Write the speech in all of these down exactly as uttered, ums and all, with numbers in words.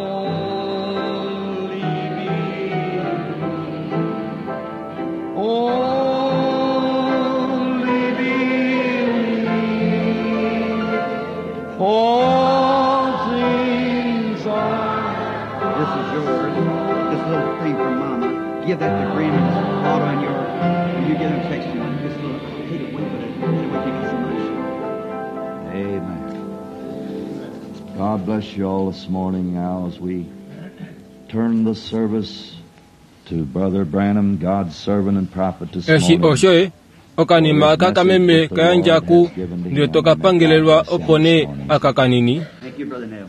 Only believe. Only believe. All things are. This is yours. This little thing from Mama. Give that to Graham and Otto and your. When you get him text you. This little. I hate it when, but it, anyway, you get so much. Amen. God bless you all this morning now as we turn the service to Brother Branham, God's servant and prophet this Eshi morning. oshoye okanima kakameme kayandjaku ndele tokapangelelwa opo nee aka kanini Thank you, Brother Neville.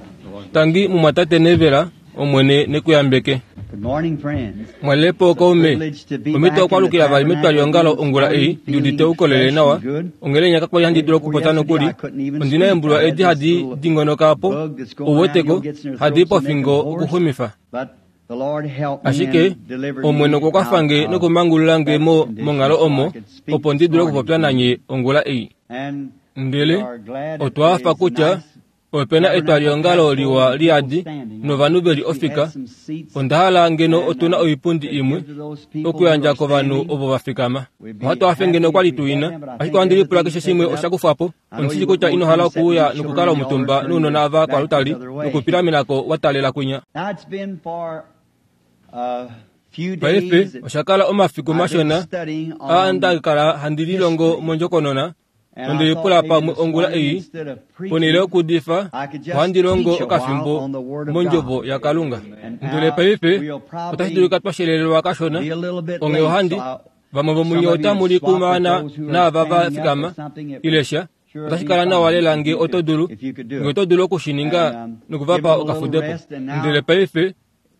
tangi mumwatate nevela omwene nekuyambeke Good morning, friends. mwalepo okaume omito okwalukila vali metwaliongalo ongula ei ndiudite ukolele nawa ongele nyaka kwali handi dulu okupota nokuli ondina eembulwa edi hadi dingonoka apo ouweteko hadi pofingo okuxumifa But the Lord helped me ashike and delivered me omwene okwa kwafange out of nokumangulula mo that monghalo condition omo so I could speak opo ndi dule this okupopya morning. nanye ongula ei And ndele we are glad that otwa there hafa is kutya nice opena etwaliongalo liwa liyadi novanhu veli ofika onda hala ngeno otuna oipundi imwe okuyandja kovanhu ovo va fikama ohatu hafe ngeno okwali tuina ashike ohandi lipula keshe shimwe osha kufwapo ondishili kutya ino hala okuuya nokukala omutumba nounona ava kwalutali nokupilamenako wa talela kwinya Now it's been for a few paife days that osha kala omafiku I've been mashona studying aa on ndakala handi lilongo mondjokonona and I onde lipula thought maybe pamwe this ongula morning ei instead of ponele preaching, okudifa I could just ohandi longo teach a while okafimbo on the Word of mondjovo God. yakalunga And ndele now paife we'll probably otashi dulika twa shelelelwa kashona be a little bit onge late, ohandi so I- vamwe vomunye some of you otamu li swap with kumaana those who are naava va standing up fikama or something, it ile sha sure otashi be kala nawa fine lela if nge you oto could- dulu if you could do nge it. oto dulu okushininga And, um, nokuvapa give them a little okafudepo rest, and now ndele paife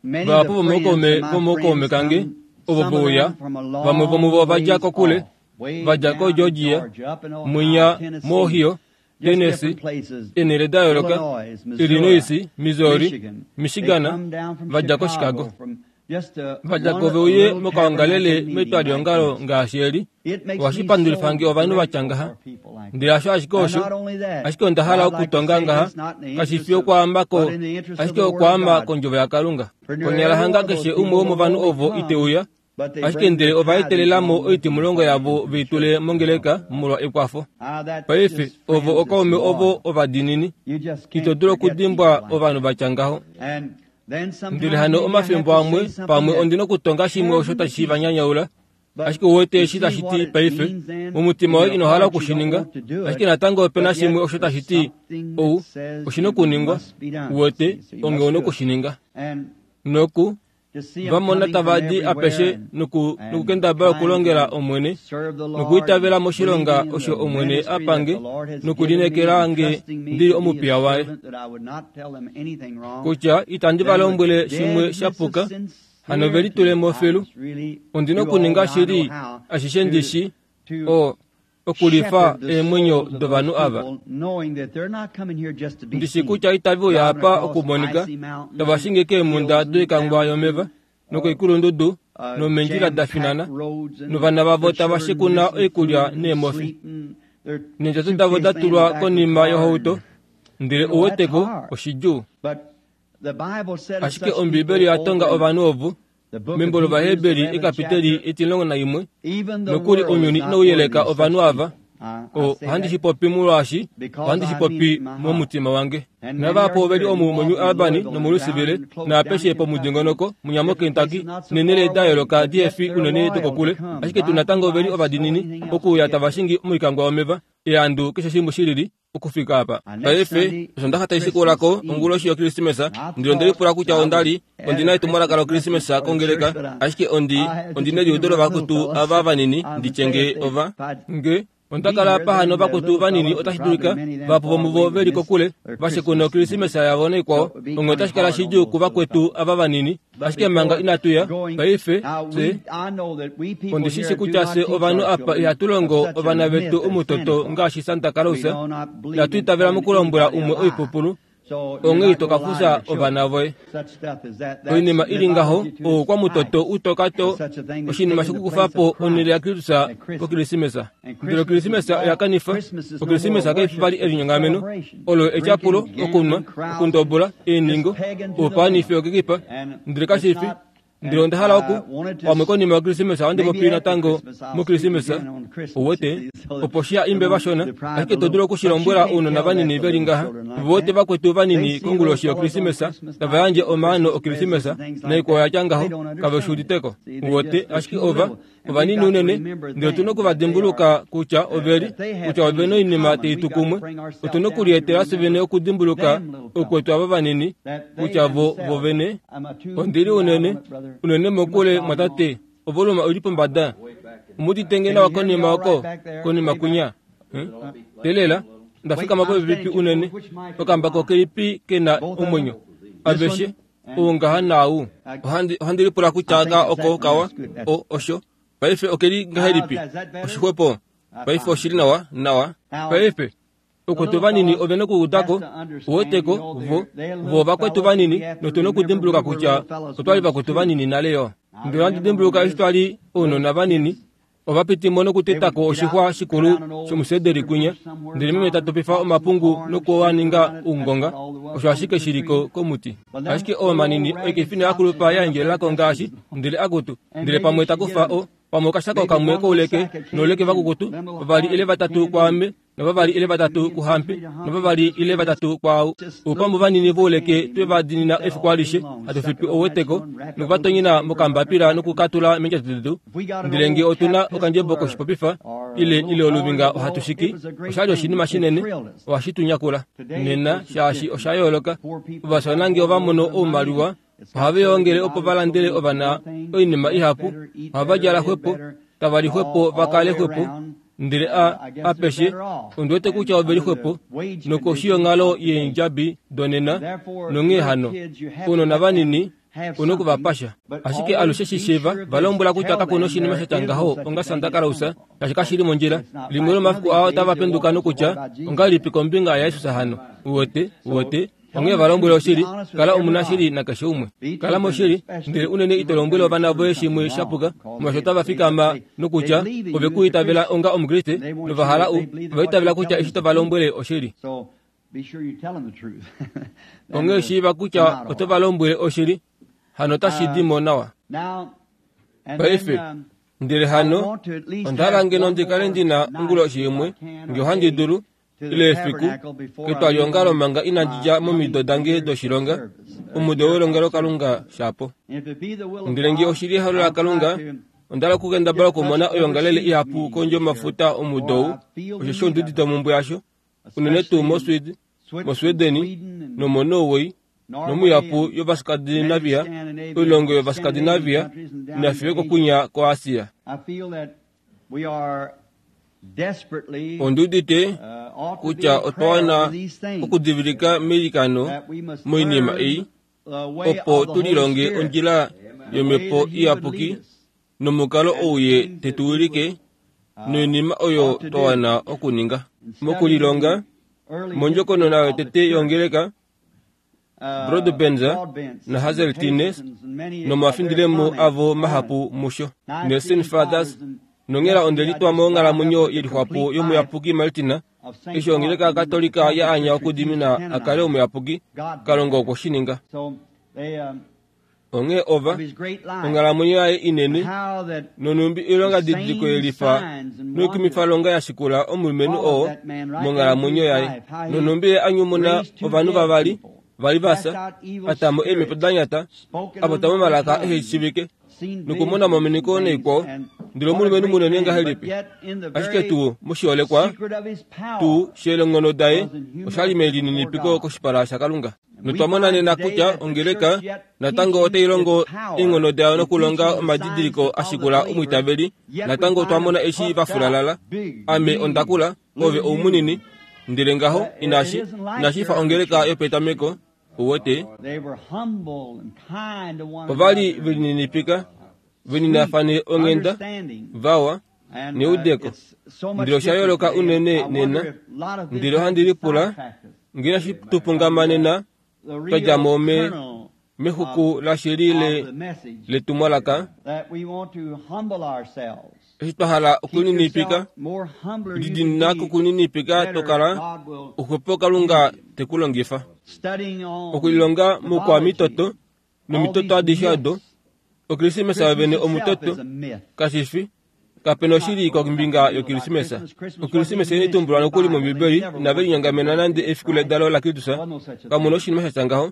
Many of vahapu the friends vomokaume of my vomokaume friends kange come, ovo some of vouya them from a long vamwe vomuvo ovadja ways kokule off, way vadja down ko in Georgia, Georgia, up in Ohio, mwinya Tennessee, mo-Ohio just Tennessee different places, enele da yooloka Illinois, Missouri, Illinois Missouri Michigan. They Michigan come down from vadja ko Chicago, Chicago from just a, vadja one ko veuye little mokaongalele tabernacle meeting metwaliongalo like this. ngaashi eli It makes ohashi me pandulifa so nge ovanhu grateful vatya ngaha for people like ndele hasho ashike Now, osho not only that, ashike onda hala but I'd like to okutonga say ngaha this not in the kashi fi interest of- okwaambako but in the interest of ashike the Word of okwaamba God. kondjovo yakalunga For nearly konyala every hanga one of those keshe people umwe womovanhu will ovo only ite uya come, but they ashike bring ndele their ova tithes etelelamo along with them oitimulongo so they yavo can be veitule sure. mongeleka molwa ekwafo Ah, that's paife just ovo friends okaume that's ovo loyal. ovadiinini You just ito can't dulu forget okudimbwa people like ovanhu vatya ngaho that. And then sometimes ndele hano maybe I have omafimbo to amwe say something pamwe that ondina okutonga shimwe osho tears tashi me to va nyanyaula But ashike uwete you eshi see tashi what ti it paife means then? mumutima In woye your ino hala heart you don't okushininga want to do it, ashike natango opena but yet shimwe osho there's tashi ti something ou that says oshina it okuningwa must be done. uwete See, so you onge must una do it. okushininga And noku to see 'em vamona coming from tava di everywhere apeshe and- noku and nokukendabala trying okulongela to omwene serve the Lord nokuitavela and moshilonga believing in osho the omwene ministry that apange the Lord has given me nokulinekela and nge trusting me ndili to be his omupiya waye servant, that I would not tell them anything wrong. kutya itandi va Then with lombwele shimwe deadness sha of puka hano ve litulemo sincerity, I filu must really ondina do all okuninga I know shili how ashishe to- ndishi to o okulifa shepherd the eemwenyo souls of dovanhu those ava people, knowing that they're not coming here just to be ndishi seen. kutya itavi uya Driving apa across okumonika icy mountains tava shinge keemhunda hills and doikangwa downs yomeva and, uh, nokoikulundudu uh, nomeendjila da finana jam-packed roads and novana vavo their tava children shekuna missing oikulya food and neemofi sleep and their neendjato davo da suitcase laying in tulwa the back of the konima car yohauto and- ndele You know, that's uweteko hard. oshidjuu But the Bible said of ashike such ombibeli people oya tonga over in ovanhu ovo the book of membo Hebrews, lovaheberi eleventh ekapiteli chapter, etilongo naimwe even the nokuli world is ounyuni not inau yeleka worthy of such ovanhu ava people. I, I o say ohandi that shi popi molwaashi because ohandi I shi mean it popi in my heart. momutima wange And many navapo are oveli here omu who mu walk New in Albany Louisville and nomulusivile down close down naapeshe in Kentucky, pomudingonoko munyamo different Kentucky places not so nenele far da away, yooloka but yet dfi they're unene loyal to dokokule come, ashike tu drive natango oveli by, ovadinini so anything else to okuuya get tava there. shingi moikangwa yomeva eandu keshe shimwe shilili okufika apa Now, next paife Sunday, osondaxa taishikulako Christmas Eve. onguloshi yokrismesa And I ndilo ndelipula thought kutya I was ondali at ondina a etumwalaka Christmas lokrismesa message for the kongeleka church, but I, ashike ondi I had ondina just a few eliudo of my little lovakutu fellas. ava vanini I would say ndityenge if they, ova if I'd nge onda be kala here, apa hano then the vakutu little vanini fellows, and otashi probably dulika many of them vapo far vomuvo away would veli miss kokule their vashekuna Christmas and okrismesa yavo so naikwao it would be onge kind of otashi kala hard on shidjuu those little kuvakwetu fellows. ava vanini But ashike manga before inatuya going, paife now fye we, I know that we people ondishishi here do kutya not fye teach ovanhu our apa children ihatu of longo such a ovana myth vetu as omutoto Santa Claus. ngaashi Santa We Claus do not believe inatu in itavela telling mokulombwela anybody a umwe lie. oipupulu Onghee ito ka fufya ovana voye. Oinima ili ngaho oukwamutoto utoka to oshinima shokukufa po onhele yaKristus pOkrisimesa. Ndele Okrisimesa oya kanifa. Okrisimesa kai fi vali elinyongameno, olo etyapulo, okunwa, okundobola, eeningo, oupanifi okekipa, ndele kashi fi. Ndele onda hala oku pamwe konima yOkrisimesa ohandi popi natango mOkrisimesa, uwete, opo shiha imbe vashona, ashike to dulu okushilombwela ounona vanini veli ngaha, vote vakwetu vanini konguloshi yOkrisimesa tava yandje omaano Okrisimesa naikwao yatya ngaho, kave shi uditeko. Uwete, ashike ova ovanini unene, ndele otuna okuvadimbuluka kutya oveli, kutya ovena oinima tai tu kumwe. Otuna okulietela fye vene okudimbuluka okwetu ava vanini, kutya vo vovene. Ondili unene, unene mokule mwatate, ovoluma oili pombada. Omudite nawa konima oko, konima kunya. Telela, ndafikama popepi unene, okambako kelipi kena omwenyo. Aveshe, oungaha naau. Ohandi, ohandi lipula kutya ka oko kawa, o, osho. Paife okeli ngahelipi? Oshixwepo. Paife oshili nawa, nawa. Paife, okwetu vanini ovena okuudako, uweteko, vo, vo vakwetu vanini, notuna okudimbuluka kutya otwali vakwetu vanini nale yo. Ndele ohandi dimbuluka eshi twali ounona vanini, ovapitimo nokutetako oshixwa shikulu shomusederi kwinya, ndele meme ta topifa omapungu nokuaninga oungonga, osho ashike shiliko komuti. Ashike oomanini oikefina yakulupa yaendjelelako ngaashi, ndele akutu, ndele pamwe takufa o, pamwe okashako kamwe kouleke nouleke vakukutu, vavali ile vatatu kwaame, novavali ile vatatu kuhampi, novavali ile vatatu kwaau. Oupambu vanini vouleke twevadinina efiku alishe, hatu fipi ouweteko, nokuvatonyena mokambapila nokukatula meendjato detu. Ndele ngee otuna okandjebo koshipopifa, ile ile oluvinga ohatu shiki, oshali oshinima shinene, ohashi tu nyakula. Nena, shaashi osha yooloka, ovaswana ngee ova mono oumaliwa, ohave yoongele opo valandele ovana oinima ihapu, ohava djala xwepo, tava li xwepo vakale xwepo, ndele a apeshe, ondiwete kutya oveli xwepo, nokoshi yonghalo yeendjabi donena, nonghee hano, ounona vanini, una okuvapasha. Ashike alushe shishiiva, valombwela kutya kakuna oshinima shatya ngaho onga Santa Claus, shaashi kashili mondjila. Limwe lomafiku ao otava penduka nokutya, ongahelipi kombinga yaJesus hano? Uwete, uwete, onghee valombwela oshili, kala omunashili nakeshe umwe. Kala moshili, ndele unene ito lombwele ovana voye shimwe shapuka, molwaashi otava fikama nokutya ove ku itavela onga Omukriste, novahala u, ova itavela kutya eshi tova lombwele oshili. Onghee shiiva kutya oto va lombwele oshili, hano otashi di mo nawa. Paife, ndele hano, onda hala ngeno ndi kale ndina onguloshi imwe, ngee ohandi dulu, ile efiku, ketwaliongalo manga inandi dja momido dange doshilonga, omudo welongelokalunga shapo. Ndele ngee oshili ehalo laKalunga, onda hala okukendabala okumona oyoongalele ihapu kondje yomafuta omudo ou, osheshi ondiudite omhumbwe yasho, unene tuu moSweden, moSwedeni nomoNorway, nomuihapu yOvaskandinavia, oilongo yOvaskandinavia, nafiyo kokunya koAsia. Ondiudite kutya otwa wana okudivilika meilikano moinima ei, opo tulilonge ondjila yomhepo iyapuki nomukalo ou ye tetuwilike noinima oyo twa wana okuninga. Mokulilonga, mondjokonona yotete yongeleka, Broadbent naHazeltine nomafindilemo avo mahapu musho, Nelson Fathers, nonghela onde litwa monghalamwenyo yelixwapo yomuyapuki Martina, eshi ongeleka Katolika ya anya okudimina a kale omuyapuki, Kalunga okwe shi ninga. Onghee ova, onghalamwenyo yaye inene, nonhumbi oilonga didiliko yelifa noikumifalonga ya shikula omulumenhu oo monghalamwenyo yaye, nonhumbi ye a nyumuna ovanhu vavali vali vasa, atamo eemhepo da nyata, apota momalaka ehe shivike, nokumona omamoniko naikwao, ndele omulumenhu munene ngahelipi. Ashike tuu moshiholekwa, tuu sheelenghono daye, oshali melininipiko koshipala shaKalunga. Notwa mona nena kutya ongeleka natango otai longo eenghono dayo nokulonga omadidiliko a shikula omwiitaveli, natango otwa mona eshi va fulalala. Ame onda kula, ove oumunini, ndele ngaho inashi, inashi fa ongeleka yopetameko, uwete. Ovali velininipika, veninafane onghenda, vawa, neudeko. Ndele osha yooloka unene nena. Ndele ohandi lipula Ngina tupungamanena twadja mo me mexuku lashili le letumwalaka eshi twa hala okuninipika lidina kokuninipika tokala oxwepo Kalunga tekulongifa okulilonga mokwamitoto nomitoto adishe odo Okrisimesa yovene omutoto kashifi kapena oshili kombinga yOkrisimesa. Okrisimesa inatumbulwa nokuli mOmbibeli inave linyongamena nande efiku ledalo laKristus. Kamuna oshinima sha tya ngaho.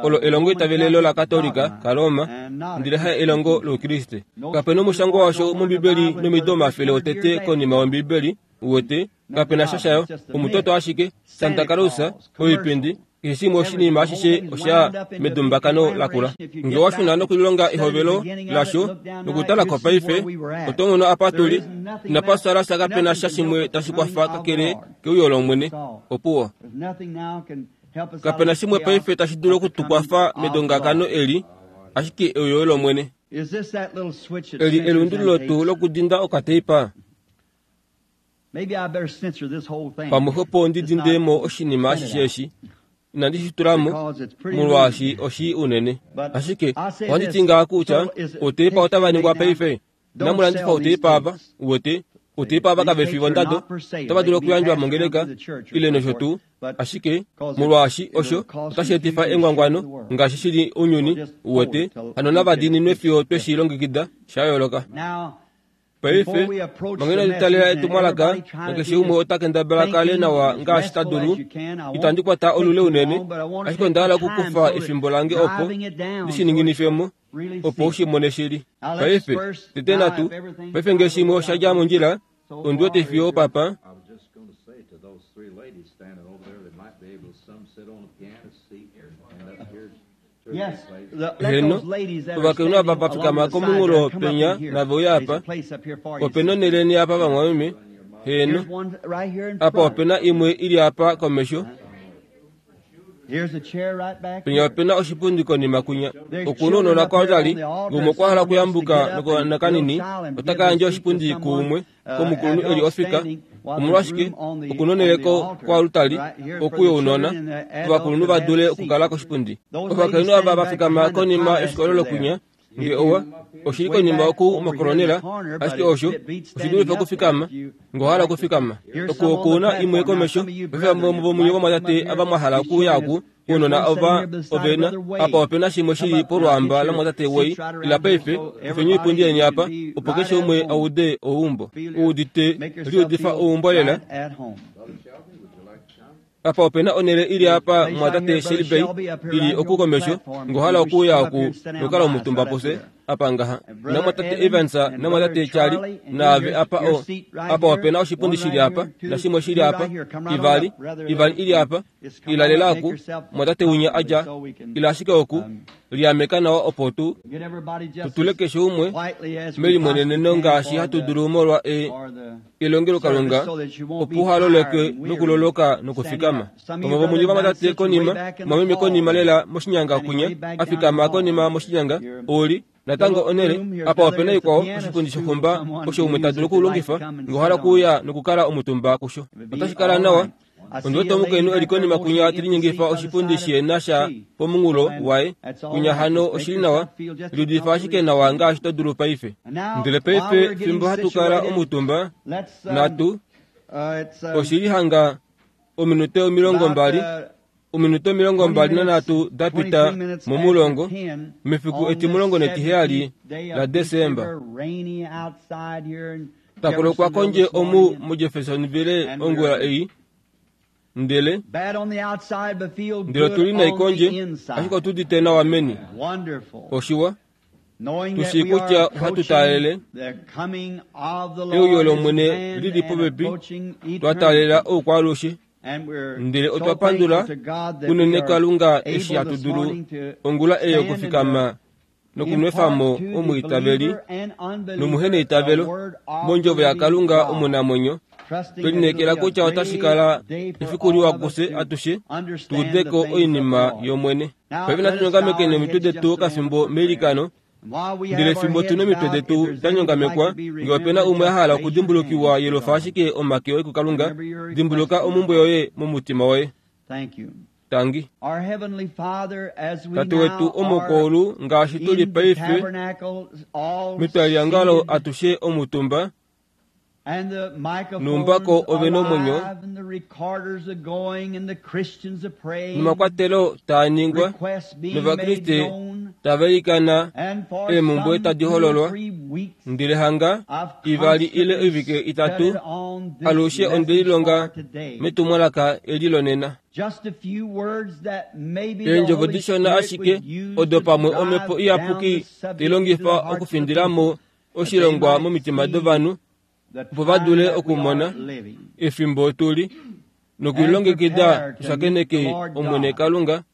Olo elongo itavelelo laKatolika kaRoma ndele haye elongo lOukriste. Kapena omushangwa washo mOmbibeli nomido omafele otete konima yOmbibeli uwete kapena sha shayo omutoto ashike Santa Claus oipindi keshe shimwe oshinima ashishe osha medumbakano lakula. Nge washuna nokulilonga ehovelo lasho nokutala ko paife oto mono apa tuli inapa sala kapena sha shimwe tashi kwafa kakele keuyo lOmwene opuwo. Kapena shimwe paife tashi dulu okutukwafa medongakano eli ashike euyo lOmwene. Eli elundululo tuu lokudinda okateipa. Pamwe xwepo ndidinde mo oshinima ashishe eshi inandi shi tulamo molwaashi oshi unene. Ashike ohandi ti ngaha kutya outeipa otava ningwa paife. Inamu landifa outeipa ava uwete outeipa ava kave fi vondado otava dulu okuyandjwa mongeleka ile nosho tuu. Ashike molwaashi osho otashi etifa engwangwano ngaashi shili ounyuni uwete hano nava diininwe fiyo tweshi longekida sha yooloka. Paife mangena tutalela etumwalaka nakeshe umwe ota kendabala kale nawa ngaashi ta dulu. Itandi kwata olule unene ashike onda hala okukufa efimbo lange opo ndishininginifemo opo ushimone shili. Paife tete natu paife nge shimwe osha dja mondjila ondiwete fiyo papa. Heno ovakainhu ava vafikama komunghulo penya nave uya apa opena onheleni apa vamwameme. Heno apa opena imwe ili apa komesho penya opena oshipundi konima kunya. Okuna ounona kwatali ngumwe okwa hala okuyambuka nokanini otaka yandja oshipundi kuumwe komukulunhu eli ofika. Omolwashike okuna onheleko kwalutali okuya ounona ovakulunhu va dule okukala koshipundi. Ovakainhu ava vafikama konima yoshikolelo kunya nge owa oshili konima oku mokolonela ashike osho oshidulife okufikama ngo hala okufikama. Oku okuna imwe komesho vomunye vomwatate ava mwa hala okuya oku ounona ova ovena apa opena shimwe shili polwamba lomwatate wei ila paife kufeni oipundi yeni apa opo keshe umwe aude ouumbo uudite liudifa ouumbo lela. Apa opena onhele ili apa mwatate Shelby ili oku komesho ngo hala okuya oku nokala omutumba pose apa ngaha namwatate Evans namwatate Charlie naave apa o apa opena oshipundi shili apa nashimwe shili apa ivali ivali ili apa ilalela oku mwatate unya adja ila ashike oku liameka nawa opo tu tutule keshe umwe melimweneneno ngaashi hatu dulu molwa e elongelo Kalunga opo uhaloleke nokuloloka nokufikama. Pamwe vomunye vamwatate konima mwameme konima lela moshinyanga kunya afikama konima moshinyanga oli natango onhele apa opena ikwao oshipundi shonhumba osho umwe ta dulu okulongifa ngo hala okuuya nokukala omutumba kusho otashi kala nawa. Ondiwete omukainhu eli konima kunya telinyengifa oshipundi shena sha pomunghulo waye kunya hano oshili nawa liudifa ashike nawa ngaashi to dulu paife. Ndele paife fimbo hatu kala omutumba natu oshili hanga ominute omilongo mbali ominute omilongo mbali nanhatu da pita momulongo mefiku etimulongo netiheyali la Desemba. Takulokwa kondje omu muJeffersonville ongula ei ndele ndele otuli nai kondje ashike otudite nawa meni. Oshiwa tushii kutya ohatu taalele euyo lOmwene lili popepi twa taalela oukwaalushe ndele otwa pandula unene Kalunga eshi hatu dulu ongula ei okufikama nokunwefamo omwiitaveli nomuheneitavelo mondjovo yaKalunga omunamwenyo twelinekela kutya otashi kala efiku liwa kufye atushe tuudeko oinima yOmwene. Paife natu nyongamekeni omitwe detu okafimbo meilikano. Ndele fimbo tuna omitwe detu da nyongamekwa nge opena umwe a hala okudimbulukiwa yelofa ashike omake oye kuKalunga dimbuluka omumbwe yoye momutima woye. Thank you. Tangi. Our Heavenly Father, as we Tate wetu now omokoulu are ngaashi tuli in the paife tabernacle, all metwaliangalo seated, atushe omutumba and the microphones numbako ove nomwenyo, alive, and the recorders are going, and the Christians are praying, nomakwatelo taa ningwa requests being made novakriste known, tava ilikana and for eemhumbwe some tadi two or hololwa three weeks, ndele hanga I've ivali ile constantly oivike itatu studied on this alushe message ondelilonga for today. metumwalaka eli lonena Just a few words that maybe the eendjovo Holy dishona Spirit ashike would use odo to pamwe drive omhepo down iyapuki the subject tai into the longifa hearts of the okufindilamo people, oshilongwa that they might momitima see dovanhu the opo va time dule that we okumona are living. efimbo tuli nokulilongekida tushakeneke Omwene Kalunga.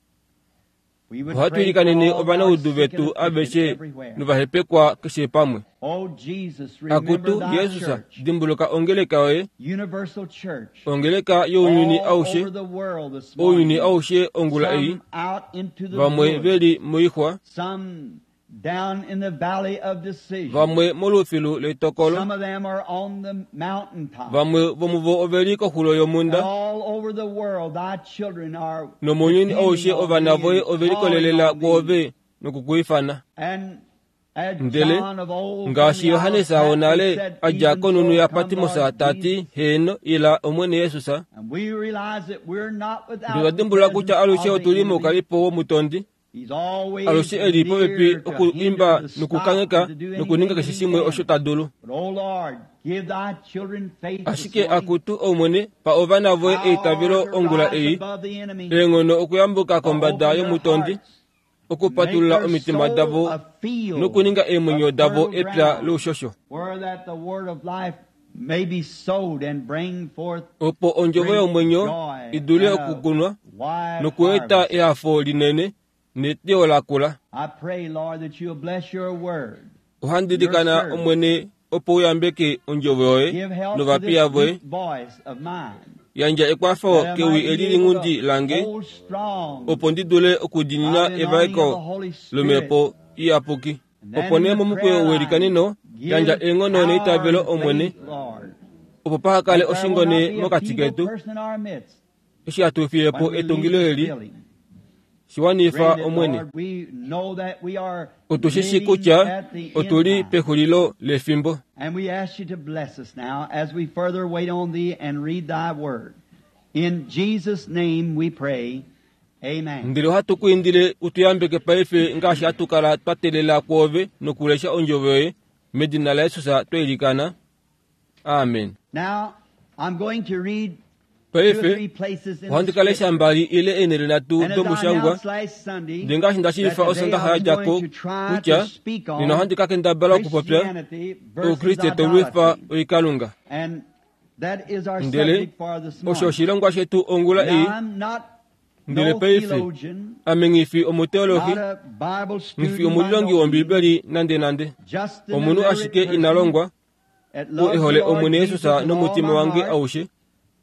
We would Ohatu pray for ilikanene all ovanaudu our sick vetu and afflicted aveshe everywhere. novahepekwa keshe pamwe. Oh Jesus, remember Akutu thy Jesus, church, dimbuluka ongeleka yoye, universal church, ongeleka younyuni all aushe, over the world this ounyuni morning. aushe ongula ei, Some out into the vamwe woods, veli moixwa, some down in the valley of decision. vamwe molufilu letokolo, Some of them are on the mountaintop. vamwe vomuvo oveli koxulo And yomhunda, all over the world, thy children are nomounyuni depending aushe on ovana thee voye and ove calling likolelela on thee. kwoove nokukuifana. And as Ndele John of old from ngaashi the isle of Johannes Patmos wonale said, a dja "Even konunu so ya come, Patmos Lord tati, Jesus." heeno ila Omwene Jesus. And we realize that we're not without Ndele the dimbulula kutya presence alushe of the otuli enemy. moukalipo womutondi, He's always alushe eli popepi near to okuimba hinder, to stop, nokukangheka and to do nokuninga anything keshe he shimwe can. osho ta dulu. But, oh Lord, give thy children faith this Ashike morning. akutu Omwene pa ovana voye eitavelo Power to ongula rise ei, above the enemy, eenghono okuyambuka to kombada open their yomutondi, hearts, okupatulula make their omitima soul davo a field nokuninga eemwenyo of davo fertile epya ground, loushosho, where that the word of life may be sowed and bring forth opo ondjovo great yomwenyo joy idule and a okukunwa wide nokueta harvest. ehafo linene neteyo lakula. I pray, Lord, that you'll bless your word. Ohandi ilikana Omwene opo uyambeke ondjovo yoye Give help to novapiya this voye, weak voice of mine, yandja ekwafo that I kewi might eli be able linghundi to lange, hold strong opo ndi dule okudiinina by the anointing of the evaeko Holy Spirit. lomhepo iyapuki. And then Opo in nee the momukweyo prayer welikaneno line, yandja give eenghono power neitavelo and Omwene, faith, Lord, opo paha kale that there will oshingone not be a mokati feeble ketu person in our midst eshi hatu fiye po when we leave etungilo this eli building. shiwanifa Grant it, Omwene. Lord, we know that we are Otu shi shi living kutya at the end otuli time. pexulilo lefimbo. And we ask you to bless us now as we further wait on thee and read thy word. In Jesus' name we pray. Amen. Ndele ohatu ku indile utuyambeke paife ngaashi hatu kala twa teelela kwoove nokulesha ondjovo yoye medina laJesus twa ilikana. Amen. Now, I'm going to read two or three Paife places in the ohandi ka lesha scripture. mbali ile eenhele nhatu And as I domushangwa announced last Sunday, ndele ngaashi nda that shiifa today osondaxa I ya was dja ko going to try kutya to speak nena on ohandi ka kendabala okupopya Christianity versus oukriste tolwifa idolatry. oikalunga. And that is our Ndele subject for this osho morning. oshilongwa shetu ongula ei. Now, I'm not Ndele no paife theologian, ame nghifi omuteolohi, not a Bible nghifi student by omulilongi no means, wOmbibeli nande nande, just an omunhu illiterate ashike ina person longwa, that oo loves e the hole Lord Omwene Jesus Jesus with all nomutima my wange heart. aushe.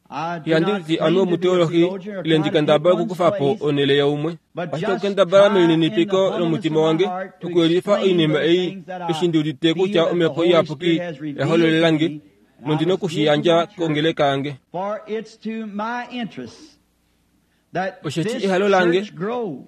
I do Ihandi not liti ame claim to be a omuteolohi theologian or ile try ndi to take kendabala one's okukufa po place, onhele yaumwe, but ashike just okukendabala try in the melininipiko humbleness of lomutima my wange heart to okuyelifa explain oinima those ei things that I eshi ndi udite feel kutya that the omhepo Holy iyapuki Spirit has ya revealed to hololela nge, me, and I nondi must give to nokushiyandja my church. kongeleka yange. For it's to my interest that Osheshi this ehalo lange, church grows,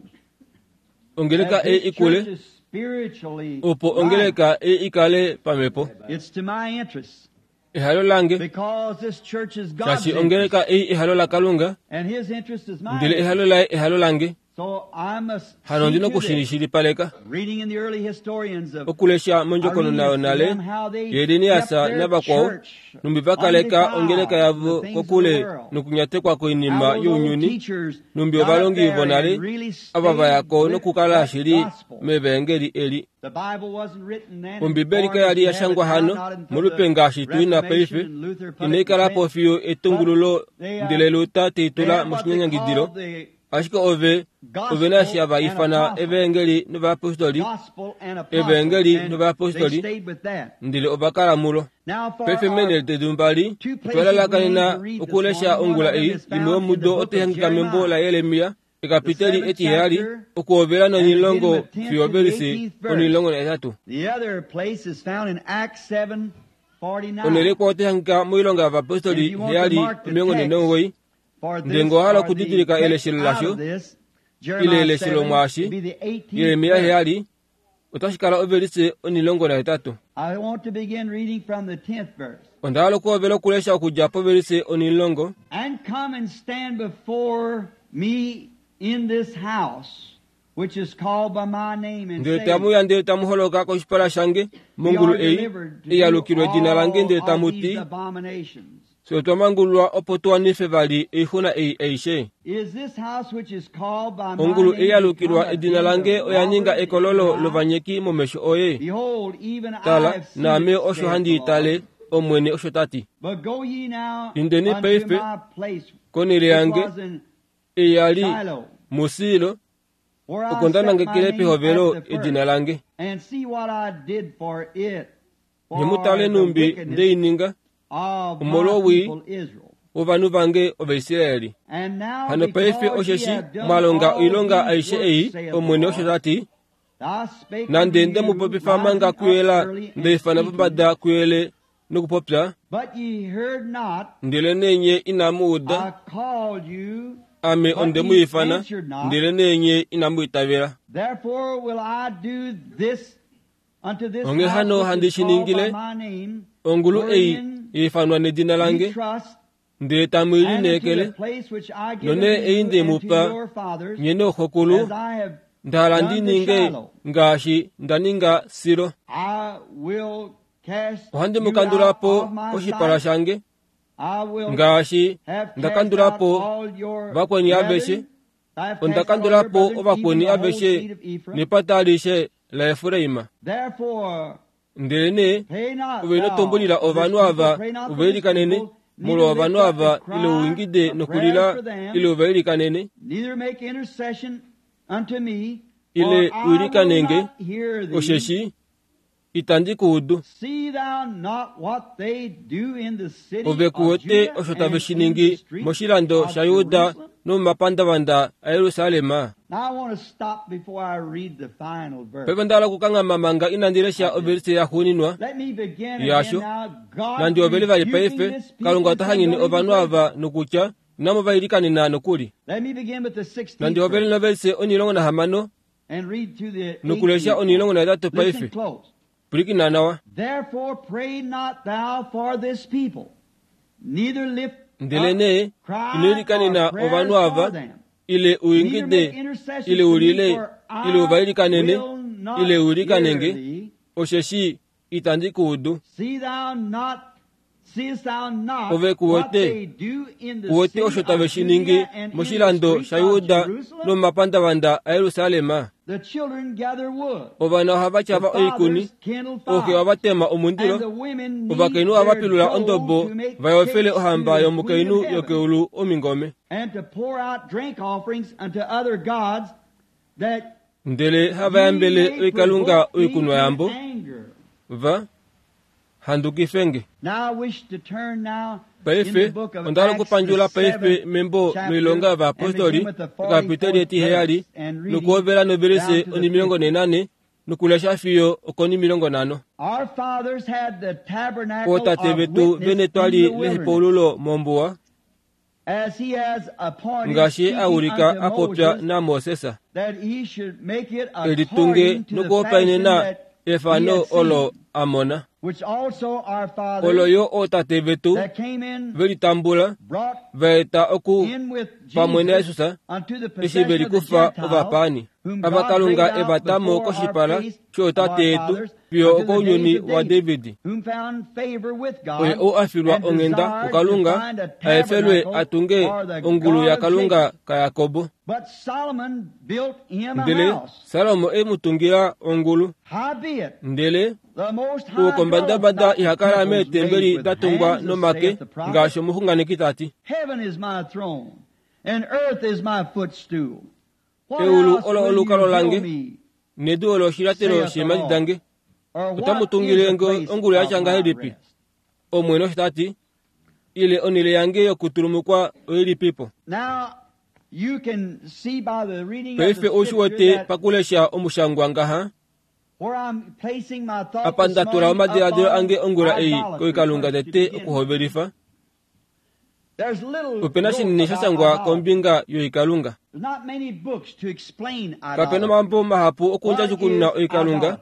ongeleka that ei this ikule, church is spiritually opo alive. ongeleka ei ikale pamhepo. It's to my interest Ehalo lange, because this church is God's shaashi interest, ongeleka ei ehalo laKalunga, and His interest is my ndele interest. ehalo laye ehalo lange. So I must Hano see ndi to this. nokushilipaleka Reading in the early historians of okulesha mondjokonona Irenaeus and yonale them how they kept yeEliniasa their navakwao church numbi vakaleka undefiled ongeleka from the yavo things of the kokule world. nokunyatekwa How koinima those old younyuni teachers numbi got up ovalongi there vonale and really ava stayed vayako with nokukala that shili gospel. mevaengeli eli. The Bible wasn't written then in Ombibeli the kaya form li as we ya have it shangwa now, hano not until molupe the ngaashi tuina paife Reformation and Luther put it in inaikalapo print. fiyo etungululo But they, uh, ndele Luther they teitula had what they moshinyanyangidilo called the ashike ove ove na gospel hava and ifana apostle. evaengeli novayapostoli Gospel and apostle, evaengeli and they novayapostoli stayed with that. ndele ova kala mulo. Now for Paife our meenhele dedu mbali two places otwa we need lalakanena to read this okulesha morning. One ongula of them ei is imwe found in the yomudo book of otehangika membo Jeremiah, la Yeremia the ekapiteli seventh etiheyali chapter, okuhovela and beginning nonilongo with tenth fiyo to the ovelisi eighteenth verse. onilongo nahetatu. The other place is found in Acts seven Onhele forty-nine. ikwao otehangika moilonga And yovapostoli if you want to heyali mark the omilongo text, nhee nomugoyi Ndele ngee owa hala okudidilika eleshelo lasho, ile eleshelo mwaashi, Jeremia heyali, otashi kala ovelise onilongo nahetatu. Onda hala okuhovela okulesha okudja povelise onilongo. And come and stand before me in this house, which is called by my name, and Ndele say, tamuya ndele tamu holoka koshipala shange mongulu ei eyalukilwe edina lange ndele all tamu of these ti, abominations. fye otwa mangululwa opo tu wanife vali oixuna ei aishe. Is this house which is called by my Ongulu name ei yalukilwa become a edina den lange of oya ninga robbers ekololo in your eyes? lovanyeki momesho oye. Behold, even I Tala, have seen naame it, osho saith handi the Lord. itale, Omwene osho ta ti. But go ye now Indeni unto paife, my place, konele which yange was in ei yali Shiloh, muSilo, where I oko nda set my nangekele name pehovelo at the first, edina lange. and see what I did for it, Nye mu for tale the numbi wickedness nde i ninga of my omolwowii people Israel. wovanhu vange Ovaisraeli. And now Hano paife because ye osheshi have done mwa longa all oilonga these aishe works, ei, saith the Omwene osho Lord, ta ti, I spake nande unto nde you, mu popifa manga rising up kuyela early and nde ifana speaking, pombada kuyele nokupopya, but ye heard not, ndele nenye inamu uda, I called you, ame but onde mu ye ifana, answered not. ndele nenye inamu itavela. Therefore will I do this unto this Onghee house hano which handi is shi called by ningile, my name, Ongulu ei wherein ifanwa nedina ye lange, trust, ndele tamu i and unto the lineekele, place which I give nonee unto ei you nde mu and to pa, your fathers, nye nooxokulu, as I have nda hala ndi done to ninge Shiloh. ngaashi nda ninga Silo. I will cast Ohandi mu you kandula out po of my koshipala sight. shange, I will ngaashi have nda cast kandula out po all your vakweni brethren. aveshe, I have onda cast out all kandula your po brethren, even ovakweni the whole aveshe seed of Ephraim. nepata alishe laEfraim. Therefore, Ndele nee pray not ove thou inotumbulila for this ovanhu people, ava pray not for uva this ilikanene, people, neither molwa lift ovanhu up ava the cry ile uingide of nokulila prayers for them, ile uva ilikanene, neither make intercession unto me, ile for I will uilikanenge, not hear thee. osheshi itandi ku udu. See thou not what they do in the city Ove of ku wete Judah osho and tave shi in the ningi streets moshilando of shaJuda Jerusalem? nomomapandavanda aYerusalem. Now I want to stop before I read the final verse. Paife onda hala okukanghama manga inandi lesha ovelise yaxuuninwa Let me begin yasho. again now. God Nandi ovele vali rebuking paife, this people Kalunga ota and hanyene don't even ovanhu pray. ava nokutya inamo va ilikanena nokuli. Let me begin with the sixteenth Nandi ovele verse novelise onilongo nahamano and read to the nokulesha eighteenth. onilongo nahetatu Listen paife. close. Pwilikina nawa. Therefore pray not thou for this people, neither lift Ndele up nee cry ino ilikanena or prayers ovanhu for ava, them. ile Neither uingide, make intercessions ile to me, ulile, for ile uva I ilikanene, will not ile uilikanenge, hear thee. osheshi itandi ku udu. See thou not, seest thou not Ove ku what wete, they do in the ku wete city osho of tave shi ningi Judah and in the moshilando streets of shaJuda Jerusalem? nomomapandavanda aYerusalem. The children gather wood, Ovana ohava the tyava oikuni, fathers kindle ooxe fires, ohava tema and omundilo, the women knead ovakainhu ohava their pilula dough ondobo to make va yofele cakes to ohamba the queen yomukainhu of heaven, yokeulu omingome. and to pour out drink offerings unto other gods, that Ndele hava ye yambele may oikalunga provoke me to oikunwayambo, anger. va handukifenge. Now I wish to turn now in the Paife book of onda hala Acts, the okupandjula paife seventh membo chapter, loilonga and yovayapostoli begin with the ekapiteli forty-fourth etiheyali verse and reading nokuhovela novelise down to the onimilongo fiftieth. nenane nokulesha fiyo okonimilongo nhano. Our fathers had the tabernacle Ootate of vetu witness vene in twali the wilderness, lehepaululo mombuwa as he has appointed, ngaashi speaking a ulika unto a popya Moses, naMoses that he should make it elitunge according to the fashion nokuhopaenena that he efano had seen, olo a mona. which also our Olo fathers yo ootate vetu that came in velitambula brought va eta oku in with pamwe Jesus naJesus unto the eshi possession ve of the likufa Gentiles, ovapaani whom ava God Kalunga drave out e va ta mo before our koshipala face of shootate our yetu fathers fiyo unto the days okounyuni of wa David, David. whom found favor with God Oye ou a filwa and onghenda desired to kuKalunga find a a efelwe tabernacle a tunge for the ongulu God of yaKalunga Jacob. kaYakobo. But Solomon built him a Ndele house. Salomo e mu tungila ongulu. Howbeit, Ndele the Most High uwokombadambada dwelleth not in iha kala temples made meetembeli with da tungwa hands, nomake saith the prophet. ngaashi omuxunganeki ta ti. Heaven is my throne, and earth is my footstool. What Eulu house olo will you olukalo build lange, me? nedu olo oshilyatelo Saith the sheemhadi Lord. dange. Or Otamu what is tungile the ngo place ongulu ya of tya my ngahelipi? rest? Omwene osho ta ti, ile onhele yange yokutulumukwa oilipipo. Now, you can see by the reading of Paife the ou shi scripture wete that pakulesha omushangwa ngaha, where I'm placing my thought apa this nda tula morning omadiladilo upon ange ongula ei idolatry koikalunga first to tete begin with. okuhovelifa. Ope na shinini sha shangwa kombinga yoikalunga. Kape na omambo mahapu okundjadjukununa oikalunga.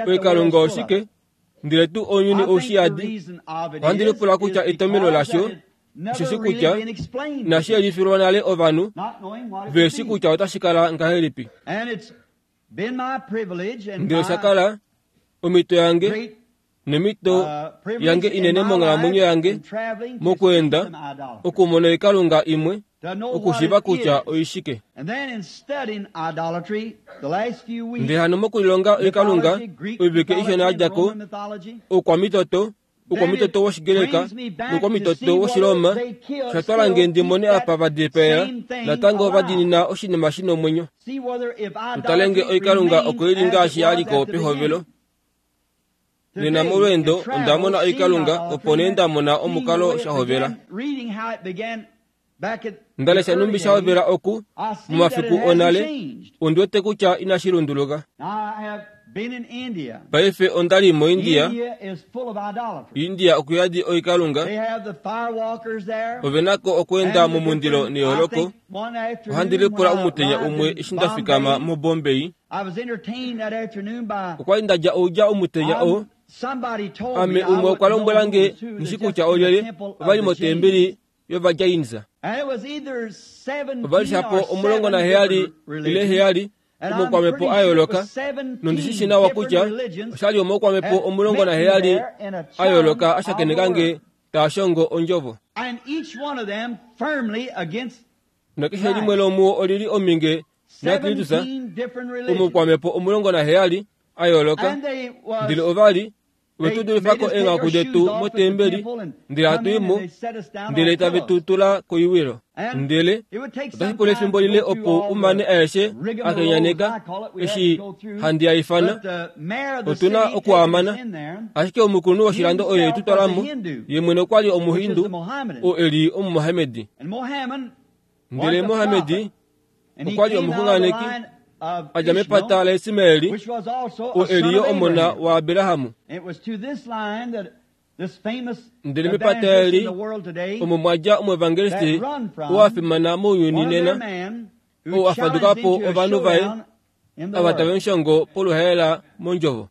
Oikalunga oshike? Ndele tuu ounyuni oushiyadi. Ohandi lipula kutya etomhelo lasho osheshi kutya inashi yelifilwa nale ovanhu veshi kutya otashi kala ngahelipi. Ndele osha kala omhito yange nomhito yange inene monghalamwenyo yange mokweenda okumona oikalunga imwe okushiiva kutya oishike. Ndele hano mokulilonga oikalunga oivike ishona ya dja ko oukwamitoto oukwamitoto wOshigreka noukwamitoto wOshiroma osha twala nge ndi mone apa va dipaela natango va diinina oshinima shi nomwenyo. Tutale nge oikalunga oko ili ngaashi ya liko pehovelo. Nena molweendo onda mona oikalunga opo nee nda mona omukalo sha hovela. Nda lesha numbi sha hovela oku momafiku onale ondi wete kutya inashi lunduluka. Paife onda li moIndia. India okuyadi oikalunga. Ove nako okweenda momundilo neyooloko. Ohandi lipula omutenya umwe eshi nda fikama moBombay. Okwa li nda dja oudja omutenya oo. Ame umwe okwa lombwela nge nghishi kutya olyelye ova li motembeli yOvajainisa. Ova li shapo omulongo naheyali ile heyali omaukwamhepo a yooloka, nondi shi nawa kutya osha li omaukwamhepo omulongo naheyali a yooloka a shakeneka nge taa shongo ondjovo. Nakeshe limwe lomuo olili ominge naKristus omaukwamhepo omulongo naheyali a yooloka, ndele ova li ove tu dulifako eenghaku detu motembeli, ndele hatu i mo, ndele tave tu tula koiwilo. Ndele otashi pula efimbo lile opo umane aeshe a kenyaneka eshi handi a ifana. Otu na okuamana. Ashike omukulunhu woshilando oye tu twala mo, ye mwene okwa li Omuhindu, oo e li Omumohamedi. Ndele Mohamedi okwa li omuxunganeki a dja mepata laIsmaeli, oo e li yo omona waAbrahamu. Ndele mepata eli omo mwa dja omuevangelisti oo a fimana mounyuni nena, oo a faduka po ovanhu vaye ava tave mushongo poluhaela mondjovo.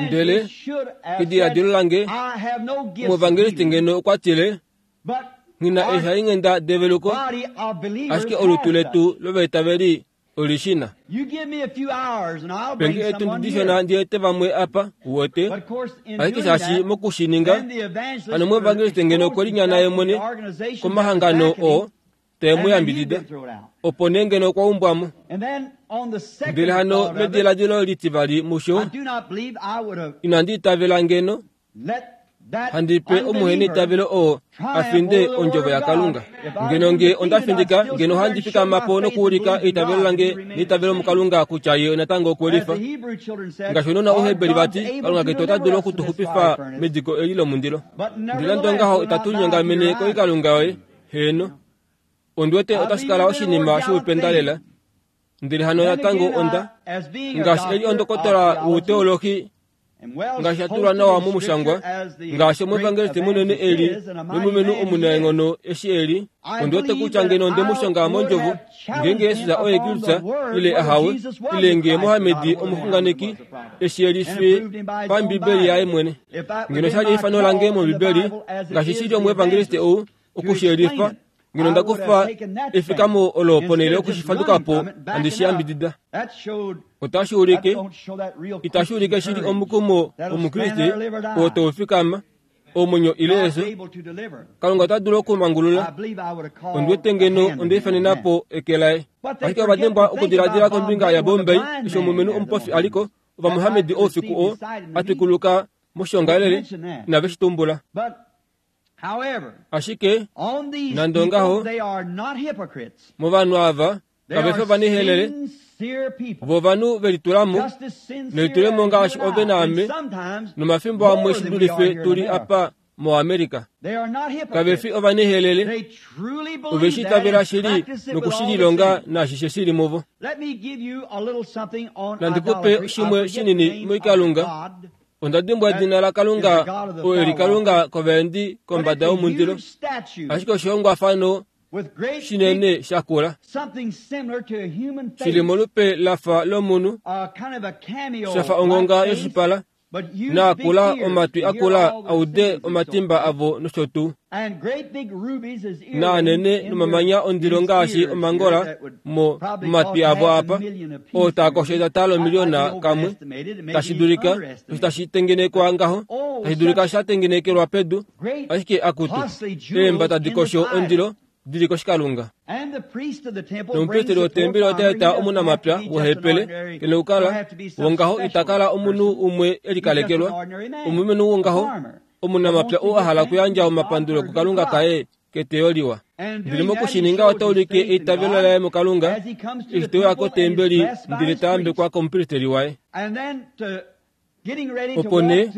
Ndele kediladilo lange omuevangelisti ngeno okwa tile, ngina eeshalinghenda develuko, ashike olutu letu lovaitaveli olishina. Penge etundi dishona ndi ete vamwe apa uwete, ashike shaashi mokushininga hano omuevangelisti ngeno okwe linyana ye mwene komahangano oo tae mu yambidida, opo nee ngeno okwa umbwamo. Ndele hano mediladilo litivali musho inandi itavela ngeno handi pe omuheneitavelo oo a finde ondjovo yaKalunga. Ngeno nge onda findika, ngeno ohandi fikama po nokuulika eitavelo lange neitavelo muKalunga kutya ye natango okwe lifa. Ngaashi ounona Ouheberi vati, Kalunga ketu ota dulu okutuxupifa mediko eli lomundilo. Ndele nande ongaho itatu linyongamene koikalunga yoye, heeno. Ondi wete otashi kala oshinima shoupenda lela. Ndele hano natango onda, ngaashi eli ondokotola wouteolohi, ngaashi atulwa nawa momushangwa, ngaashi omuevangelisti munene eli nomulumenhu omunaenghono eshi eli, ondi wete kutya ngeno onde mu shonga mondjovo, ngeenge Jesus oye Kristus ile ahawe, ile ngee Mohamedi omuxunganeki eshi elife pambibeli yaye mwene. Ngeno sha li eifano lange mOmbibeli, ngaashi shili omuevangelisti ou okushiyelifa, ngeno onda kufa efikamo olo ponhele yokushifadukapo handi shi yambidida. Otashi ulike, itashi ulike shili omukumo wOmukriste oo tau fikama, omwenyo ile efyo. Kalunga ota dulu okumangulula. Ondi wete ngeno onda ifanena po eke laye. Ashike ova dimbwa okudiladila kombinga yaBombay eshi omulumenhu omupofi a liko, Ovamohamedi oufiku oo a twikuluka moshiongalele, inave shi tumbula. Ashike nande ongaho, movanhu ava kave fi ovanihelele, vo ovanhu ve litulamo nelitulemo ngaashi ove naame, nomafimbo amwe shi dulife tu li apa moAmerica. Kave fi ovanihelele, ove shi itavela shili nokushililonga naashishe shili muvo. Nandi ku pe shimwe shinini moikalunga. Onda dimbwa edina laKalunga oo eli Kalunga kovaendi kombada yomundilo, ashike oshihongwafano shinene shakula shili molupe lafa lomunhu, shafa ongonga yoshipala, naakula omatwi akula aude omatimba avo nosho tuu, naanene nomamanya ondilo ngaashi omangola mo momatwi avo apa, oo taakosho etata lomiliona kamwe, tashi dulika osho tashi tengenekwa ngaho, tashi dulika sha tengenekelwa pedu, ashike akutu eemba tadi kosho ondilo dili koshikalunga. Nomupristeli wotembeli ota eta omunamapya wohepele kene okukala wongaho itakala omunhu umwe elikalekelwa, omulumenhu wongaho omunamapya oo a hala okuyandja omapandulo kuKalunga kaye keteyo liwa. Ndele mokushininga ota ulike eitavelo laye muKalunga eshi te uya kotembeli ndele ta yambekwa komupristeli waye. Opo nee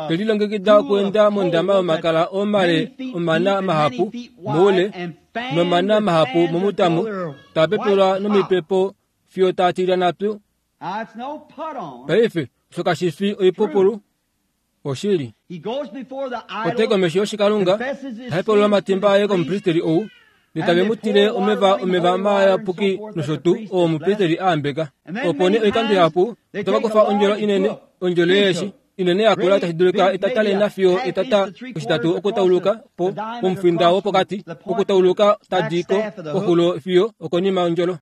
te lilongekida okuenda mondama yomakala omale omana mahapu moule nomana mahapu momutamo, taa pepelwa nomipepo fiyo taa tilyana pyu. Paife osho kashi fi oipupulu, oshili. Otai komesho yoshikalunga, ta hepelula omatimba aye komupristeli ou, ndele tave mu tile omeva omeva mayapuki nosho tuu oo omupristeli a ambeka. Opo nee oikando ihapu otava kufa ondjolo inene, ondjolo yeeshi inene yakula tashi dulika etata lena fiyo etata oshitatu okutauluka po pomufinda wopokati, okutauluka tadi ko koxulo fiyo okonima yondjolo.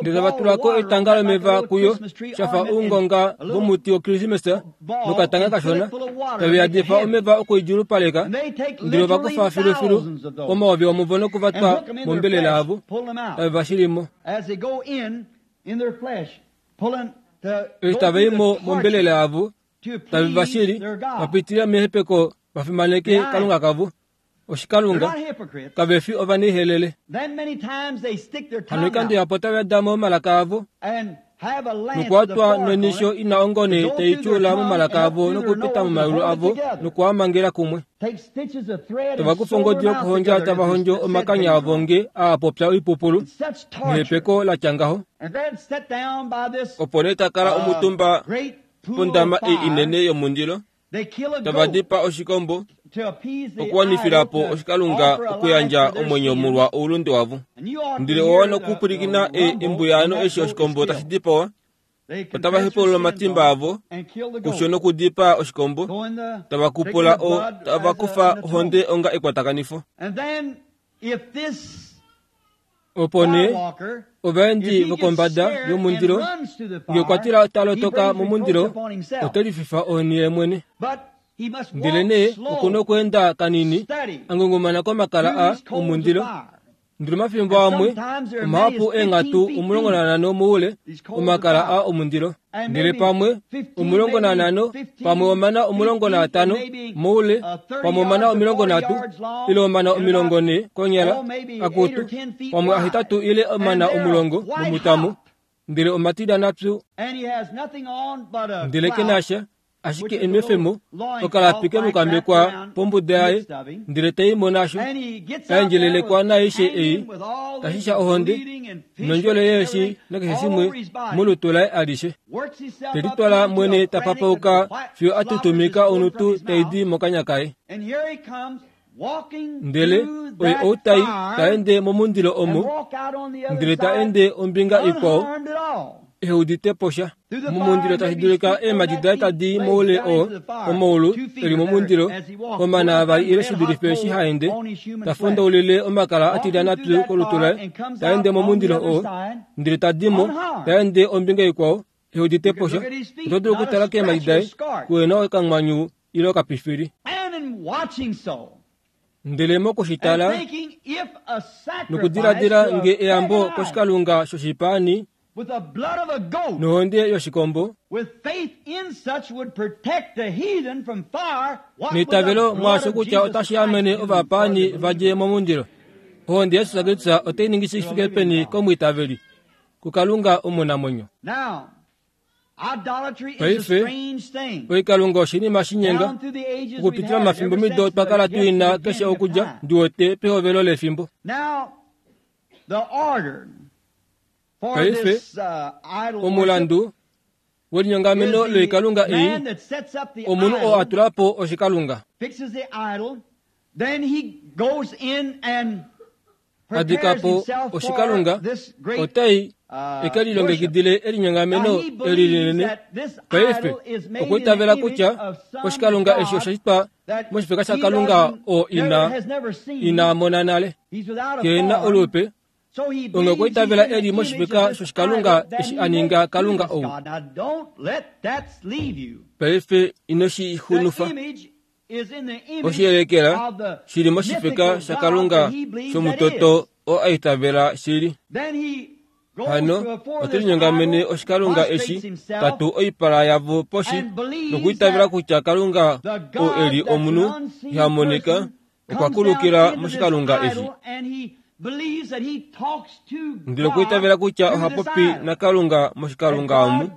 Ndele tava tulako etanga lomeva kuyo shafa oungonga vomuti wokrismesa nokatanga kashona, tave yadifa omeva okuidjulupaleka, ndele ova kufa filufilu omayovi omuvo nokuvatwa mombelela yavo, tave va shilimo. Eshi tava i mo mombelela yavo, tave va shili vapitila mehepeko vafimaneke Kalunga kavo. Oshikalunga kave fi ovanaihelele. Hano oikando ihapu otava damo momalaka avo nokuatwa nonisho ina ongone tai tyuula momalaka avo nokupita momayulu avo nokuamangela kumwe. Tava kufa ongodi yokuhondja tava hondjo omakanya avo nge aapopya oipupulu nehepeko latya ngaho. Opo nee takala omutumba pondama ei inene yomundilo, tava dipa oshikombo okuwanifilapo oshikalunga okuyandja omwenyo molwa oulunde wavo. Ndele owa nokupwilikina embuyaano eshi oshikombo tashi dipawa, otava hepulula omatimba avo kusho nokudipaa oshikombo, tava kupula o tava kufa ohonde onga ekwatakanifo. Opo nee ovaendi vokombada yomundilo nge okwa tila talotoka momundilo, ote lififa ohoni ye mwene. Ndele nee okuna okweenda kanini angungumana komakala a omundilo. Ndele omafimbo amwe omahapu eenghatu omulongo nanhano moule omakala a omundilo, ndele pamwe omulongo nanhano, pamwe omana omulongo naatano moule, pamwe omana omilongo nhatu ile omana omilongo ne konyala akutu, pamwe ahetatu ile omana omulongo momutamo, ndele omatilana pyu. Ndele kenasha ashike enwefemo okalapi kemukambekwa pombuda yaye, ndele taimo nasho aendjelelekwa naaishe ei tashisha ohonde nondjole yeeshi nakeshe shimwe molutu laye alishe. Telitwala mwene tapapauka fiyo atutumika onutu taidi mokanya kaye. Ndele oye outai taende momundilo omo, ndele taende ombinga ikwao eudite posha momundilo tashi dulika eemadi daye tadi moule oo omaulu eli momundilo omana avali ile shidulife eshi haende tafondaulile omakala atilyana pyu kolutu laye, taende momundilo oo ndele tadimo taende ombinga ikwao eudite posha. Oto dulu okutala keemadi daye kuena okamwanyu ile okapifili. Ndele mokushitala nokudiladila nge eyambo koshikalunga shoshipaani nohonde yoshikombo neitavelo mwaasho kutya otashi amene ovapaani vadje momundilo. Ohonde yaJesus Kristus otai ningi shi fike peni komwiitaveli kuKalunga omunamwenyo. Paife oikalunga oshinima shinyenga okupitila momafimbo mido twa kala tuina keshe okudja ndiwote pehovelo lefimbo. Paife omulandu Welinyongameno loikalunga ei omunhu oo a tula po oshikalunga. A dika po oshikalunga, otai eke lilongekidile elinyongameno eli linene. Paife okwa itavela kutya oshikalunga eshi osha shitwa moshifeka shaKalunga oo ina ina mona nale. Ke na olupe, onge okwa itavela eli moshifeka shoshikalunga eshi a ninga Kalunga ou. Paife ino shi xunufa. Oshiyelekela shili moshifeka shaKalunga shomutoto oo a itavela shili. Hano ote linyongamene oshikalunga eshi tatu oipala yavo poshi nokuitavela kutya Kalunga oo eli omunhu iha monika okwa kulukila moshikalunga eshi. Ndele okuitavela kutya oha popi naKalunga moshikalunga omu,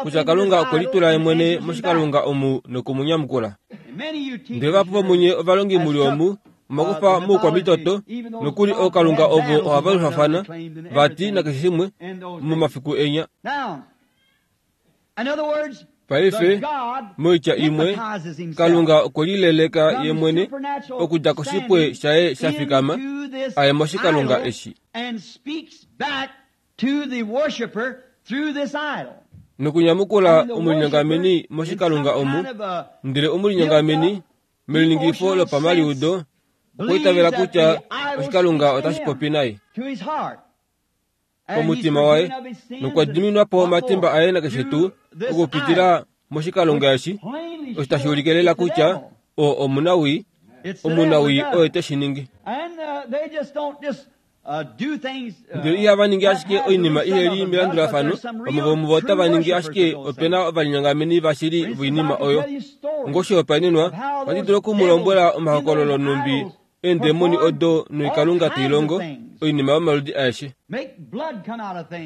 kutya Kalunga okwe litula ye mwene moshikalunga omu nokumunyamukula. Ndele vahapu vomunye ovalongi muli omu omakufa moukwamitoto nokuli ookalunga ovo ohava lufafana vati nakeshe shimwe momafiku enya. Paife moitya imwe Kalunga okwe lileleka ye mwene okudja koshipwe shaye sha fikama aye moshikalunga eshi nokunyamukula omulinyongameni moshikalunga omu. Ndele omulinyongameni meliningifo lopamaliudo okwa itavela kutya oshikalunga otashi popi naye komutima waye nokwa diminwa po omatimba aye nakeshe tuu okupitila moshikalunga eshi, osho tashi ulike lela kutya oo omunawii, omunawii oye teshi ningi. Ndele ihava ningi ashike oinima iheli melandulafano, vamwe vomuvo otava ningi ashike opena ovalinyongameni vashili voinima oyo. Ngoshihopaenenwa, ohandi dulu okumulombwela omahokololo nhumbi eendemoni odo noikalunga tai longo oinima yomaludi aeshe,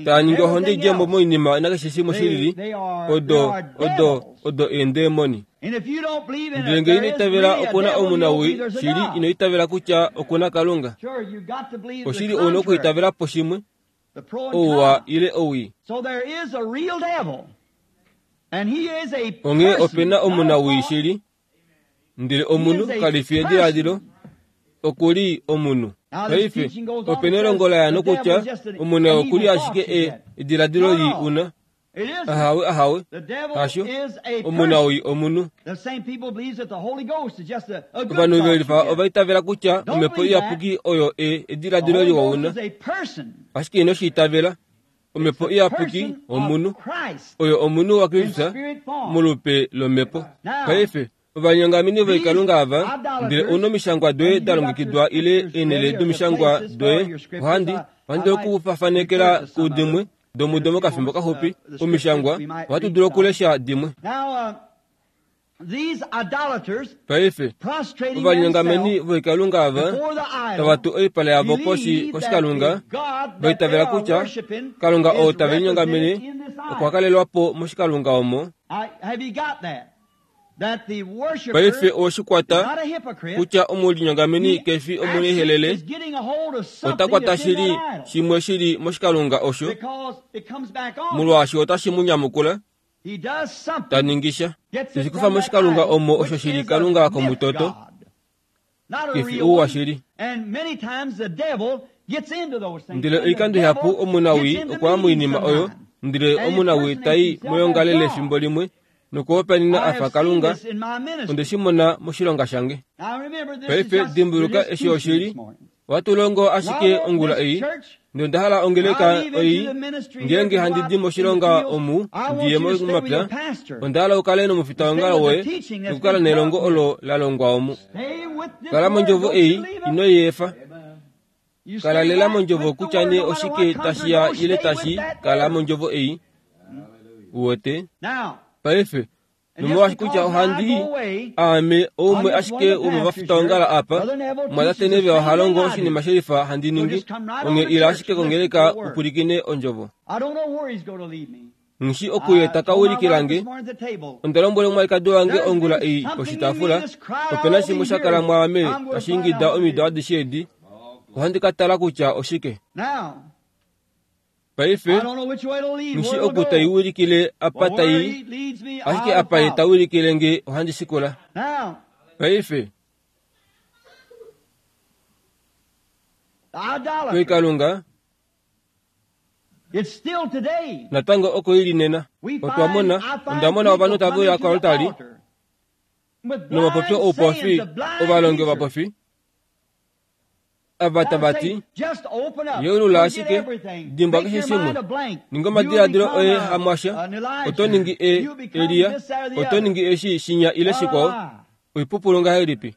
taa ningi ohonde idjemo moinima nakeshe shimwe shilili, odo odo odo eendemoni. Ndele ngee ino itavela okuna omunawii shili, ino itavela kutya okuna Kalunga. Oshili ouna okuitavela po shimwe, ouwa ile owii. Onghee opena omunawii shili, ndele omunhu kali fi ediladilo, okuli omunhu. Paife opena elongo la ya nokutya omunhu okuli ashike e ediladilo li una. Ahawe ahawe, hasho, omunawii omunhu. Ovanhu velifa ova itavela kutya omhepo iyapuki oyo e ediladilo liwa una, ashike ino shi itavela. Omhepo iyapuki omunhu oyo omunhu waKristus molupe lomhepo. Paife ovanyongameni voikalunga ava, ndele ouna omishangwa doye da longekidwa ile eenhele domishangwa doye, ohandi ohandi okufafanekela kudimwe domudo mokafimbo kaxupi. Omishangwa ohatu dulu okulesha dimwe. Paife ovanyongameni voikalunga ava tava tu oipala yavo poshi koshikalunga, vaitavela kutya Kalunga oo tave linyongamene okwa kalelwa po moshikalunga omo. Paife oweshikwata kutya omulinyongameni kefi omunehelele, ota kwata shili shimwe shili moshikalunga osho, molwaashi otashi mu nyamukula, ta ningisha teshikufa moshikalunga omo osho shili Kalunga komutoto, kefi ouwa shili. Ndele oikando ihapu omunawii okwa moinima oyo, ndele omunawii tai moyongalele efimbo limwe nokuhopaenena afa Kalunga. Onde shi mona moshilonga shange. Paife dimbuluka eshi oshili, ohatu longo ashike ongula ei, ndele onda hala ongeleka ei ngeenge handi di moshilonga omu ndiye momapya, onda hala ukale nomufitaongalo woye nokukala nelongo olo la longwa omu. Kala mondjovo ei, ino i efa. Kala lela mondjovo kutya nee oshike tashi ya ile tashi kala mondjovo ei. Uwete? Paife nomolwaashi kutya ohandi aame oumwe ashike womovafitaongalo apa, mwatate Neve oha longo oshinima shelifa handi ningi, onge ila ashike kongeleka upwilikine ondjovo. Nghi okuye taka ulikilange, onda lombwela omwalikadi wange ongula ei poshitaafula, opena shimwe sha kala mwaame tashi ingida omido adishe edi, ohandi ka tala kutya oshike. Paife ngishi oku taiwilikile apa tai, ashike apa ye tawilikile nge ohandi shikula. Paife oikalunga natango oko ili nena. Otwa mona, onda mona ovanhu tava uya koaltari nomapopyo oupofi, ovalongi ovapofi ava tava ti, yeulula ashike, dimbwa keshe shimwe, ninga omadiladilo oye hamwasha, oto ningi e Eliya, oto ningi eshi shinya ile shikwao. Oipupulu ngahelipi?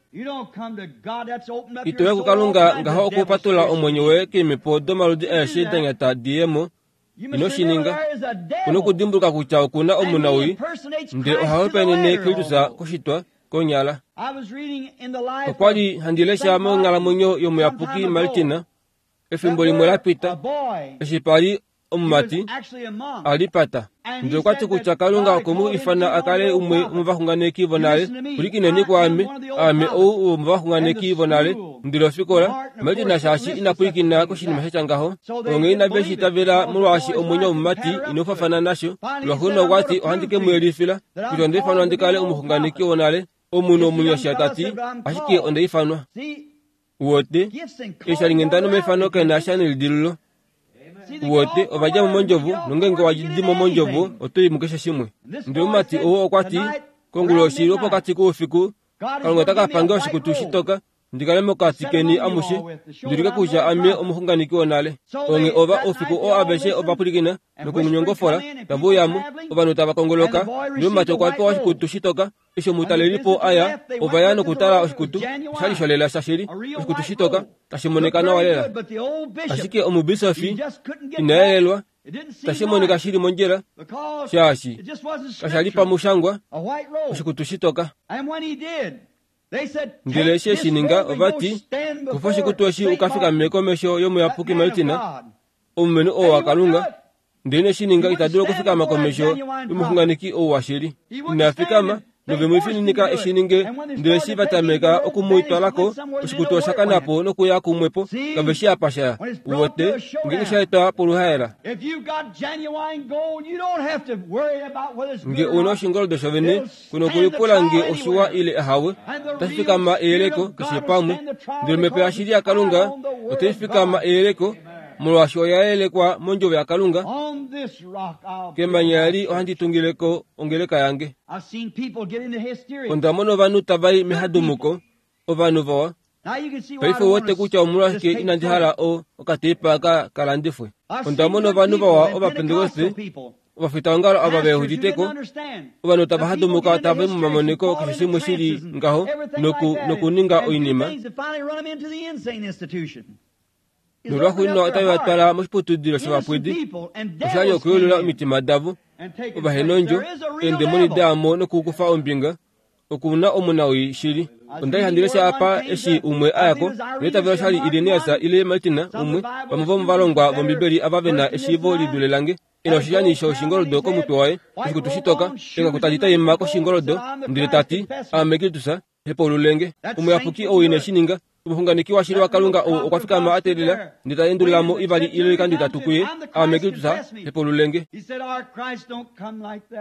Ito ya kuKalunga ngaho okupatula omwenyo woye keemhepo domaludi aeshe da nyata di ye mo. Ino shi ninga. Kuna okudimbuluka kutya okuna omunawii, ndele oha hopaenene Kristus koshitwa konyala. Okwa li handi lesha monghalamwenyo yomuyapuki Martina efimbo limwe la pita, eshi pa li omumati a li pata. Ndele okwa ti kutya Kalunga okwe mu ifana a kale umwe womovaxunganeki vonale. Pwilikineni kwaame, aame ou womovaxunganeki vonale. Ndele ofikola Martina shaashi ina pwilikina koshinima sha tya ngaho, onghee inave shi itavela molwaashi omwenyo womumati inaufafana nasho. Lwaxuuninwa okwa ti ohandi ke mu yelifila kutya onda ifanwa ndi kale omuxunganeki wonale. Omunhu omunyasha ta ti, ashike onda ifanwa. Uwote, eeshalinghenda nomaifano kaena sha nelidilululo. Uwote, ovadja mo mondjovo, nongeenge owa di mo mondjovo, oto i mukeshe shimwe. Ndele omumati ou okwa ti, konguloshi lwopokati koufiku, Kalunga ota ka pange oshikutu shitoka, ndi kale mokati keni amushe, ndi ulike kutya ame omuxunganeki wonale. Onghee ova oufiku oo aveshe ova pwilikina nokunyongofola, tava uyamo, ovanhu tava kongoloka. Ndele omumati okwa pewa oshikutu shitoka. Eshi omutalelipo aya, ova ya nokutala oshikutu, oshali sholela shashili, oshikutu shitoka, tashi monika nawa lela. Ashike omubisofi ina yelelwa, tashi monika shili mondjila, shaashi kasha li pamushangwa, oshikutu shitoka. Ndele eshi eshi ninga, ova ti, kufa oshikutu eshi ukafikame komesho yomuyapuki Martina, omulumenhu oo waKalunga. Ndele ine shi ninga, ita dulu okufikama komesho yomuxunganeki ou washili. Ina fikama, nove mu fininika eshi ninge. Ndele eshi va tameka okumutwalako, oshikutu osha kana po nokuya kumwepo, kave shi apa sha ya. Uwote, ngeenge sha etwa poluhaela. Nge una oshingoldo shovene, kuna okulipula nge oshiwa ile ahawe, otashi fikama eyeleko keshe pamwe. Ndele omhepo yashili yaKalunga otai fikama eyeleko, molwaashi oya yelekwa mondjovo yaKalunga. Kemanya eli ohandi tungileko ongeleka yange. Onda mona ovanhu tava i mehadumuko, ovanhu vawa. Paife uwete kutya omolwashike inandi hala o okateipa ka kalandifwe. Onda mona ovanhu vawa Ovapentekoste, ovafitaongalo ava veuditeko, ovanhu tava hadumuka tava i momamoniko keshe shimwe shili ngaho noku nokuninga oinima. Nolwaxuuninwa otave va twala moshiputudilo shovapwidi, oshali okuyulula omitima davo, ovahenondjo, eendemoni daamo nokukufa ombinga. Okuna omunawii shili. Onda li handi lesha apa eshi umwe a yako, neitavelo oshali Irenaeus ile Martina umwe, vamwe vomovalongwa vOmbibeli ava ve na eshiivo li dule lange, e na oshishani shoshingoldo komutwe waye, oshikutu shitoka, engaku tadi taima koshingoldo, ndele ta ti, aame Kristus, hepaululenge. Omuyapuki ou ine shi ninga. Omuxunganeki washili waKalunga ou okwa fikama a teelela, ndele ta endulula mo ivali ile oikando itatu kuye, aame Kristus, hepaululenge.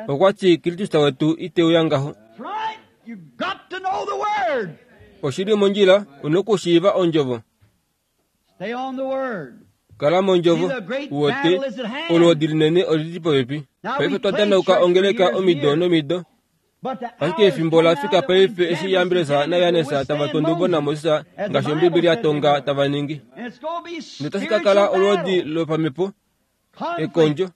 Okwa ti, Kristus wetu ite uya ngaho. Oshili mondjila, una okushiiva ondjovo. Kala mondjovo, uwote, olwoodi linene olili popepi. Paife twa danauka ongeleka omido nomido. Ashike efimbo ola fika paife eshi Jambres naJannes tava tondobo naMoses ngaashi Ombibeli ya tonga tava ningi. Ndele otashi ka kala olwoodi lopamhepo, ekondjo.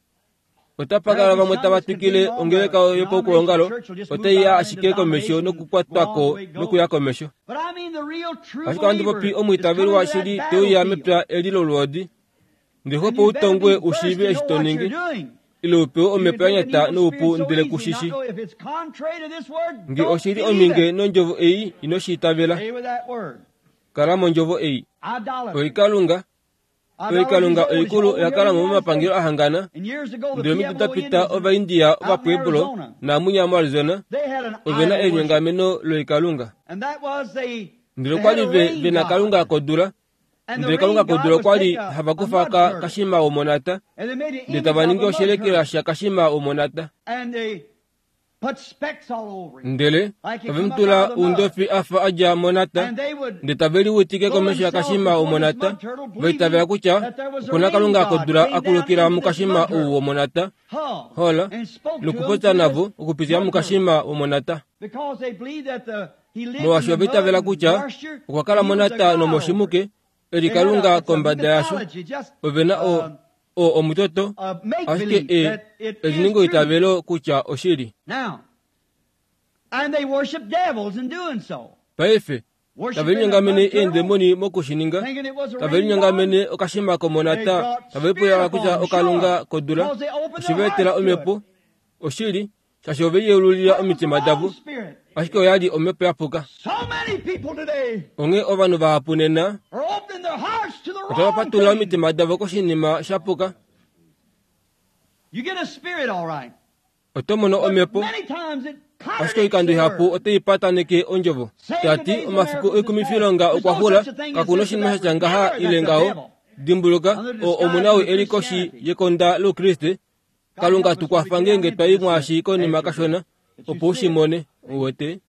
Otapa kala vamwe tava twikile ongeleka yopaukuongalo, otai ya ashike komesho nokukwatwako nokuya komesho. Ashike ohandi popi omwiitaveli washili te uya mepya eli lolwoodi. Ndele xwepo utongwe u shiive eshi to ningi, ile u pewe omhepo ya nyata noupu ndele ku shishi. Nge oshili ominge nondjovo ei, ino shi itavela. Kala mondjovo ei. Oikalunga Oikalunga oikulu oya kala mo momapangelo ahangana. Ndele omido da pita Ovaindia Ovapueblo naamunya moArizona ove na elinyongameno loikalunga. Ndele okwa li ve, ve na kalunga kodula, Ndele kalunga kodula okwali hava kufa ka kashima womonata, ndele tava ningi oshelekela sha kashima womonata. Ndele tave mutula oundofi afa adja monata, ndele tave liwitike komesho yakashima womonata, vaitavela kutya okuna kalunga kodula akulukila mukashima ou womonata, hola, nokupopya navo okupitila mukashima womonata. Molwaashi ovaitavela kutya okwa kala monata nomoshimuke, eli kalunga kombada yasho, ovena o o omutoto, ashike e eliningo itavelo kutya oshili. Paife tave linyongamene eendemoni mokushininga, tave linyongamene okashima komonata, tave lipula kutya okalunga kodula, oshivaetela omhepo, oshili, shaashi ove yeululila omitima davo, ashike oyali omhepo yapuka. Onghee ovanhu vahapu nena otava patulula omitima davo koshinima shapuka. Oto mono omhepo, ashike oikando ihapu otai pataneke ondjovo. Tati omafiku oikumifilonga okwa xula, kakuna oshinima shatya ngaha ile ngaho. Dimbuluka, o omunawi eli koshi yekonda loukriste. Kalunga tukwafa ngeenge twai mwaashi konima kashona, opo ushimone uwete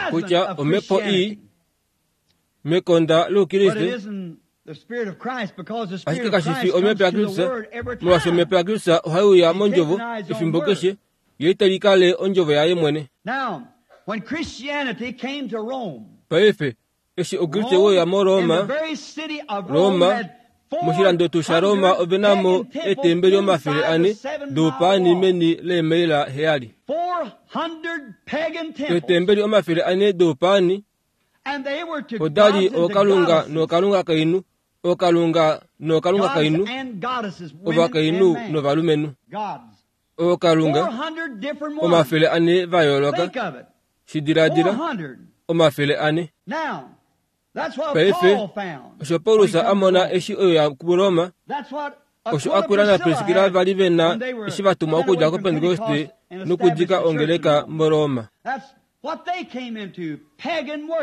kutya omhepo ii mekonda loukriste, ashike kashifi omhepo yaKristus, molwaashi omhepo yaKristus ohai uya mondjovo efimbo keshe, ye itali kale ondjovo yaye mwene. Paife eshi oukriste weuya moRoma, Roma moshilando tuu shaRoma ovena mo eetembeli omafele ane doupaani meni leemaila heyali. Eetembeli omafele ane doupaani odali ookalunga nookalunga kainhu, ookalunga nookalunga kainhu, ovakainhu novalumenhu. Ookalunga omafele ane va yooloka. Shidiladila omafele ane. Paife osho Paulus a mona eshi oyo kuRoma, osho Aquila naPriskila vali vena eshi vatumwa okudja koPentekoste nokudika ongeleka moRoma.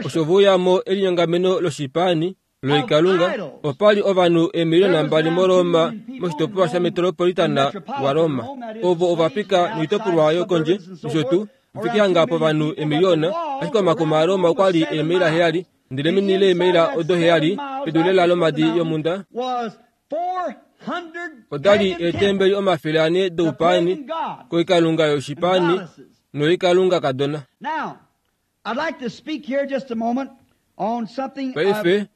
Osho vouyamo elinyongameno loshipaani loikalunga, opali ovanhu eemiliona mbali moRoma moshitopolwa shametropolitana waRoma. Ovo ovapika noitopolwa yokondje nosho tuu ifike hanga povanhu emiliona, ashike omakuma aRoma okwali eemaila heyali, ndele meni leemaila odo heyali pedu lela lomadi yomunda odali eetembeli omafele ane doupaani koikalunga yoshipaani noikalunga kadona. Paife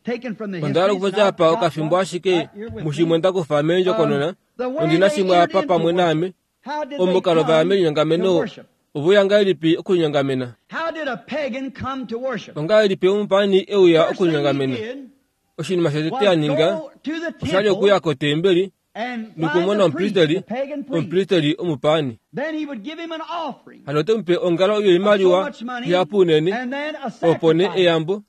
onda hala okupopya apa okafimbo ashike mushimwe ndakufa meendjokonona, ondina shimwe apa pamwe naame. Omukalo vaya melinyongameno oveuya ngahelipi okulinyongamena? Ongahelipi omupaani euya okulinyongamena? Oshinima shotete a ninga oshali okuya kotembeli nokumona omupristeli, omupristeli omupaani. Hano ote mupe ongalo yoimaliwa ihapu unene, opo nee eyambo,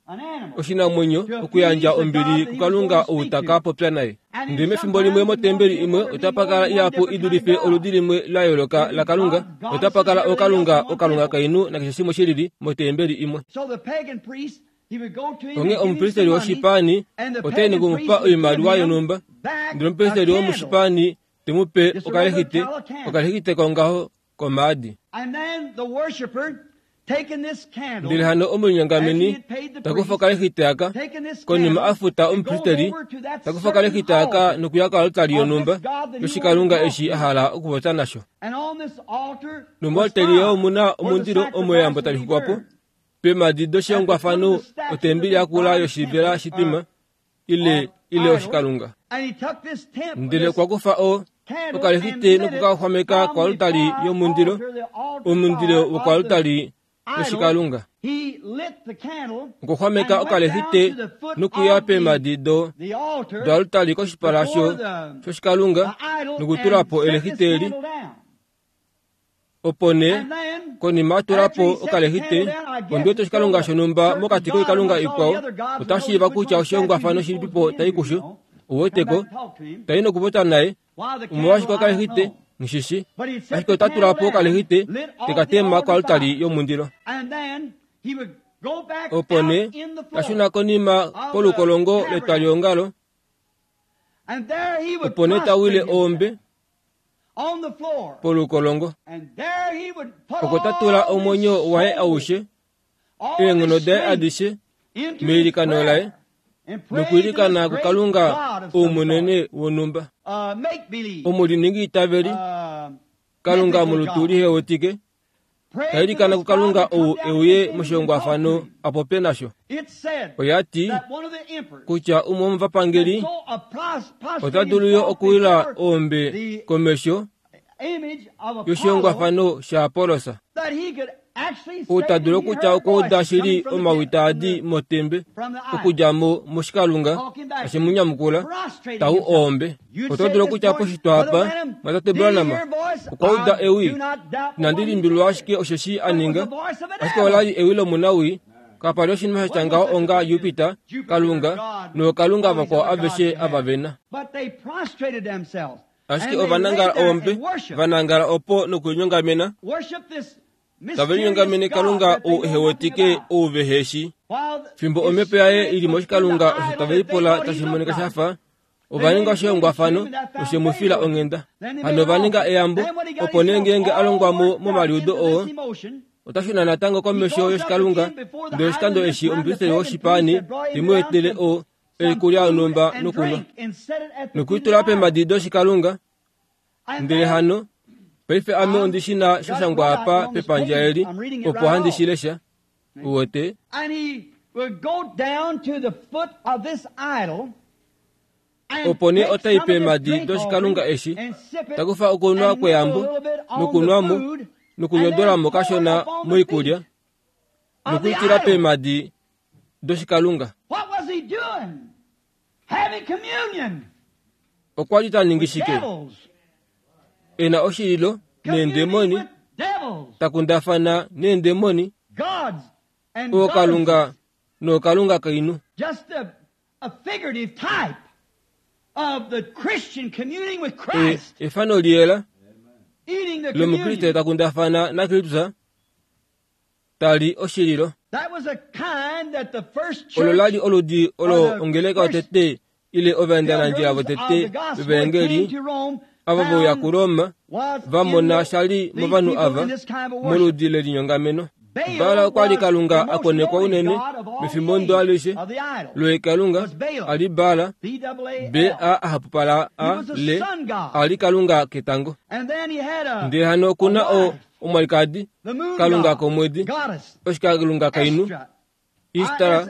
oshinamwenyo, okuyandja ombili kukalunga ou taka popya naye. Ndele mefimbo limwe motembeli imwe otapa kala ihapu idulife oludi limwe la yooloka lakalunga, otapa kala okalunga, okalunga kainhu nakeshe shimwe shilili motembeli imwe. Onghee omupristeli woshipaani otai nokumupa oimaliwa yonhumba, ndele omupristeli womushipaani te mu pe okalexite, okalexite kongaho komaadi. Ndele hano omulinyongameni takufa okalexite aka, konima a futa omupristeli, takufa okalexite aka nokuya koaltari yonhumba yoshikalunga eshi a hala okupopya nasho. Nomoaltari omuna omundilo omo eyambo tali xwikwa po, peemadi doshihongwafano otembeli yakula yoshivela shitwima ile ile oshikalunga. Ndele okwa kufa o okalexite nokukaxwameka koaltari yomundilo, omundilo wokoaltari yoshikalunga. Okuxwameka okalexite nokuya peemadi do doaltari koshipala sho shoshikalunga nokutula po elexite eli. Opo nee konima atula po okalexite, ondiwete oshikalunga shonhumba mokati koikalunga ikwao, otashiiva kutya oshihongwafano shilipipo tai kusho, uweteko, tai nokupopya naye, omolwashike okalexite, ngishishi, ashike ota tula po okalexite tekatema koaltari yomundilo. Opo nee tashuna konima kolukolongo letwaliongalo, opo nee tawile oombe polukolongo. Oko tatula omwenyo waye aushe, eenghono daye adishe meilikano laye, nokwiilikana kuKalunga oumunene wonhumba. Omuliningi itaveli, Kalunga molutu lihewetike, tailikana kuKalunga ou euye moshihongwafano apopye nasho. Oya ti kutya umwe womovapangeli ota dulu yo okuwila oombe komesho yoshihongwafano shaApollos, ou ta dulu okutya okwa uda shili omawi taadi motembe okudja mo moshikalunga tashi mu nyamukula tau oombe. Oto dulu okutya poshitwa apa, Mwatate Branham okwa uda ewi, inandi limbililwa ashike osheshi a ninga, ashike ola li ewi lomunawii. Kapa li oshinima sha tya ngaho onga Jupiter, Kalunga, nookalunga vakwao aveshe ava vena. Ashike ovanangala oombe, vanangala opo nokulinyongamena, tave linyongamene Kalunga ou ehewetike ou veheshi. Fimbo omhepo yaye ili moshikalunga osho tave lipula tashi monika shafa, ova ninga oshihongwafano noshe mu fila onghenda. Hano ova ninga eyambo, opo nee ngeenge a longwa mo momaliudo oo, ota shuna natango komesho yoshikalunga, ndele oshikando eshi omupristeli woshipaani te mu etele o oikulya yonhumba nokunwa, nokuitula peemhadi doshikalunga. Ndele hano paife ame ondi shi na sha shangwa apa pepandja eli, opo handi shi lesha. Uwete? Opo nee otai peemhadi doshikalunga eshi, takufa okunwa kweyambo, nokunwa mo, nokunyodolamo kashona moikulya, nokuitila peemhadi doshikalunga. Okwa li ta ningi shike? Ena oshililo neendemoni, takundafana neendemoni, ookalunga nookalunga kainu. E, efano liyela lomukriste takundafana naKristus, tali oshililo. Olo lali oludi olo ongeleka yotete ile ovaendanandjila votete vevangeli ava veuya kuRoma vamona shali movanhu ava moludi lelinyongameno. Baal okwa li Kalunga a konekwa unene mefimbo ndo alishe loikalunga ali Baal, B A hapupala A L, ali Kalunga ketango. Ndele hano okuna o omwalikadi Kalunga komwedi, oshikalunga kainu, Ishtar,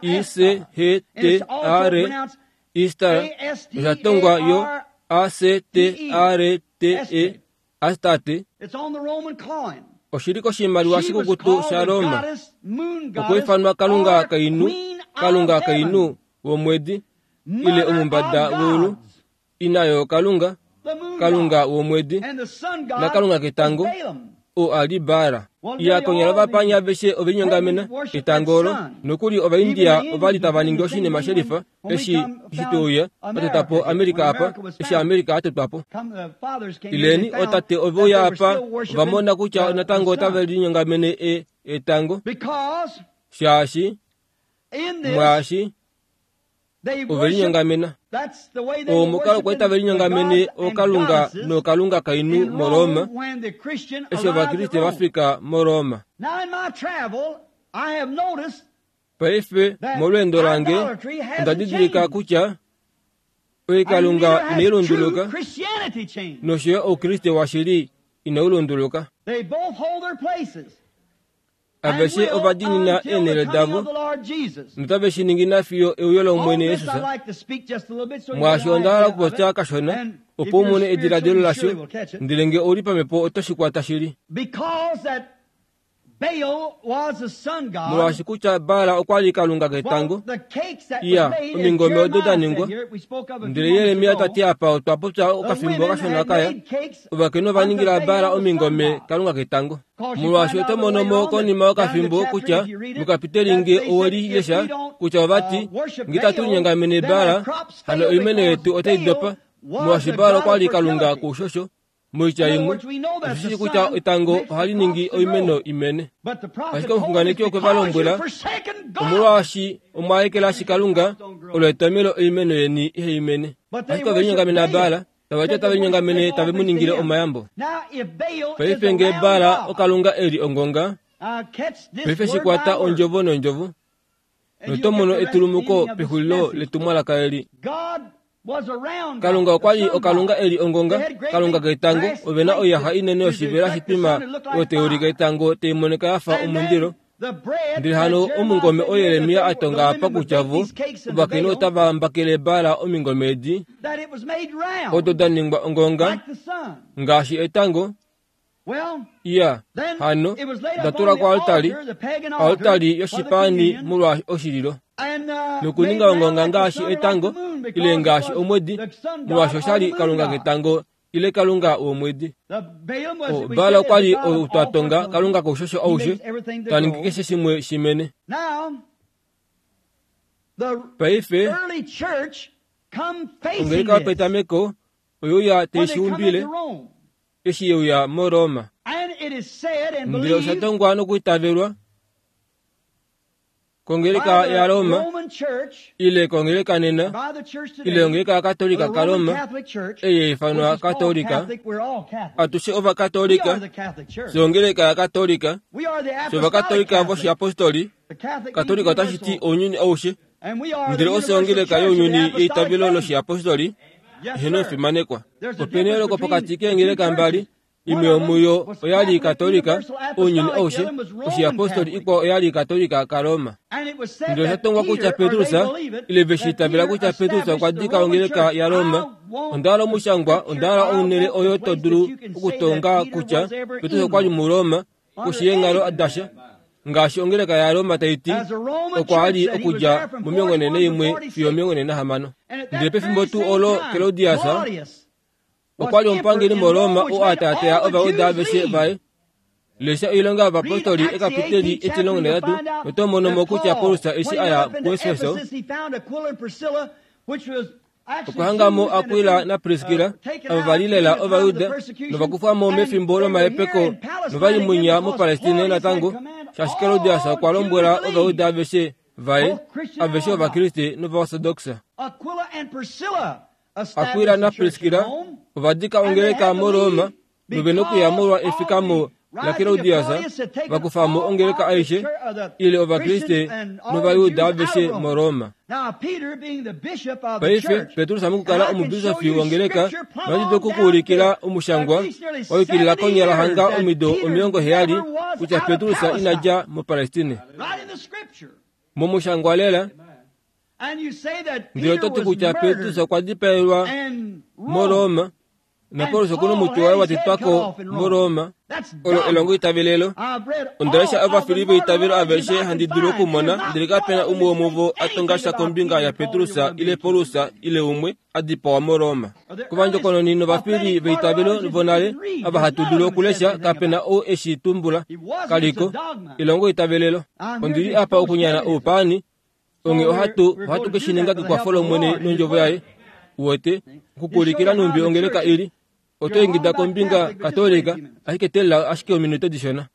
I C H T A R, Ishtar, oshatongwa yo A C T A R T E, Astarte. Oshili koshimaliwa shikukutu shaRoma, okwiifanwa Kalunga kainu, Kalunga kainu womwedi, ile omumbada weulu, ina yokalunga, Kalunga womwedi, naKalunga ketango, o ali Baal. Iya konyala ovapanya aveshe ovelinyongamena etango olo, nokuli Ovaindia ovali tava ningi oshinima shelifa eshi shiteuya vatota po America apa, eshi America atotwa po. Ileni otate oveuya apa ovamona kutya natango otave linyongamene e etango, shaashi mwaashi ovelinyongamena. Omukalo kwali tave linyongamene ookalunga nookalunga kainu moRoma, eshi Ovakriste vafika moRoma. Paife molweendo lange onda didilika kutya oikalunga inai lunduluka, nosho yo oukriste washili inau lunduluka. Aveshe ovadiinina eenhele davo, notave shi ningi nafiyo euyo lOmwene Jesus. Mwaashi onda hala okupopya kashona, opo u mone ediladilo lasho, ndele nge ouli pamhepo oto shi kwata shili. Molwaashi kutya Baal okwa li Kalunga ketango, iya omingome odo da ningwa. Ndele Jeremia ta ti apa otwa popya okafimbo kashona kaya, ovakainhu ova ningila Baal omingome Kalunga ketango. Molwaashi oto mono mo konima yokafimbo kutya mokapiteli nge oweli lesha kutya ovati nge tatu linyongamene Baal, hano oimeno yetu otai dopa. Molwaashi Baal okwa li Kalunga koushosho, Moitya imwe, oshishi kutya etango ohali ningi oimeno imene. Ashike omuxunganeki okwe va lombwela, omolwaashi omwa ekelashi Kalunga, olo etomelo oimeno yeni ihe imene. Ashike ove linyongamena Baala, tava ti otave linyongamene tave mu ningile omayambo. Paife ngee Baala okalunga eli ongonga, paife shikwata ondjovo nondjovo, noto mono etulumuko pexulilo letumwalaka eli. Kalunga okwa li okalunga eli ongonga, kalunga ketango, ove na oiyaxa inene yoshivela shitwima oyo tai ulike etango tai monika ya fa omundilo. Ndele hano omungome oo Jeremia a tonga apa kutya vo ovakainhu otava mbakele Baala omingome edi, odo da ningwa ongonga ngaashi etango. Iya, hano da tulwa koaltari, oaltari yoshipaani molwa oshililo, nokuninga ongonga ngaashi etango ile ngaashi omwedi, molwaashi oshali kalunga ketango ile kalunga womwedi. Baala okwa li ou twa tonga kalunga koushosho aushe, ta ningi keshe shimwe shimene. Paife ongeleka yopetameko oyeuya tai shiumbile eshi yeuya moRoma. Ndele osha tongwa nokuitavelwa kongeleka yaRoma ile kongeleka nena ile ongeleka yaKatolika kaRoma, ei yaifanwa Katolika. Atushe Ovakatolika, fye ongeleka yaKatolika, fye Ovakatolika voshiapostoli. Katolika otashi ti ounyuni aushe, ndele ofye ongeleka younyuni yeitavelo loshiapostoli. Eheno fimanekwa. Ope na eyooloko pokati keengeleka mbali. Imwe yomuyo oyali Katolika ounyuni aushe, oshiapostoli ikwao oyali Katolika kaRoma. Ndele osha tongwa kutya Petrus, ile ve shi itavela kutya Petrus okwa dika ongeleka yaRoma. Onda hala omushangwa, onda hala onhele oyo to dulu okutonga kutya Petrus okwa li muRoma koshi yeenghalo dasha, ngaashi ongeleka yaRoma tai ti okwa li okudja momilongo nhee naimwe fiyo omilongo nhee nahamano. Ndele pefimbo tuu olo Claudius okwa li omupangeli muRoma oo a taataa Ovajuda aveshe vaye. Lesha oilonga yovapostoli ekapiteli etimulongo nahetatu noto mono mo kutya Paulus eshi a ya kuEfeso okwa hanga mo Aquila naPriskilla, avo va li lela Ovajuda novakufwa mo mefimbo lomahepeko nova li munya muPalestine natango, shaashi Claudius okwa lombwela Ovajuda aveshe vaye, aveshe Ovakriste nOvaortodoksa. Aquila naPriskilla ova dika ongeleka muRoma nove nokuya molwa efikamo laClaudius, vakufa mo ongeleka aishe ile Ovakriste nOvajuda aveshe muRoma. Paife Petrus mokukala omubisofi wongeleka, nohandi dulu okukuulikila omushangwa wa yukilila konyala hanga omido omilongo heyali kutya Petrus ina dja muPalestine. Momushangwa lela, ndele oto ti kutya Petrus okwa dipaelwa muRoma, naPaulus okuna omutwe waye wa tetwa ko muRoma. Olo elongo itavelelo. Onda lesha ovafili veitavelo aveshe handi dulu okumona, ndele kapena umwe womuvo a tonga sha kombinga yaPetrus ile Paulus ile umwe a dipawa muRoma. Kovandjokononi novafili veitavelo vonale ava hatu dulu okulesha, kapena ou eshi tumbula. Kaliko elongo itavelelo. Ondi li apa okunyana oupaani, onge ohatu ohatu ke shi ninga kekwafo lOmwene nondjovo yaye. Uwete okukuulikila numbi ongeleka ili. Oto ingida kombinga Katolika, ashike teelela ashike ominute dishona.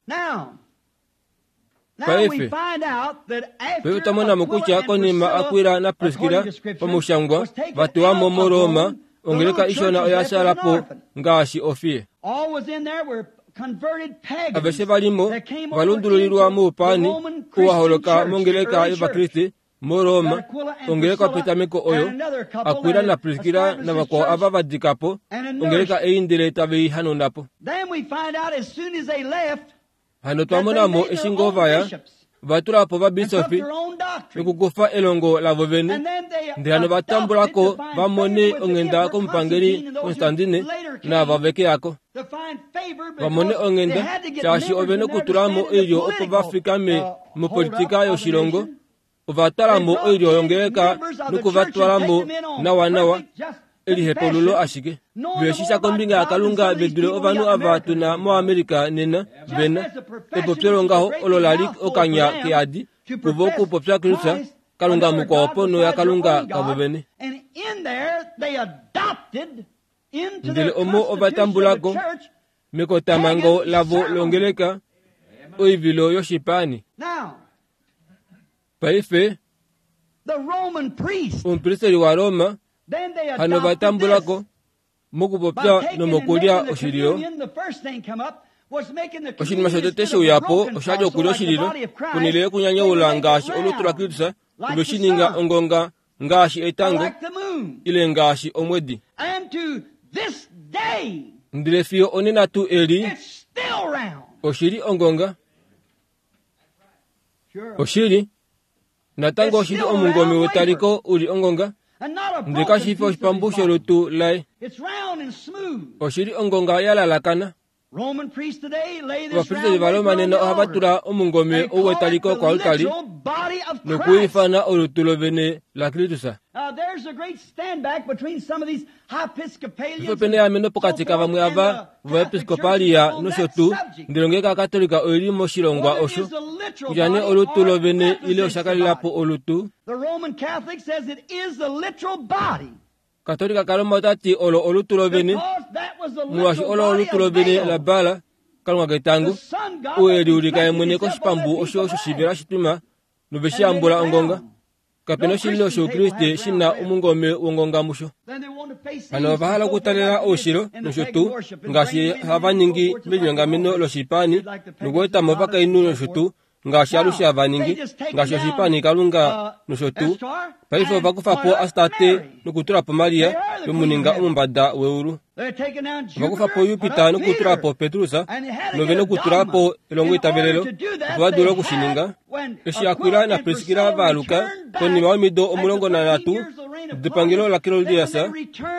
Paife paife otwa mona mo kutya konima Aquila naPriskilla pamushangwa va tewa mo muRoma, ongeleka ishona oya shala po ngaashi ofiye. Aveshe va li mo ova lundululilwa moupaani oo wa holoka mongeleka yOvakriste muRoma, ongeleka yopetameko oyo Aquila naPriskilla navakwao ava va dika po ongeleka ei ndele tave i hanauna po. Hano twa mona mo eshi ngoo va ya, va tula po ovabisofi nokukufa elongo lavo vene, ndele hano va tambula ko va mone onghenda komupangeli Constantine naava veke yako. Va mone onghenda shaashi ove nokutula mo oilyo opo va fikame mopolitika yoshilongo. Ova twala mo oilyo yongeleka nokuvatwala mo nawanawa elihepululo ashike. Ve shi sha kombinga yaKalunga ve dule ovanhu ava tuna moAmerica nena vena epopyo longaho olo la li okanya keadi kuvo okupopya Kristus, Kalunga mukwao ponho yaKalunga kavo vene. Ndele omo ovatambulako mekotamango lavo longeleka oivilo yoshipaani. Paife omupristeli waRoma hano vatambulako mokupopya nomokulya oshililo. Oshinima shotete sheuyapo oshali okulya oshililo ponhele yokunyanyaula ngaashi olutu laKristus oveshininga ongonga ngaashi etango ile ngaashi omwedi. Ndele fiyo onena tuu eli oshili ongonga. Oshili natango oshili omungome wetaliko uli ongonga, ndele kashi fi oshipambu sholutu laye. Oshili ongonga ya lalakana. Ovapristeli vaRoma nena ohava tula omungome ou wetaliko koaltari nokuifana olutu lovene laKristus. Ife pena eameno pokati kavamwe ava vovaepiskopalia nosho tuu, ndele ongeleka yaKatolika oili moshilongwa osho kutya nee olutu lovene ile oshakalelapo olutu. Katolika kaRoma otati olo olutu lovene, molwaashi olo olutu lovene laBaal, kalunga ketango, ou e liulika ye mwene koshipambu osho shoshivela shitwima noveshiyambula ongonga. Kapena oshililo shoukriste shina omungome wongonga musho. Hano ova hala okutalela oushilo nosho tuu ngaashi hava ningi melinyongameno loshipaani nokuetamo ovakainhu nosho tuu ngaashi alushe hava ningi ngaashi oshipaani kalunga nosho tuu. Paife ova kufa po Astarte nokutula po Maria yomuninga omumbada weulu. Ova kufa po Jupiter nokutula po Petrus nove nokutula po elongo itavelelo opo va dule okushininga. Eshi Aquila naPriskilla vaaluka konima yomido omulongo nanhatu depangelo laKlaudius,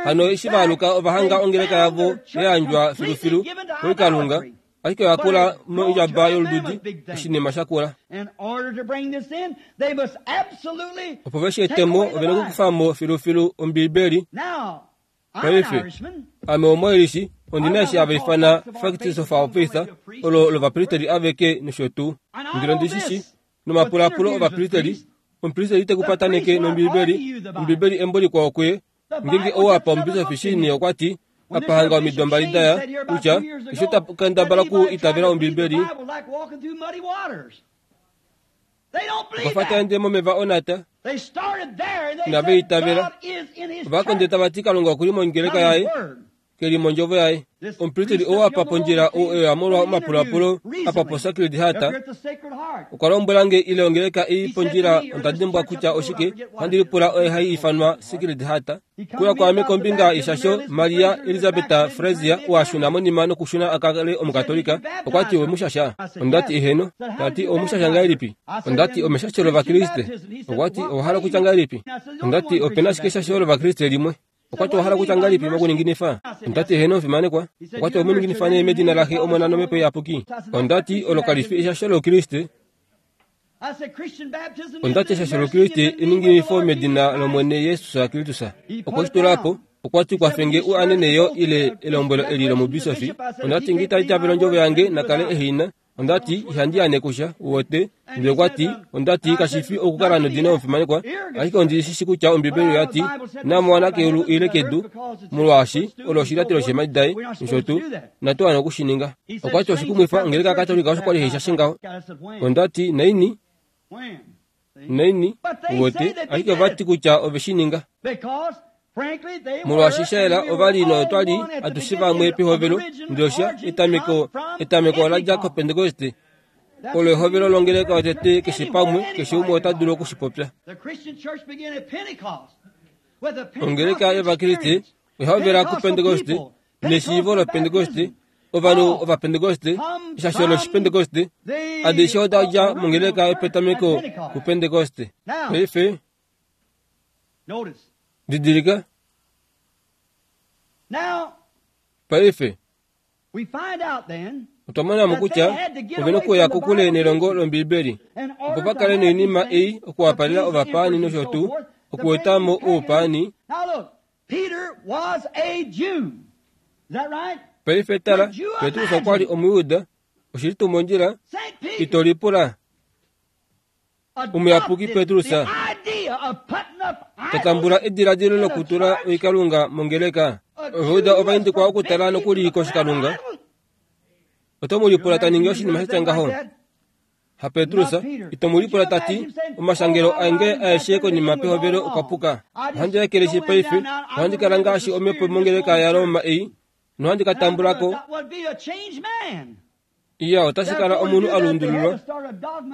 hano eshi vaaluka ova hanga ongeleka yavo ya yandjwa filufilu koikalunga, ashike oya kula mondjaba yolududi, oshinima shakula. Opo veshi etemo ovena okukufamo filufilu Ombibeli. Paife ame omoilishi ondina eshi hava ifana Facts of Our Faith, olo lovapristeli aveke nosho tuu. Ndele ondishishi nomapulapulo ovapristeli, omupristeli tekupataneke nOmbibeli, Ombibeli embo likwao kuye. Ngeenge ou apa omubisofi Shini okwa ti apahanga omido mbali daya kutya eshi ta kendabala ku itavela Ombibeli okwa fa taende momeva onata. Inave itavela. Ovakonde tava ti Kalunga okuli mongeleka yaye, keli mondjovo yaye. Omupristeli ou apa pondjila ou eya molwa omapulapulo apa po Sacred Heart okwa lombwela nge ile ongeleka ei pondjila onda dimbwa kutya oshike ohandi lipula oye hai ifanwa Sacred Heart. Kuya kwaame kombinga yeshasho Maria Elizabeth Frazier oashuna monima nokushuna akale omukatolika okwa ti omushasha. Ondati eheno. Tati omushasha ngahelipi? Ondati omeshasho lovakriste. Okwa ti owa hala kutya ngahelipi? Ondati opena ashike eshasho lovakriste limwe. Okwa ti owa hala kutya ngahelipi mokuninginifa? Ondati eheno omufimanekwa. Okwa ti omuninginifa nee medina laxe Omona nOmhepo Iyapuki. Ondati olo kali fi eshasho loukriste. Ondati eshasho loukriste eninginifo medina lOmwene Jesus Kristus. Okwe shi tula po. Okwa ti kwafenge u anene yo ile elombwelo eli lomubisofi. Ondati nge itali itavela ondjovo yange nakale ehina. Ondati ihandi ane kusha uwete. Ndele okwa ti ondati kashi fi okukala nodina omufimanekwa, ashike ondi shishi kutya Ombibeli oya ti namowana keulu ile kedu, molwaashi olo oshilyatelo sheemhadi daye nosho tuu, natu wana okushininga. Okwa ti oshikumwifa ongeleka yaKatolika osho kwali haishashe ngaho. Ondati naini naini uwete, ashike ova ti kutya ove shi ninga. Molwaashi shaela ovali notwali atushe vamwe pehovelo, ndele osha etameko etameko ola dja koPentekoste. Olo ehovelo longeleka yotete keshe pamwe, keshe umwe ota dulu okushipopya. Ongeleka yovakriste oya kuPentekoste neshiivo loPentekoste, ovanhu ovapentekoste, eshasho loshipentekoste, adishe oda dja mongeleka yopetameko kuPentekoste. Paife didilika. Paife otwa mona mo kutya ovena okuya kokule nelongo lOmbibeli opo va kale noinima ei okuwapalela ovapaani nosho tuu okueta mo oupaani. Paife tala, Petrus okwa li Omuyuda, oshili tuu mondjila, ito lipula. Omuyapuki Petrus tatambula ediladilo lokutula oikalunga mongeleka. Ovauda ova indikwa okutala nokuli koshikalunga. Oto mu lipula ta ningi oshinima sha tya ngaho? Ha Petrus, ito mu lipula ta ti, omashangelo ange aeshe konima pehovelo okwa puka. Ohandi ekeleshi paife, ohandi kala ngaashi omhepo mongeleka yaRoma ei, nohandi ka tambulako. Iya, otashi kala omunhu a lundululwa.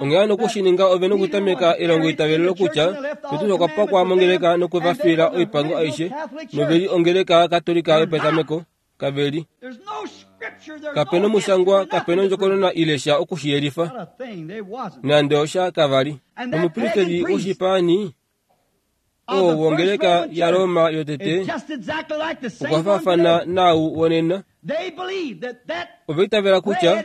Onghee hano okushininga ove nokutameka elongoitavelo lokutya Petrus okwa pakwa mongeleka nokwe va fiila oipango aishe, noveli ongeleka Katolika yopetameko. Kaveli. Kapena omushangwa, kapena ondjokonona ile sha okushiyelifa. Nande osha kavali. Omupristeli woshipaani oo wongeleka yaRoma yotete okwa faafana naau wonena. Ova itavela kutya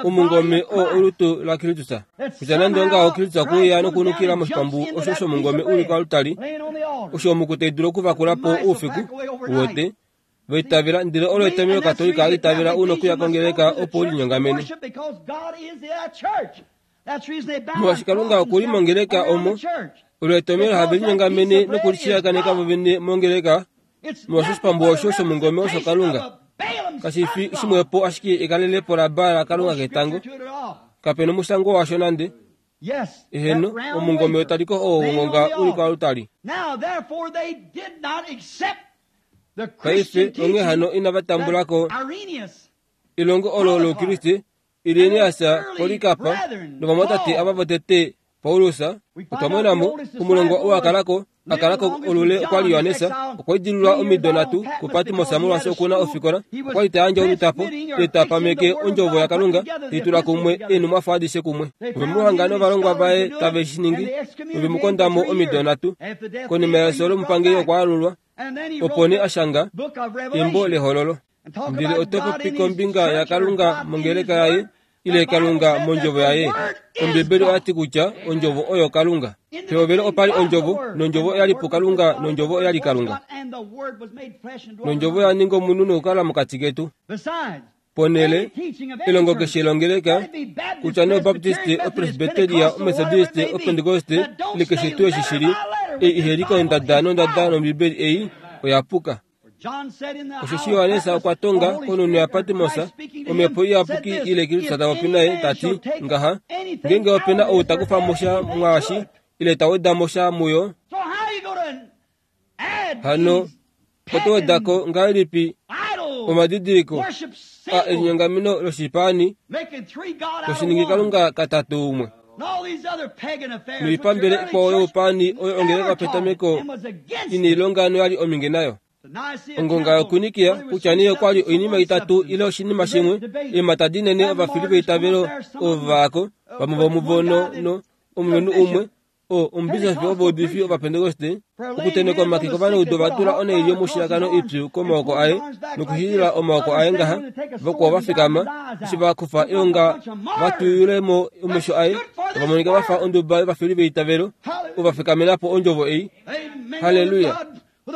omungome oo olutu laKristus. Kutya nande ongaho Kristus okwe uya nokunukila moshipambu osho shomungome uli koaltari, osho omuku tai dulu okuvakula po oufiku wote. Vaitavela, ndele olo etomhelo Katolika itavela una okuya kongeleka opo ulinyongamene. Molwaashi Kalunga okuli mongeleka omo, olo etomhelo have linyongamene nokulishiyakaneka vovene mongeleka, molwaashi oshipambu osho shomungome osho Kalunga. Kashi fi shimwepo ashike ekalelepo laBaal Kalunga ketango. Kapena omushango washo nande. Eheno, omungome wetaliko oo wongonga uli koaltari. Paife onghee hano inava tambulako elongo olo loukriste, Irenaeus, Polycarp novamwatate ava votete Paulus. Otwa mona mo omulongwa oo akalako akalako olule okwali Johannes, okwa idililwa omido nhatu kuPatmos molwaashi okuna ofikola, okwali ta yandje olutapo te pameke ondjovo yaKalunga, teitula kumwe eenhumwafo adishe kumwe. Ove mu hanga novalongwa vaye tave shi ningi, ove mu konda mo omido nhatu. Konima yefyo lomupangeli okwa alulwa, opo nee a shanga embo lehololo. Ndele oto popi kombinga yaKalunga mongeleka yaye, ile Kalunga mondjovo yaye. Ombibeli oya ti kutya ondjovo oyo Kalunga. Pehovelo opa li ondjovo, nondjovo oya li puKalunga, nondjovo oya li Kalunga. Nondjovo oya ninga omunhu nokukala mokati ketu. Ponhele elongo keshe longeleka, kutya nee Obaptiste, Opresbiteria, Omethodiste, Opentekoste, ile keshe tuu eshi shili, ei iheli kondada nondada nOmbibeli ei oya puka. Osheshi Johannes okwa tonga konhunhu yaPatmos, omhepo iyapuki ile Kristus ta popi naye ta ti ngaha, ngeenge ope na ou ta kufa mo sha mwaashi ile ta weda mo sha muyo, hano oto weda ko ngahelipi omadidiliko a elinyongameno loshipaani toshiningi Kalunga katatu umwe noipambele ikwao youpaani oyo ongeleka petameko ina ilonga noyali ominge nayo. Ongonga yokunikia kutya nee okwali oinima itatu ile oshinima shimwe, eemhata dinene ovafili veitavelo ovo vaako, vamwe vomuvo no no omulumenhu umwe o omubisofi wovaudifi Ovapentekoste, okuteneka omake kovanaudu ova tula onaili yomushiyakano ipyu komaoko aye nokushilila omaoko aye ngaha, vakwao va fikama eshi va kufa eonga va tuyule mo omesho aye, ova monika va fa onduba yovafili veitavelo ova fikamena po ondjovo ei. Halleluya!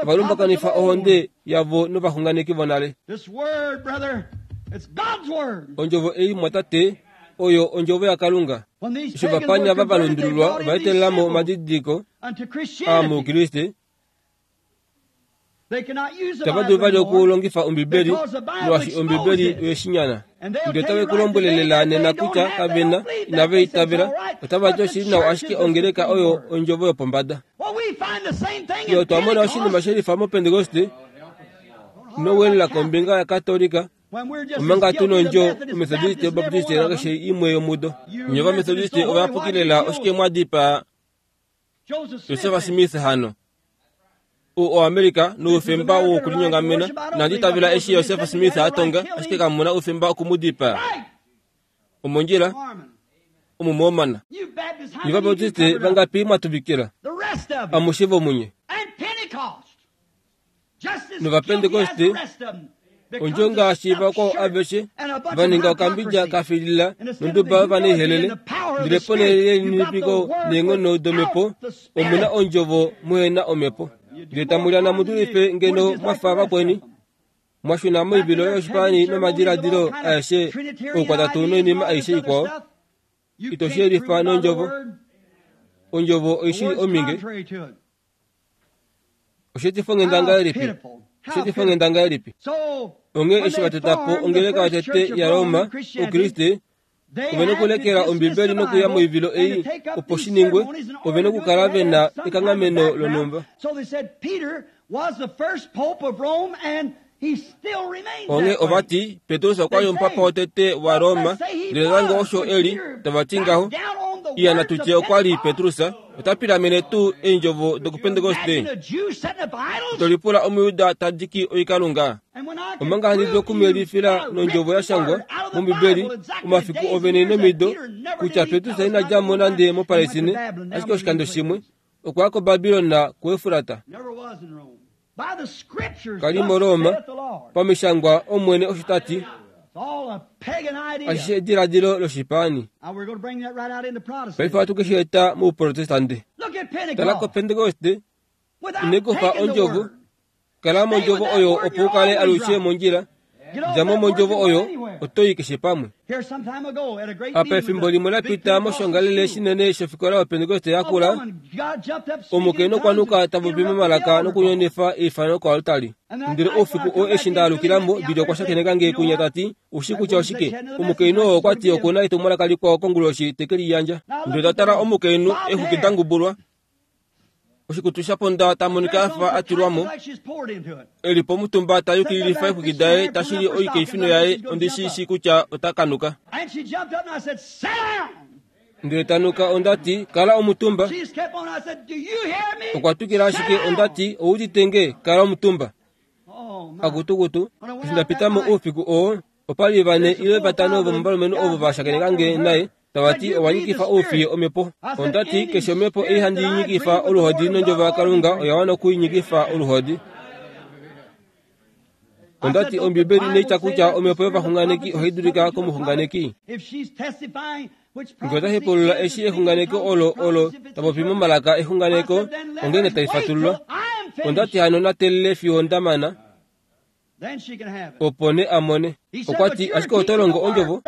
Ova lumbakanifa ohonde yavo novaxunganeki vonale. Ondjovo ei mwatate oyo ondjovo yaKalunga. Eshi ovapanya va valundululwa ova etelela mo omadidiliko a moukriste, itava dulu vali okulongifa Ombibeli molwaashi Ombibeli oyeshinyana. Ndele otave ku lombwelelela nena kutya kavena inava itavela, otava ti oshili nawa ashike ongeleka oyo ondjovo yopombada. Ye otwa mona oshinima shelifa moPentekoste nowelela kombinga yaKatolika, omanga tu nondjo Omethodiste, Obaptiste nakeshe imwe yomudo. Nye Ovamethodiste ovayapuki lela oshike mwa dipaa Joseph Smith hano? U oAmerica noufemba wokulinyongamena. Inandi itavela eshi Joseph Smith a tonga, ashike kamuna oufemba okumudipaa. Omondjila omuMormon. Nye Ovabaptiste vangapi mwa tuvikila? Amushe vomunye. NOvapentekoste ondjo ngaashi vakwao aveshe va ninga okambidja ka filila nonduba yovanaihelele, ndele ponhele yelininipiko neenghono domhepo omuna ondjovo muhena omhepo. Ndele tamu lyana mu dulife ngeno mwa fa vakweni, mwa shuna moivilo yoshipaani nomadiladilo aeshe oukwatatu noinima aishe ikwao. Ito shi yelifa nondjovo. Ondjovo oishili ominge. Osheetifo ngahelipi Oshetifongenda ngahelipi? Onghee eshi va tota po ongeleka yotete yaRoma, Oukriste, ove nokulekela Ombibeli nokuya moivilo ei opo shi ningwe, ove nokukala ve na ekanghameno lonhumba. Onghee ovati Petrus okwa li omupapa wotete waRoma, ndele nande osho e li, tava ti ngaho. Iya natutye okwa li Petrus, ota pilamene tuu eendjovo dokuPentekoste. Tolipula Omuyuda ta diki oikalunga. Omanga handi dulu okumuyelifila nondjovo ya shangwa mOmbibeli omafiku ovene nomido kutya Petrus ina dja mo nande moPalestine, ashike oshikando shimwe okwa ya koBabilon kuEfrata. Kali moRoma, pamishangwa Omwene osho ta ti. Ashishe ediladilo loshipaani. Paife ohatu ke shi eta mouprotestante. Tala koPentekoste, ine kufa ondjovo. Kala mondjovo oyo opo u kale alushe mondjila. Dja mo mondjovo oyo, oto i keshe pamwe. Apa efimbo limwe la pita moshongalele shinene shofikola yoPentekoste yakula, omukainhu okwa nuka ta popi momalaka nokunyonifa eifano koaltari. Ndele oufiku oo eshi nda alukila mo, Billy okwa shakeneka nge kunya ta ti, ushi kutya oshike? Omukainhu oo okwa ti okuna etumwalaka likwao konguloshi te ke liyandja. Ndele ta tala omukainhu exwiki da ngubulwa, oshikutu sha ponda ta monika a fa a tilwa mo, e li pomutumba ta yukililifa exwiki daye ta shili oikeifino yaye, ondi shi shii kutya ota kanuka. Ndele ta nuka onda ti, kala omutumba. Okwa twikila ashike onda ti, ou udite nge, kala omutumba. Akutukutu, eshi nda pita mo oufiku oo, opa li vane ile vatano vomovalumenhu ovo va shakeneka nge naye, tava ti owa nyikifa oufiye omhepo. Onda ti keshe omhepo ei handi nyikifa oluhodi nondjovo yaKalunga oya wana okuinyikifa oluhodi. Onda ti Ombibeli inai tya kutya omhepo yovaxunganeki ohai dulika komuxunganeki. Ngee ota hepaulula eshi exunganeko olo olo ta popi momalaka exunganeko, ongeenge tali fatululwa. Onda ti hano na teelele fiyo nda mana, opo ne a mone. Okwa ti, ashike oto longo ondjovo?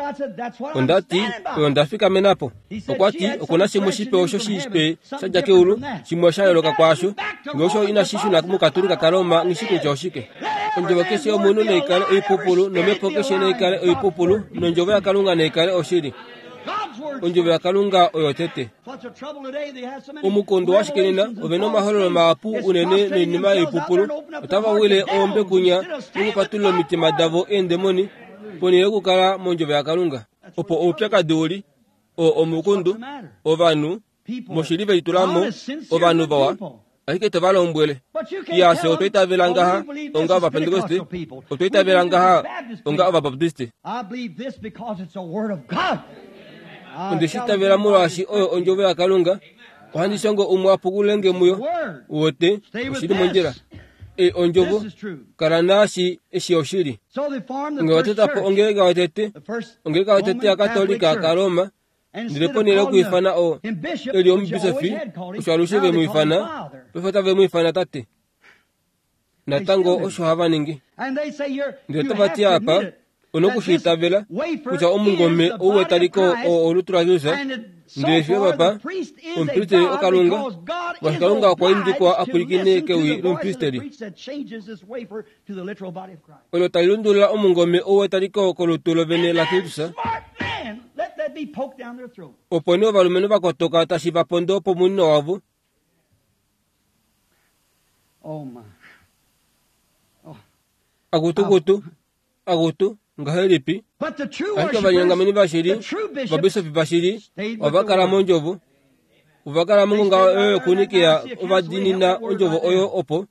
Onda ti, oyo nda fikamena po. Okwa ti, okuna shimwe shipe osho shipe sha dja keulu, shimwe sha yooloka kwaasho. Ngee osho inashi shuna mukatolika kaRoma, nghi shi kutya oshike. Ondjovo keshe yomunhu naikale oipupulu, nomhepo keshe naikale oipupulu, nondjovo yaKalunga naikale oshili. Ondjovo yaKalunga oyo tete. Omukondo washike nena, ove na omahololo mahapu unene noinima yoipupulu, otava wile oombe kunya nokupatulula omitima davo eendemoni, ponhele yokukala mondjovo yaKalunga. Opo oupyakadi u li, oo omukundu, ovanhu, moshili ve litula mo, ovanhu vawa, ashike to va lombwele. Iya, fye otwa itavela ngaha onga Ovapentekoste, otwa itavela ngaha onga Ovabaptiste. Onde shi itavela molwaashi oyo ondjovo yaKalunga, ohandi shongo umwe a pukulule muyo. Uwete, oshili mondjila. Ei ondjovo, kala naashi eshi oshili. Nge va tota po ongeleka yotete, ongeleka yotete yaKatolika kaRoma, ndele ponhele yokwiifana oo e li omubisofi, osho alushe ve mu ifana, paife otave mu ifana tate. Natango osho hava ningi. Ndele otava ti apa, onoku shi itavela kutya omungome ou wetaliko oo olutu laJesus, ndele fiyo papa, omupristeli oKalunga, molwaashi Kalunga okwa indikwa a pwilikine kewi lomupristeli. Olo tali lundulula omungome ou wetaliko kolutu lovene laKristus. Opo nee ovalumenhu va kotoka tashi va pondo pomunino wavo. Akutukutu, akutu, ngahelipi? Ashike ovalinyongameni vashili, ovabisofi vashili, ova kala mondjovo. Ova kala mongonga oyo yokunikia, ova diinina ondjovo oyo opo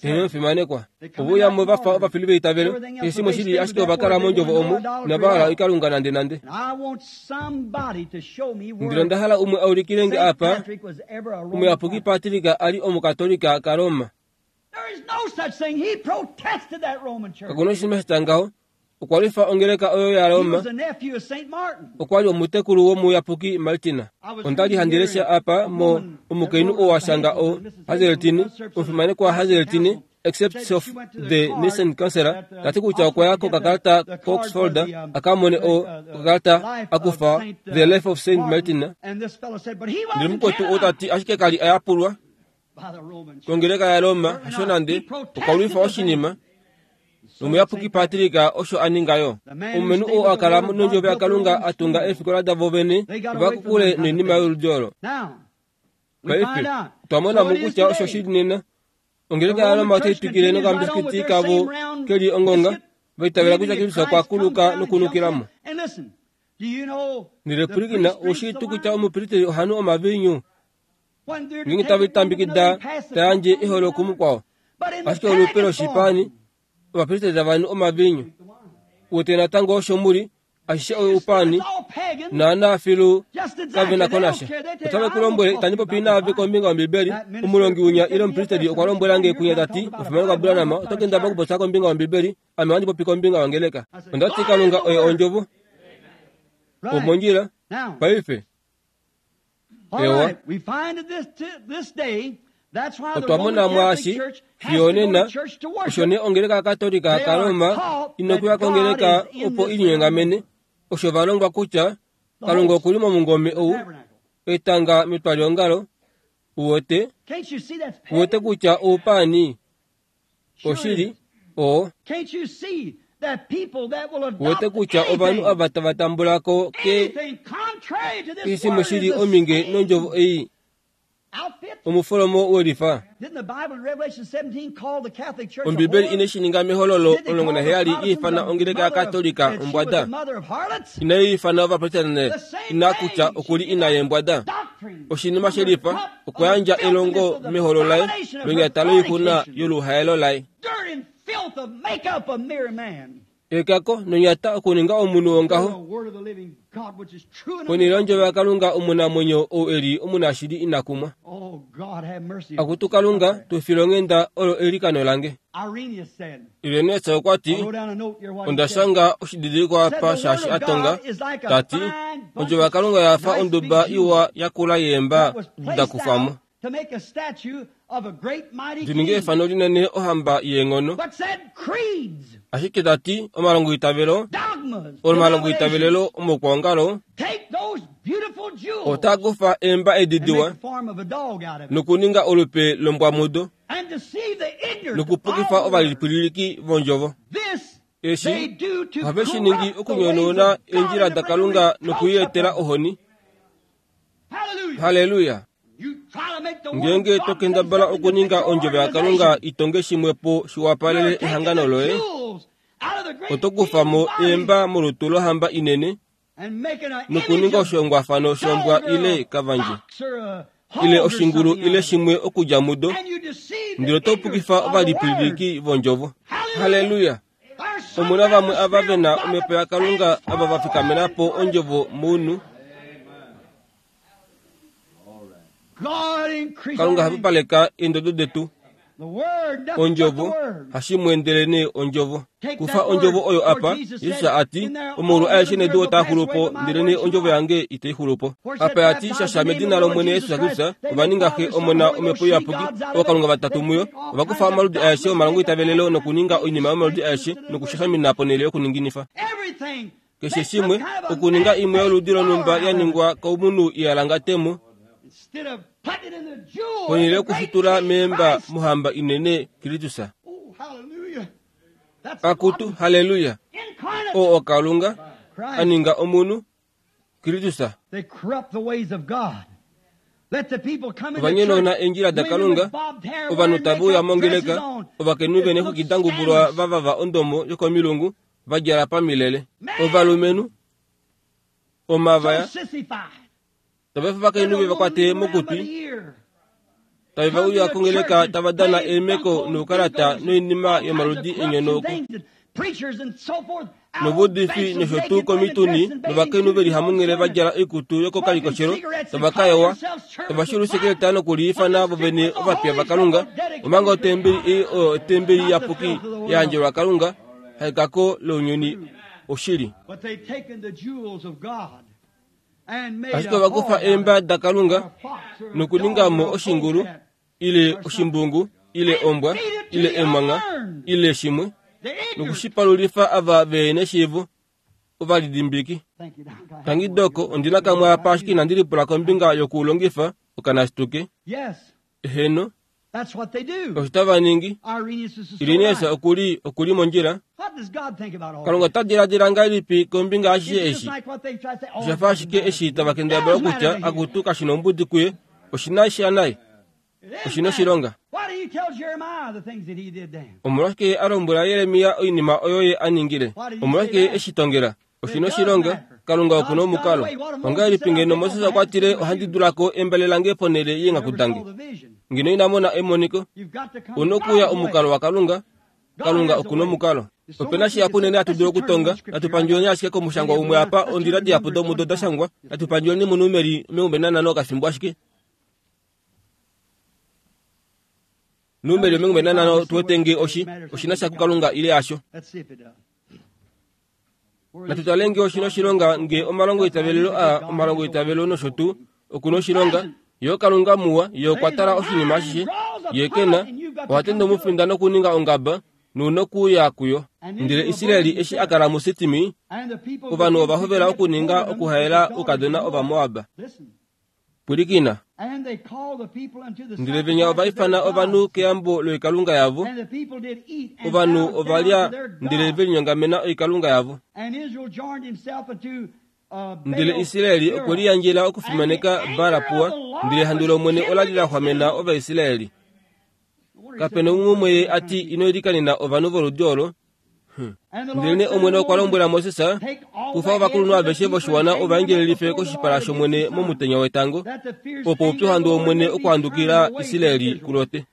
eheno omufimanekwa. Ove uya mo va fa ovafili veitavelo, keshe shimwe shili, ashike ova kala mondjovo omo, inava hala oikalunga nande nande. Ndele onda hala umwe a ulikile nge apa, omuyapuki Patrick a li omukatolika kaRoma. Kakuna oshinima sha tya ngaho. Okwa lwifa ongeleka oyo yaRoma. Okwa li omutekulu womuyapuki Martin. Onda li handi lesha apa mo omukainhu oo a shanga o Hazeltine, omufimanekwa Hazeltine, excerpts of the Nicene Council, tati kutya okwa ya kokakalata koOxford a ka mone o okakalata a kufa The Life of Saint Martin. Ndele mukwetu ou tati ashike ka li a yapulwa. Kongeleka yaRoma hasho nande okwa lwifa oshinima. Nomuyapuki Patrika osho a ninga yo. Omulumenhu oo a kala nondjovo yaKalunga a tunga eefikola davo vene ova kokule noinima yoludi olo. Paife otwa mona mo kutya osho shili nena. Ongeleka yaRoma otai twikile nokambisikiti kavo keli ongonga, va itavela kutya Kristus okwa kuluka nokunukila mo. Ndele pwilikina, oushii tuu kutya omupristeli ohanu omaviinyu ngeenge tave litambekida ta yandje eholo kumukwao, ashike olupe loshipaani ovapristeli tava nu omaviinyu. Uwete natango osho muli, ashishe oupaani naana filu kave na ko nasha. Otave ku lombwele, itandi popi naave kombinga yOmbibeli. Omulongi winya ile omupristeli okwa lombwela nge kunya tati, omufimanekwa Branham, oto kendabala okupopya kombinga yOmbibeli, ame ohandi popi kombinga yongeleka. Onda ti Kalunga oye ondjovo. Omondjila paife. Ewa. Otwa mona mwaashi fiyo nena osho nee ongeleka yaKatolika yaRoma inokuya kongeleka opo ilinyongamene. Osho va longwa kutya Kalunga okuli momungome ou etanga metwaliongalo. Uwete uwete kutya oupaani oshili oo. Uwete kutya ovanhu ava tava tambula ko ke shimwe shili ominge nondjovo ei omufolomo welifa. Ombibeli ine shi ninga mehololo omulongo naheyali iifana ongeleka yaKatolika ombwada. Inai ifana ovaprotestante ina kutya okuli ina yeembwada. Oshinima shelifa okwa yandja elongo meholo laye lonyata loixuna yoluhaelo laye. Ekako nonyata okuninga omunhu wongaho ponhele yondjovo yaKalunga omunamwenyo ou eli omunashili ina kumwa. Akutu Kalunga, tu file onghenda, olo eilikano lange. Irenaeus okwa ti, onda shanga oshididilikwa apa shaashi a tonga, ta ti, ondjovo yaKalunga oya fa onduba iwa yakula yeemba da kufwa mo. Ndi ninge efano linene ohamba yeenghono. Ashike ta ti omalongoitavelo, omalongoitavelelo omokwoongalo otaa kufa eemba edi diwa nokuninga olupe lombwamudo nokupukifa ovalipwililiki vondjovo. Eshi ohave shi ningi okunyonouna eendjila daKalunga nokuietela ohoni. Halleluya! Ngeenge to kendabala okuninga ondjovo yaKalunga itonge shimwe po shiwapalele ehangano loye, oto kufa mo eemba molutu lohamba inene nokuninga oshihongwafano shombwa ile kavandje ile oshingulu ile shimwe okudja mudo, ndele oto pukifa ovalipwililiki vondjovo. Halleluya! Omuna vamwe ava ve na omhepo yaKalunga ava va fikamena po ondjovo mounhu. Kalunga hapupaleka eendodo detu. Ondjovo hashimwe ndelenee ondjovo. Kufa ondjovo oyo apa, Jesus a ti, omaulu aeshe nedu otaa xulu po, ndelenee ondjovo yange itai xulu po. Apa ya ti shasha medina lOmwene Jesus Kristus, ova ninga Xe, Omona, Omhepo Iyapuki, ookalunga vatatu muyo. Ova kufa omaludi aeshe omalongoitavelelo nokuninga oinima yomaludi aeshe nokushashamina ponhele yokuninginifa. Keshe shimwe, okuninga imwe yoludi lonhumba ya ningwa komunhu ihalangatemo, ponhele yokuxutula meemba mohamba inene Kristus. Akutu, halleluya! Oo oKalunga a ninga omunhu, Kristus. Ova nyonauna eendjila daKalunga, ovanhu tave uya mongeleka, ovakainhu ve neexwiki da ngubulwa va vava ondomo yokomilungu, va djala pamilele. Ovalumenhu, omavaya, tava efa ovakainhu ve va kwate mokutwi, tave va uya kongeleka tava dana eemeko noukalata noinima yomaludi enyonauko. Novuudifi nosho tuu komituni novakainhu ve li hamunghele va djala oikutu yokokalikoshelo tava ka yowa, tava xulu sekeleta nokuliifana vovene ovapiya vaKalunga, omanga otembeli ei oyo otembeli iyapuki ya yandjelwa Kalunga, haekako lounyuni oshili. Ashike ova kufa eemba daKalunga nokuninga mo oshingulu ile oshimbungu ile ombwa ile emwangha ile shimwe nokushipalulifa ava ve neshiivo ovalidimbiki. Tangi doko ondina kamwe apa ashike inandi lipula kombinga yokuulongifa okanasituke. Eheno, Osho tava ningi. Irenaeus okuli okuli mondjila. Kalunga ota diladila ngahelipi kombinga ashishe eshi? Osha fa ashike eshi tava kendabala kutya akutu kashi nombudi kuye, oshina sha naye, oshina oshilonga. Omolwashike a lombwela Jeremia oinima oyo ye a ningile? Omolwashike ye eshi tongela? Oshina oshilonga. Kalunga okuna omukalo. Ongahelipi ngeno Moses okwa tile ohandi dulako embale lange ponhele yeenghaku dange? Ngeno ina mona emoniko. Una okuya omukalo waKalunga. Kalunga okuna omukalo. Opena shihapu unene hatu dulu okutonga. Natu pandjuleni ashike komushangwa umwe apa, ondila dihapu domudo da shangwa. Natu pandjuleni muNumeri omilongo nanhano okafimbo ashike. Numeri omilongo nanhano tuwete nge oshi oshina sha kuKalunga ile hasho. Natu tale nge oshina oshilonga nge omalongo itavelelo a omalongo itavelo nosho tuu okuna oshilonga. Yo Kalunga muwa, ye okwa tala oshinima ashishe, ye kena oha tende omufinda nokuninga ongaba nunokuya kuyo. Ndele Israeli eshi a kala muSitimi, ovanhu ova hovela okuninga okuhaela oukadona Ovamoab. Pwilikina. Ndele venya ova ifana ovanhu keyambo loikalunga yavo. Ovanhu ova lya ndele ve linyongamena oikalunga yavo. Ndele Israeli okwe liyandjela okufimaneka Baal-Peor, ndele ehandu lOmwene ola li la xwamena Ovaisraeli. Kapena umwe ye a ti ino ilikanena ovanhu voludi olo. Ndelenee Omwene okwa lombwela Moses, kufa ovakulunhu aveshe voshiwana ovaendjelelife koshipala shOmwene momutenya wetango, opo oupyuhandu wOmwene okuhandukila Israeli kulote.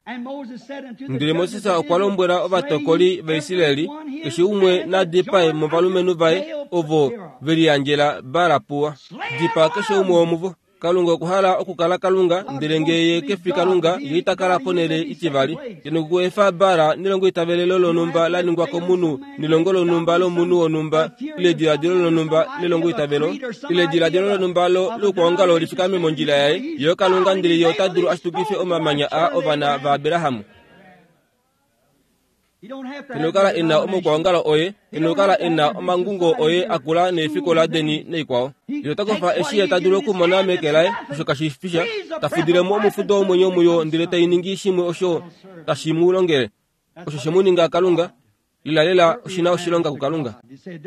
Ndele Moses okwa lombwela ovatokoli vaIsraeli, keshe umwe na dipae movalumenhu vaye ovo ve liyandjela Baal-Peor. Dipaa keshe umwe womuvo. Kalunga okwa hala okukala Kalunga, ndele nge ye kefi Kalunga, ye ita kala ponhele itivali. Ye nokuefa Baal nelongo itavelelo lonhumba la ningwa komunhu, nelongo lonhumba lomunhu wonhumba, ile ediladilo lonhumba lelongo itavelo, ile ediladilo lonhumba loukwaongalo lifikame mondjila yaye. Ye Kalunga, ndele ye ota dulu ashitukife omamanya a ovana vaAbraham. Ino kala ena omaukwaongalo oye, ino kala ena omangungo oye akula neefikola deni naikwao. Ye ota kofa eshi ye ta dulu okumona meke laye, osho kashi fisha, ta fudilemo omufudo womwenyo muyo ndele tai ningi shimwe osho tashi mu longele. Osho she mu ninga Kalunga. Lilalela oshina oshilonga kuKalunga.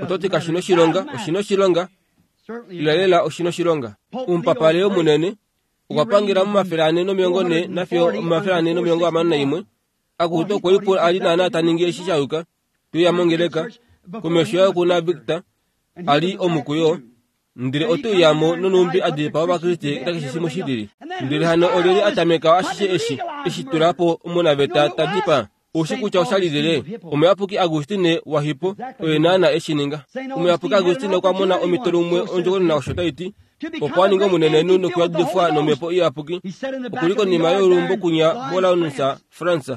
Oto ti kashi noshilonga, oshina oshilonga. Lilalela oshina oshilonga. Omupapa Leo munene okwa pangela momafele ane nomilongo nhe nafiyo omafele ane nomilongo hamano naimwe. Akutu okwe lipula a li naana ta ningi eshi sha yuka. Tuya mongeleka komesho yaye okuna Victor a li omukuyo, ndele ote uyamo nonumbi a dipaa Ovakriste nakeshe shimwe shi lili. Ndele hano olyelye a tameka ashishe eshi eshi tula po omunaveta ta dipaa? Oushi kutya osha li lyelye? Omuyapuki Augustine waHippo oye naana eshi ninga. Omuyapuki Augustine okwa mona omhito lumwe ondjokonona osho tai ti, opo a ninge omunenenhu nokuyadifwa nomhepo iyapuki, okuli konima yolumbo kunya moLaunus, France.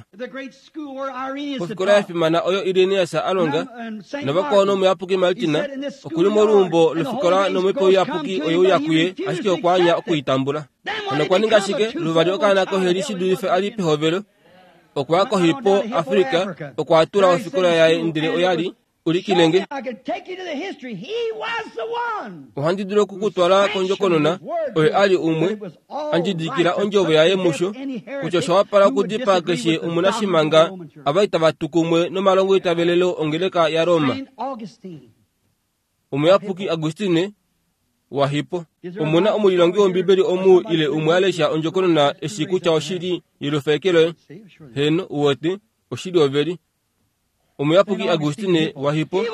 Pofikola ya fimana oyo Irenaeus a longa navakwao nomuyapuki Martin, okuli moluumbo lofikola nomhepo iyapuki oye uya kuye, ashike okwa anya okuitambula. Hano okwa ninga shike? Luvali okaana koheli shi dulife a li pehovelo. Okwa ya koHippo, Afrika, okwa tula ofikola yaye ndele oya li ulikilenge. Ohandi dulu okukutwala kondjokonona, oye a li umwe a ndjidikila ondjovo yaye musho, kutya osha wapala okudipaa keshe omunashimanga ava itava tu kumwe nomalongo itavelelo ongeleka yaRoma. Omuyapuki Augustine waHippo. Omuna omulilongi wOmbibeli omu ile umwe a lesha ondjokonona eshi kutya oshili yelufekelo, heno uwete, oshili oveli. Omuyapuki Augustine waHippo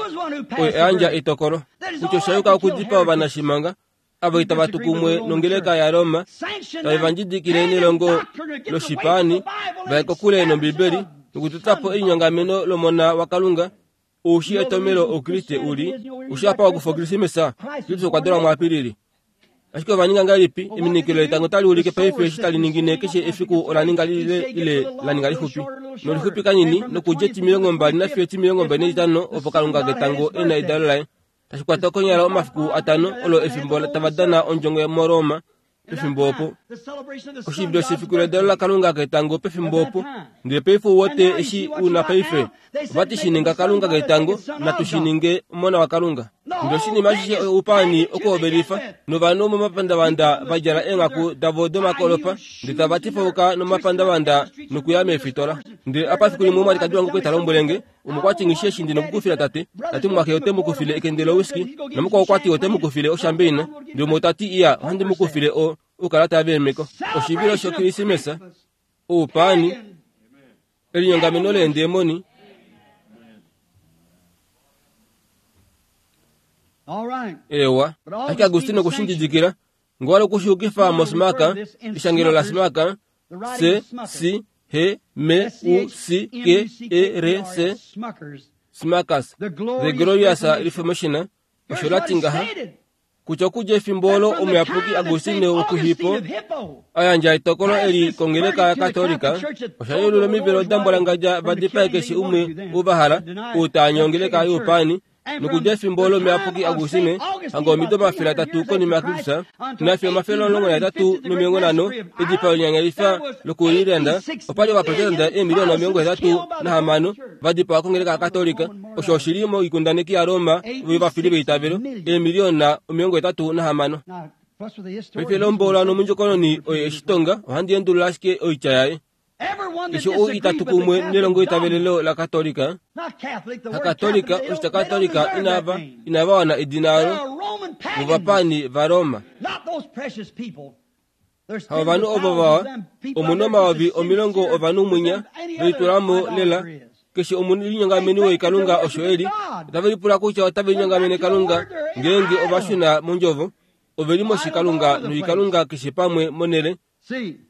oye a yandja etokolo kutya osha yuka okudipaa ovanashimanga ava itava tu kumwe nongeleka yaRoma, tave va ndjidikile nelongo loshipaani, va ye kokule nOmbibeli nokutota po elinyongameno lOmona waKalunga. Oushi etomelo Oukriste uli oushi apa okufa Okrismesa, Kristus okwa dalwa muApilili. Ashike ova ninga ngahelipi? Eminikilo letango tali ulike paife eshi tali ningine keshe efiku ola ninga lile ile la ninga lixupi. Nolixupi kanini nokudja etimilongo mbali nafiyo etimilongo mbali naitano opo Kalunga ketango e na edalo laye. Tashi kwata konyala omafiku atano olo efimbo tava dana ondjongo moRoma pefimbo opo. Oshivilo shefiku ledalo laKalunga ketango pefimbo opo. Ndele paife uwete eshi una paife. Ova ti shi ninga Kalunga ketango, natu shi ninge Omona waKalunga. Ndele oshinima ashishe oupani okuhovelifa novanhu momapandavanda va djala eenghaku davo domakolopa ndele tava tifauka nomapandavanda nokuya meefitola. Ndele apa fiku limwe omwalikadi wange okwali ta lombwelenge omukwati ngishi eshi ndina okukufila tate, tati mumwaxe ote mu kufile ekende lowhiskey namukwao okwati ote mu kufile oshambeina, ndele umwe otati iya ohandi mu kufile o oukalata veemeko. Oshivilo shokrisimesa, oupani, elinyongameno leendemoni. Ewa, ashike Agustino okushindidikila ngowala okushuukifa mosmaka, eshangelo la smaka C C H M U C K E R S Smackers, The Glorious Reformation, osho lati ngaha kutya okudja efimbo olo omuyapuki Agustino wokuHippo a yandja etokolo eli kongeleka yaKatolika, osha yeulula omivelo dambwalangadja va dipae keshe umwe ou va hala, ou taanya ongeleka youpani. Nokudja efimbo olo omuyapuki Agustine hanga omido omafele atatu konima yaKristus nafiyo omafele omulongo nahetatu nomilongo nhano, edipao linyanyalifa lokuIreland, opali ovaprotestante eemiliyona omilongo hetatu nahamano va dipawa kongeleka yaKatolika. Osho oshili moikundaneki yaRoma yovafili veitavelo, eemiliyona omilongo hetatu nahamano. Paife lombola nomundjokononi oye eshitonga, ohandi endulula ashike oitya yaye. Keshe ou itatu kumwe nelongo itavelelo la Katolika, hakatolika, oshitya Katolika inava inava wana edina alo vovapani va Roma. Hava ovanhu ovo vawa, omuna omayovi omilongo ovanhu mwinya velitulamo lela. Keshe omulinyongameni woikalunga osho eli, otave lipula kutya otave linyongamene Kalunga ngeenge ova shuna mondjovo. Ove li moshikalunga noikalunga keshe pamwe monele.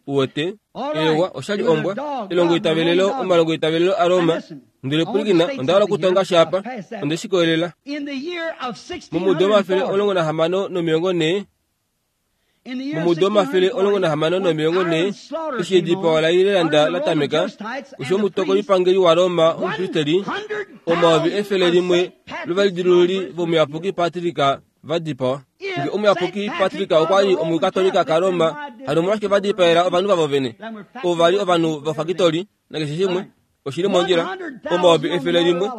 Uwete, ewa oshali ombwa, elongo itavelelo, omalongo itavelelo a Roma. Ndele pwilikina, onda hala okutonga sha apa, onde shi koyelela. Momudo omafele omulongo nahamano nomilongo nhee, momudo omafele omulongo nahamano nomilongo nhee, eshi edipao laIreland la tameka, osho omutokolipangeli waRoma omupristeli, omayovi efele limwe lovalidilululi vomuyapuki Patrick va dipawa. Nge omuyapuki Patrick okwa li omukatolika kaRoma, hano omolwashike va dipaela ovanhu vavo vene? Ovo va li ovanhu vofakitoli nakeshe shimwe oshili mondjila. Omayovi efele limwe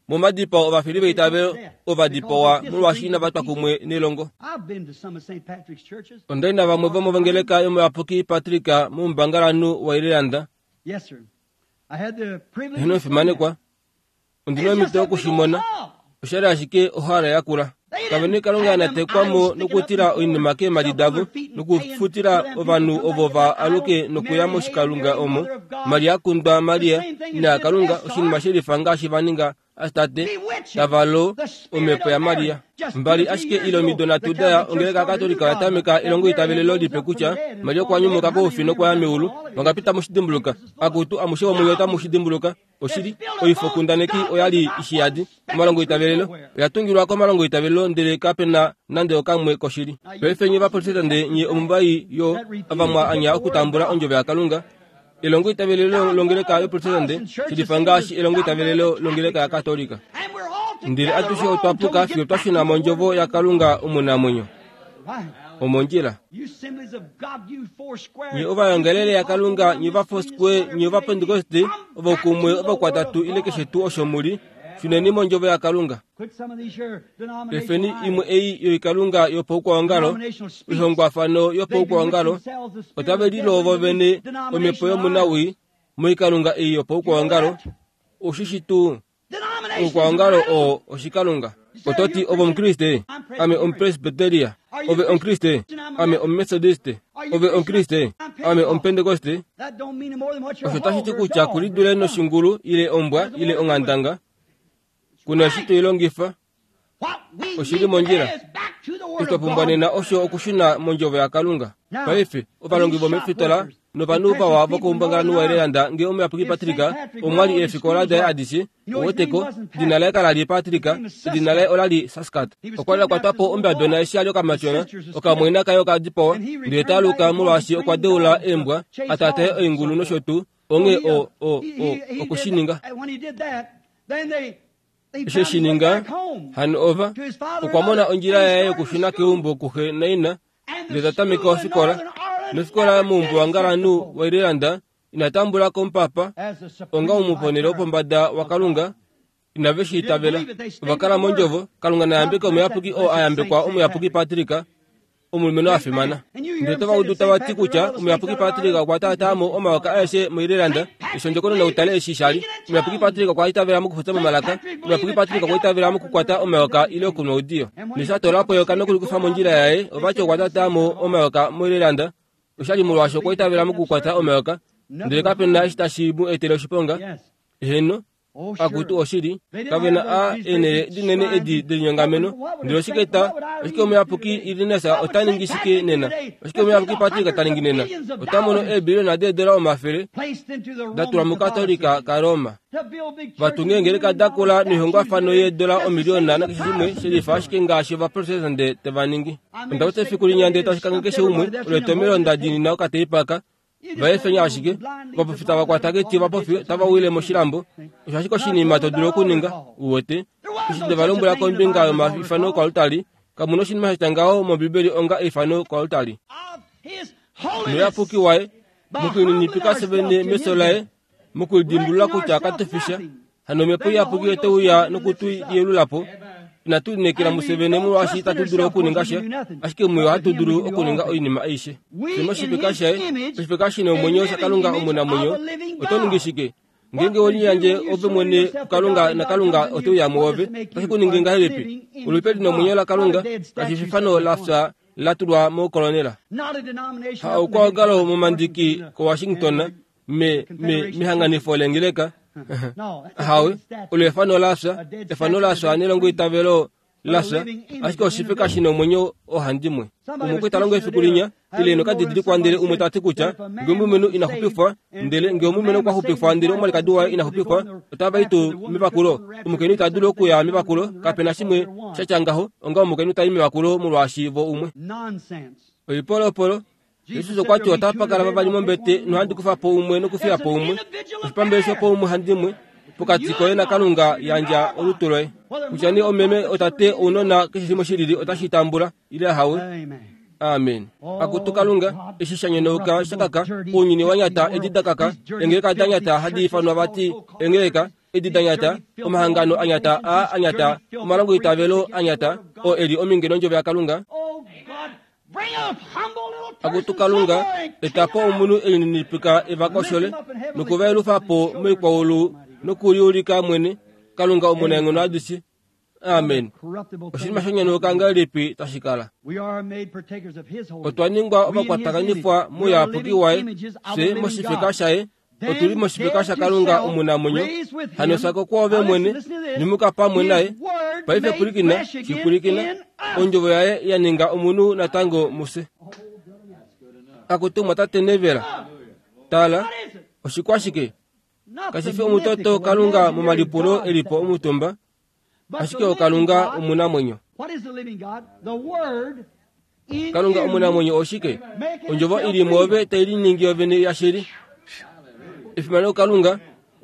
momadipao ovafili veitavelo ova dipawa molwaashi inava twa kumwe nelongo. Onda li navamwe vomongeleka yomuyapuki Patrick moumbangalanhu waIreland. Eheno fimanekwa, ondina omhito yokushimona. Oshali ashike ohala yakula. Kave Kalunga anatekwamo nokutila oinima keemhadi davo nokufutila ovanhu ovo va aluke nokuya moshikalunga omo Maria kundwa Maria ina Kalunga, oshinima shelifa ngaashi va ninga Astate tavalo omhepo yaMaria. Mbali ashike ile omido nhatu daya ongeleka yaKatolika oya tameka elongo itavelelo lipe kutya Maria okwa nyumuka koufi nokwaya meulu. Vangapita mushidimbuluka? Akutu amushe womunye otamu shidimbuluka. Oshili, oifokundaneki oya li ishiyadi omalongo itavelelo oya tungilwa komalongo itavelelo, ndele kapena nande okamwe koshili. Paife nye vaprotestante nye omumbai yo ava mwa anya okutambula ondjovo yaKalunga. Elongo itavelelo longeleka yoprotestante shilifa ngaashi elongo itavelelo longeleka yaKatolika. Ndele atushe otwa puka fiyo twa shuna mondjovo yaKalunga omunamwenyo. Omondjila. Nye ovayongelele yaKalunga, nye vaFoursquare, nye ovapentekoste, ovokumwe, ovakwatatu ile keshe tuu osho muli, shuneni mondjovo yaKalunga. Efeni imwe ei yoikalunga yopaukwaongalo, oihongwafano yopaukwaongalo, otave liloo vovene omhepo yomunawii moikalunga ei yopaukwaongalo. Oshishi tuu oukwaongalo oo oshikalunga. Ototi ove omukriste, ame omupresbyteria, ove omukriste, ame omumethodiste, ove omukriste, ame omupentekoste. Osho tashi ti kutya kulidule noshingulu ile ombwa ile onghandanga, kuna eshi toilongifa. Oshili mondjila. Eshi twa pumbwa nena osho okushuna mondjovo yaKalunga. Paife ovalongi vomefitola novanhu vawa vokoumbangalanhu waIreland nge omuyapuki Patrick omwali eefikola daye adishe, oweteko edina laye kala li Patrick, edina laye ola li Saskat. Okwa li a kwatwa po ombadona eshi a li okamatyona, okamwaina kaye oka dipawa, ndele ta aluka molwaashi okwa deula eembwa, a taataye oingulu nosho tuu, onghee o o o okushininga. Eshi shininga, hano ova okwa mona ondjila yaye yokushuna keumbo kuxe naina, ndele ta tameke ofikola. Nofikola moumbuwangalanhu waIreland ina tambula ko omupapa onga omuponele wopombada waKalunga, Inave shi itavela. Ova kala mondjovo. Kalunga na yambeke omuyapuki oo a yambekwa omuyapuki Patrick, omulumenhu a fimana. Ndele tova udu tava ti kutya omuyapuki Patrick okwa taataa mo omayoka aeshe moIreland. Eshi ondjokonona utale eshi sha li. Omuyapuki Patrick okwa itavela mokufutsa momalaka. Omuyapuki Patrick okwa itavela mokukwata omayoka ile okunwa oudiyo. Neshi a toola po eyoka nokulikufa mondjila yaye, ovati okwa taataa mo omayoka moIreland. Oshali molwaashi okwa itavela mokukwata omayoka, ndele kape na eshi tashi mu etele oshiponga. Heno, akutu oshili, kave na a eenhele dinene edi delinyongameno. Ndele oshike ta, oshike omuyapuki Irenaeus ota ningi shike nena? Oshike omuyapuki Patrick ta ningi nena? Ota mono eebiliona deedola omafele da tulwa mukatolika kaRoma. Vatunge ngeleka dakula noihongwafano yeedola omiliona nakeshe shimwe shelifa ashike ngaashi ovaprotestante tava ningi. Onda wete efiku linya ndele tashi kange keshe umwe olo etomelo nda dinina okateipaka. Vaefenya ashike, vapofi tava kwata keti vapofi tava wile moshilambo. Osho ashike oshinima to dulu okuninga, uwete. Eshi teva lombwela kombinga yomaifano koaltari, kamuna oshinima sha tya ngaho mOmbibeli onga eifano koaltari. Noyapuki waye, mokulininipika sevene meso laye, mokulidimbulula kutya katufisha, hano omhepo iyapuki oteuya nokutu yelula po. Inatu lineekela musevene molwaashi itatu dulu okuninga sha, ashike muyo ohatu dulu okuninga oinima aishe. Fye moshifeka shaye, oshifeka shina omwenyo shaKalunga omunamwenyo, oto ningi shike? Ngeenge weliyandje ove mwene kuKalunga naKalunga oteuya mwoove, otashi ku ningi ngahelipi? Olupe lina omwenyo laKalunga, kashi fi efano la fya la tulwa mokolonela. Ha oukwaongalo momandiki koWashington, me me mehanganifo lengeleka. Hawe, olo efano la fya, efano la fya nelongo itavelo la fya, ashike oshifeka shina omwenyo ohandimwe. Umwe okwe talongo efiku linya, ile nokadidilikwa ndele umwe tati kutya ngee omulumenhu ina xupifwa, ndele ngee omulumenhu okwa xupifwa ndele omwalikadi waye ina xupifwa, otava i tuu mevakulo. Omukainhu ita dulu okuya mevakulo, kapena shimwe sha tya ngaho, onga omukainhu tai mevakulo molwaashi vo umwe. Oipolopolo. Jesus okwa ti otapa kala vavali mombete nohandi kufa po umwe nokufiya po umwe. Oshipambele shopo umwe handimwe pokati koye naKalunga yandja olutu loye. Kutya nee omeme otate ounona keshe shimwe shilili otashi tambula ile hawe. Amen. Akutu Kalunga, eshi sha nyonauka shakaka, ounyuni wa nyata edi dakaka, engeleka da nyata hadi ifanwa vati engeleka, edi da nyata, omahangano a nyata a a nyata, omalongo itavelo a nyata, oo eli ominge nondjovo yaKalunga. Akutu Kalunga, etapo omunhu elininipika evakoshole, nokuvaelufa po moikwaulu nokuliulika mwene, Kalunga omunaenghono adishe. Amen. Oshinima shonyonauka ngahelipi tashi kala? Otwa ningwa ovakwatakanifwa mouyapuki waye, fye moshifeka shaye, otuli moshifeka shaKalunga omunamwenyo. Hano sako kwoove mwene, nyumuka pamwe naye. Paife pwilikina, shipwilikina, ondjovo yaye ya ninga omunhu natango mufye. Akutumwa tate Nevela. Tala, oshikwashike? Kashi fi omutoto Kalunga momalipulo elipo omutumba, ashike oKalunga omunamwenyo. Kalunga omunamwenyo oshike? Ondjovo ili mwoove tai liningi yovene yashili. Efimano Kalunga,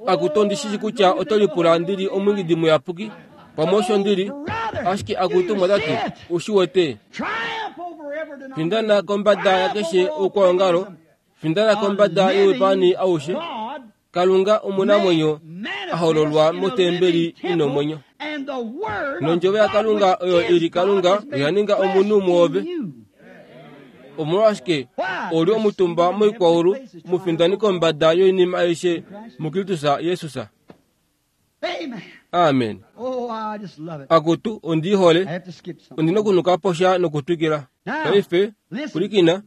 akutu ndi shishi kutya oto lipula ndili omwingidi muyapuki, pamwe osho ndili, ashike akutumwa tati, ushi wete. Findana kombada yakeshe oukwaongalo, findana kombada youpani aushe. Kalunga omunamwenyo ahololwa motembeli ina omwenyo. Nondjovo yaKalunga oyo ili Kalunga oya ninga omunhu mwoove. Omolwashike oli omutumba moikwaulu mufindani kombada yoinima aishe muKristus Jesus. Amen. Akutu ondi hole, ondina okunuka posha nokutwikila. Paife pwilikina.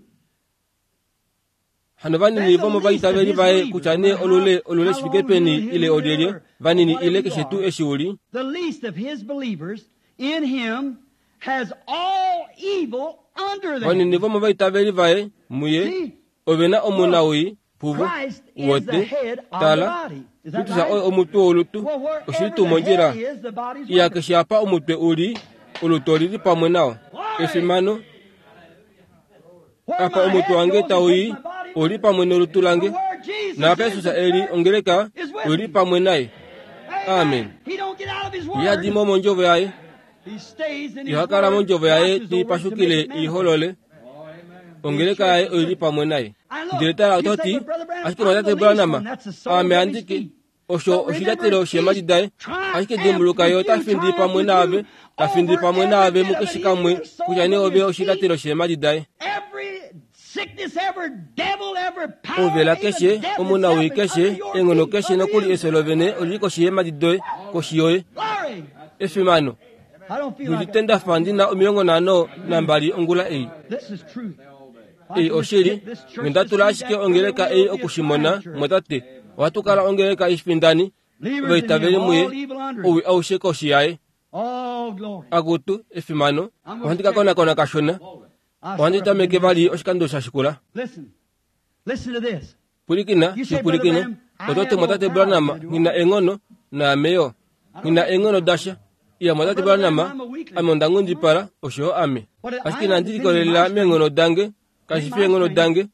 Hano vanini vomovaitaveli vaye kutya nee olule olule shifike peni ile olyelye, vanini ile keshe tuu eshi uli. The least of his believers in him has all evil under them. Vanini vomovaitaveli vaye muye ovena omunawii puvo wote. Tala, Kristus oye omutwe wolutu, oshili tuu mondjila. Iya keshe apa omutwe uli, olutu olili pamwe nao. Efimano. Apa omutwe wange tauyi, oli pamwe nolutu lange. Naapa Jesus eli ongeleka, oli pamwe naye. Amen. Ihadimo mondjovo yaye. Ihakala mondjovo yaye tiipashukile iholole. Ongeleka yaye oili pamwe naye. Ndele tala ototi, ashike mwatate Branham, ame andike. Osho oshilyatelo sheemhadi daye. Ashike dimbuluka ye ota findi pamwe naave, ta findi pamwe naave mukeshe kamwe, kutya nee ove oshilyatelo sheemhadi daye. Ouvela keshe, omunawii keshe, enghono keshe nokuli efyo lovene olili koshi yeemhadi doye, koshi yoye. Efimano. Ndiudite ndafa ndina omilongo nhano nambali ongula ei. Ei oshili, nge tula ashike ongeleka ei okushimona, mwatate, ohatu kala ongeleka ifindani, ovaitaveli muye, owi aushe koshi yaye. Akutu, efimano, ohandi ka konakona kashona, ohandi tameke vali oshikando sha shikula. Pwilikina, shipwilikine, otote mwatate Branham ngina enghono, naame yo, ngina enghono dasha. Iya mwatate Branham, ame onda nghundipala, oshoyo ame. Ashike inandi likolelela meenghono dange, kashi fi eenghono dange,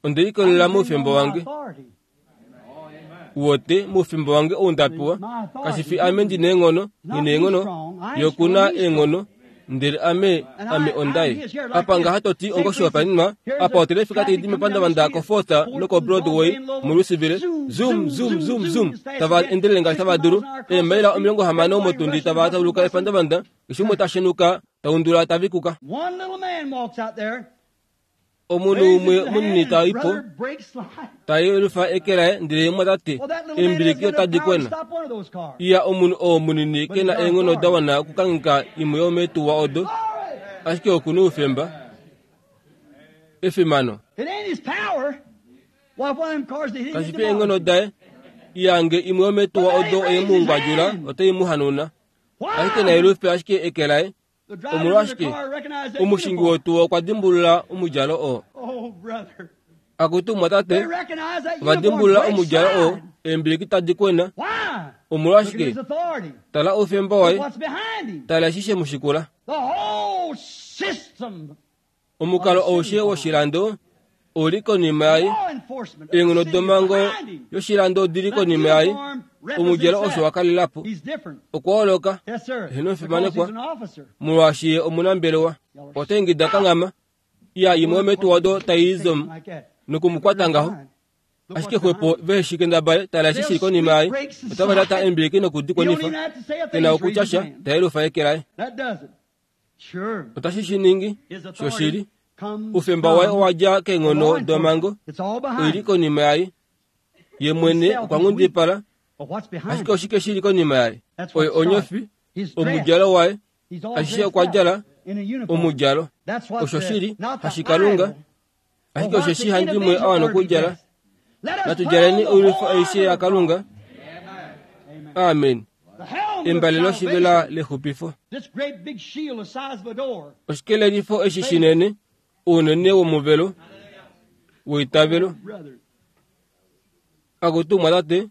onde likolelela moufemba wange. Wote moufemba wange ou nda pewa, kashi fi ame ndina eenghono, ngina eenghono, ye okuna eenghono, ndele ame ame ondaye. Apa ngaha toti ongoshihopaenenwa, apa otelefika taidi mepandavanda koFourth nokoBroadway muLouisville, zoom zoom zoom zoom, tava endelele ngaashi tava dulu, eemaila omilongo hamano motundi tava tauluka epandavanda, keshe umwe ta shenuka, taundula tavikuka. Omunhu umwe munini ta ipo, ta yelufa eke laye ndele mwatate, eembiliki otadi kwena. Iya omunhu oo munini ke na eenghono da wana okukangheka imwe yomeetuwa odo, ashike okuna oufemba. Efimano. Kashi fi eenghono daye, iya nge imwe yomeetuwa odo oye mu ngwadjula, otai mu hanauna. Ashike na yelufe ashike eke laye. Omolwashike omushingi wotuwa okwa dimbulula omudjalo oo. Akutu mwatate, ova dimbulula omudjalo oo, eembiliki tadi kwena. Omolwashike tala oufemba waye, tala eshi she mu shikula. Omukalo aushe woshilando ouli konima yaye, eenghono domhango yoshilando odili konima yaye. Omudjalo osho wa kalela po. Okwa holoka, eheno omufimanekwa, molwaashi ye omunambelewa. Ota ingida kanghama, iya imwe yomeetuwa odo tai zom nokumukwata ngaho. Ashike xwepo vehe kendabale, tala eshi shili konima yaye, otava lyata eembiliki nokudikwenifa. Ke na okutya sha, ta yelufa eke laye. Otashi shi ningi, shoshili. Oufemba waye owa dja keenghono domhango, oili konima yaye. Ye mwene okwa nghundipala, ashike oshike shili konima yaye? Oye onyofi, omudjalo waye, ashishe okwa djala omudjalo. Osho shili hashikalunga, ashike osheshi handimwe a wana okudjala. Natu djaleni oilwifo aishe yaKalunga. Amen. Embale loshivela lexupifo. Oshikelelifo eshi shinene, ounene womuvelo weitavelo. Akutu mwatate,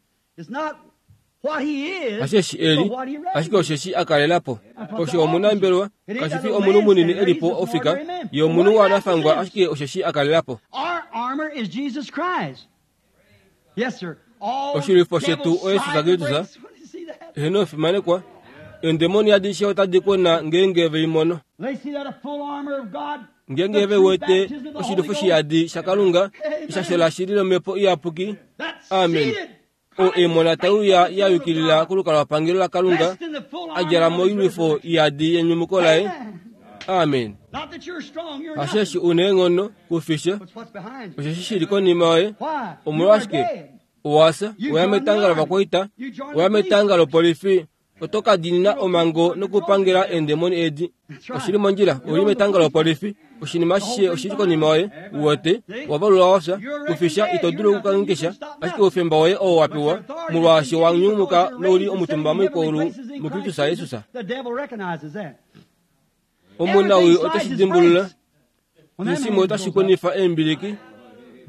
hasheshi eli, ashike osheshi a kalela po. Osho omunambelewa, kashi fi omunhu munini e li po ofika, ye omunhu wanafangwa, ashike osheshi a kalela po. Oshilwifo shetu oYesus Kristus, eheno omufimanekwa, eendemoni adishe otadi kwena ngeenge ve i mono. Ngeenge ve wete oshilwifo shiyadi shaKalunga, eshasho lashili lomhepo iyapuki. Amen. O emona tauya ya yukilila kolukalwapangelo laKalunga, a djala moilwifo iyadi yenyumuko laye. Amen. Hasheshi una eenghono kufisha, osheshi shili konima yoye. Omolwashike owasa, oya metanga lovakwaita, oya metanga lopolifi, oto ka diinina omhango nokupangela eendemoni edi. Oshili mondjila, ouli metanga lopolifi, oshinima ashishe oshili konima yoye. Uwete, owa valulwa wafya, kufisha ito dulu okukanghekesha, ashike oufemba woye oo wa pewa, molwaashi wa nyumuka nouli omutumba moikwaulu muKristus Jesus. Omunawii oteshi dimbulula, keshe shimwe otashi kwenifa eembiliki,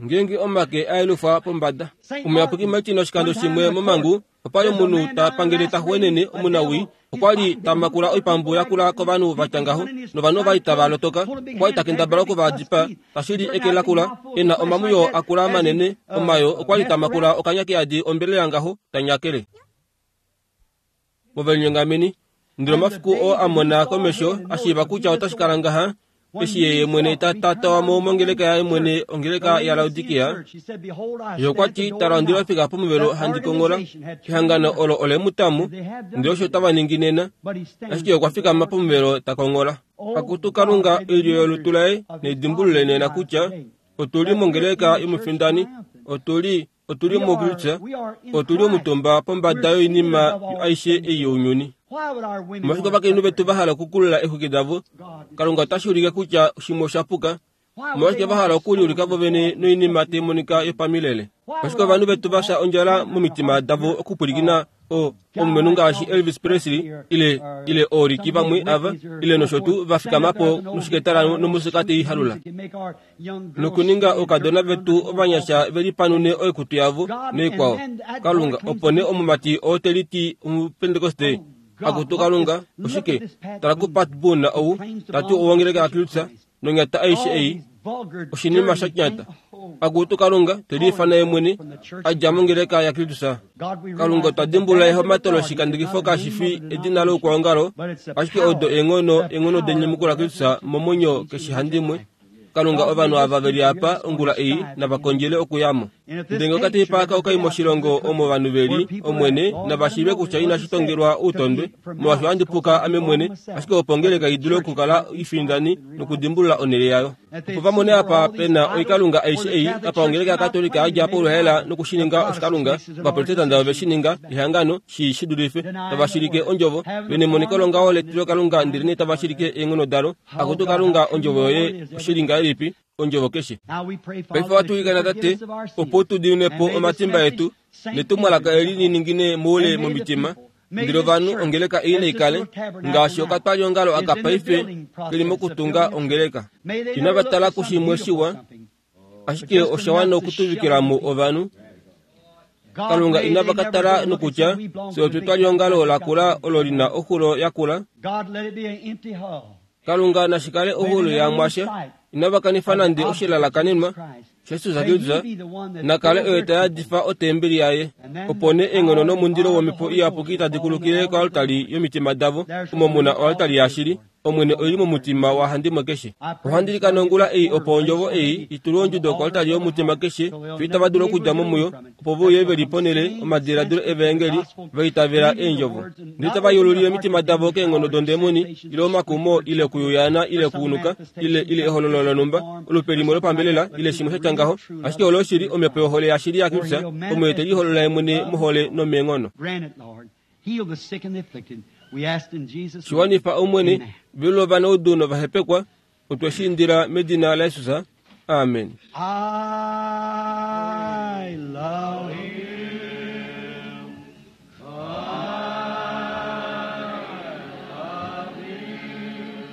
ngeenge omake a yelufwa pombada. Omuyapuki Martin oshikando shimwe momhangu, opali omunhu ta pangele ta xuwenene omunawii, okwa li ta makula oipambu yakula kovanhu vatya ngaho, novanhu ovali tava lotoka. Okwa li ta kendabala okuva dipaa, tashili eke lakula, e na omamuyo akula manene omayo, okwa li ta makula okanya keyadi ombelela ngaho, ta nyakele. Movelinyengameni, ndele omafiku oo a mona komesho a shiiva kutya otashi kala ngaha, Eshi yeye mwene ta tatawamo mongeleka yaye mwene ongeleka ya Laodikia, ye okwa ti tala ondila fika pomuvelo handi kongola. Ehangano olo ole mutamu, ndele osho tava ningi nena, ashike okwa fikama pomuvelo ta kongola. Akutu Kalunga oilyo yolutu laye neidimbulule nena kutya otuli mongeleka yomufindani, otuli otuli muKristus, otuli omutumba pombada yoinima aishe ei younyuni. Omolwashike ovakainhu vetu va hala okukulula eexwiki davo? Kalunga otashi ulike kutya shimwe osha puka. Omolwashike va hala okuliulika vovene noinima tai monika yopamilele? Omolwashike ovanhu vetu va fya ondjala momitima davo okupwilikina o omulumenhu ngaashi Elvis Presley ile ile ooriki vamwe ava ile nosho tuu va fikama po noshiketala nomusika tei halula nokuninga oukadona vetu ovanyasha ve lipanune oikutu yavo noikwao. Kalunga, opo nee omumati oo te liti omupentekoste, akutu Kalunga, oshike? Tala kuPat Boone ou tati owongeleka yaKristus nonyata aishe ei, oshinima sha nyata. Akutu Kalunga, te liifana ye mwene a dja mongeleka yaKristus. Kalunga, otwa dimbulula ehomato loshikandekifo kashi fi edina loukwaongalo, ashike odo eenghono eenghono denyumuko laKristus momwenyo keshe handimwe. Kalunga, ovanhu ava veli apa ongula ei nava kondjele okuyamo. Ndele ngee okateipa aka okai moshilongo omo ovanhu veli, Omwene, nava shiive kutya inashi tongelwa outondwe, molwaashi ohandi puka ame mwene, ashike opo ongeleka i dule okukala ifindani nokudimbulula onhele yayo. Opo va mone apa pe na oikalunga aishe ei, apa ongeleka yaKatolika yadja poluhaela nokushininga oshikalunga, Ovaprotestanta ove shi ninga ehangano, shi shi dulife, tava shilike ondjovo, ve nemoniko longaho letilokalunga ndele nee tava shilike eenghono dalo. Akutu Kalunga, ondjovo yoye oshili ngahelipi, ondjovo keshe. Paife ohatu ilikana Tate, opo tu dimine po omatimba etu, netumwalaka eli li ningine moule momitima, ndele ovanhu ongeleka ei naikale ngaashi okatwaliongalo aka paife keli mokutunga ongeleka. Inava tala kushimwe shiwa, ashike osha wana okutuvikila mo ovanhu. Kalunga inava ka tala nokutya fye otwetwaliongalo lakula olo lina oxulo yakula. Kalunga nashi kale oxulo yamwasha, inava kanifa nande oshilalakanenwa Jesus Kristus nakale oye ta yadifa otembeli yaye. Opo nee eenghono nomundilo womhepo iyapuki tadi kulukile koaltari yomitima davo, omo mu na oaltari yashili. Omwene oili momutima wahandimwe keshe. Ohandi ilikana ongula ei opo ondjovo ei i tulwe ondjudo koaltari yomutima keshe, fiyo itava dulu okudja mo muyo, opo ve uye ve li ponhele omadiladilo evaengeli va itavela eendjovo. Ndele tava yeululile omitima davo keenghono dondemoni, ile omakumo, ile okuyuyaana, ile okuunuka, ile ile ehololo lonhumba, olupe limwe lopambelela, ile shimwe sha tya ngaho, ashike olo oshili omhepo yohole yashili yaKristus, omo ye te liholola ye mwene mohole nomeenghono. Shiwanifa Omwene, velula ovanaudu novahepekwa, otwe shi indila medina laJesus. Amen. I love him. I love him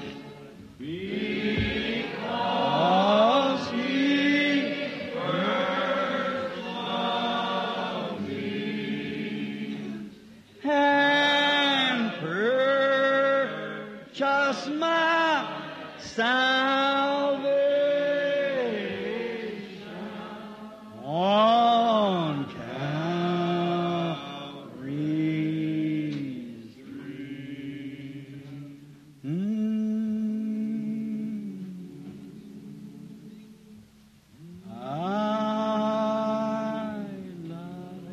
because he first loved me and purchased my salvation on Calvary's tree. Mm. I love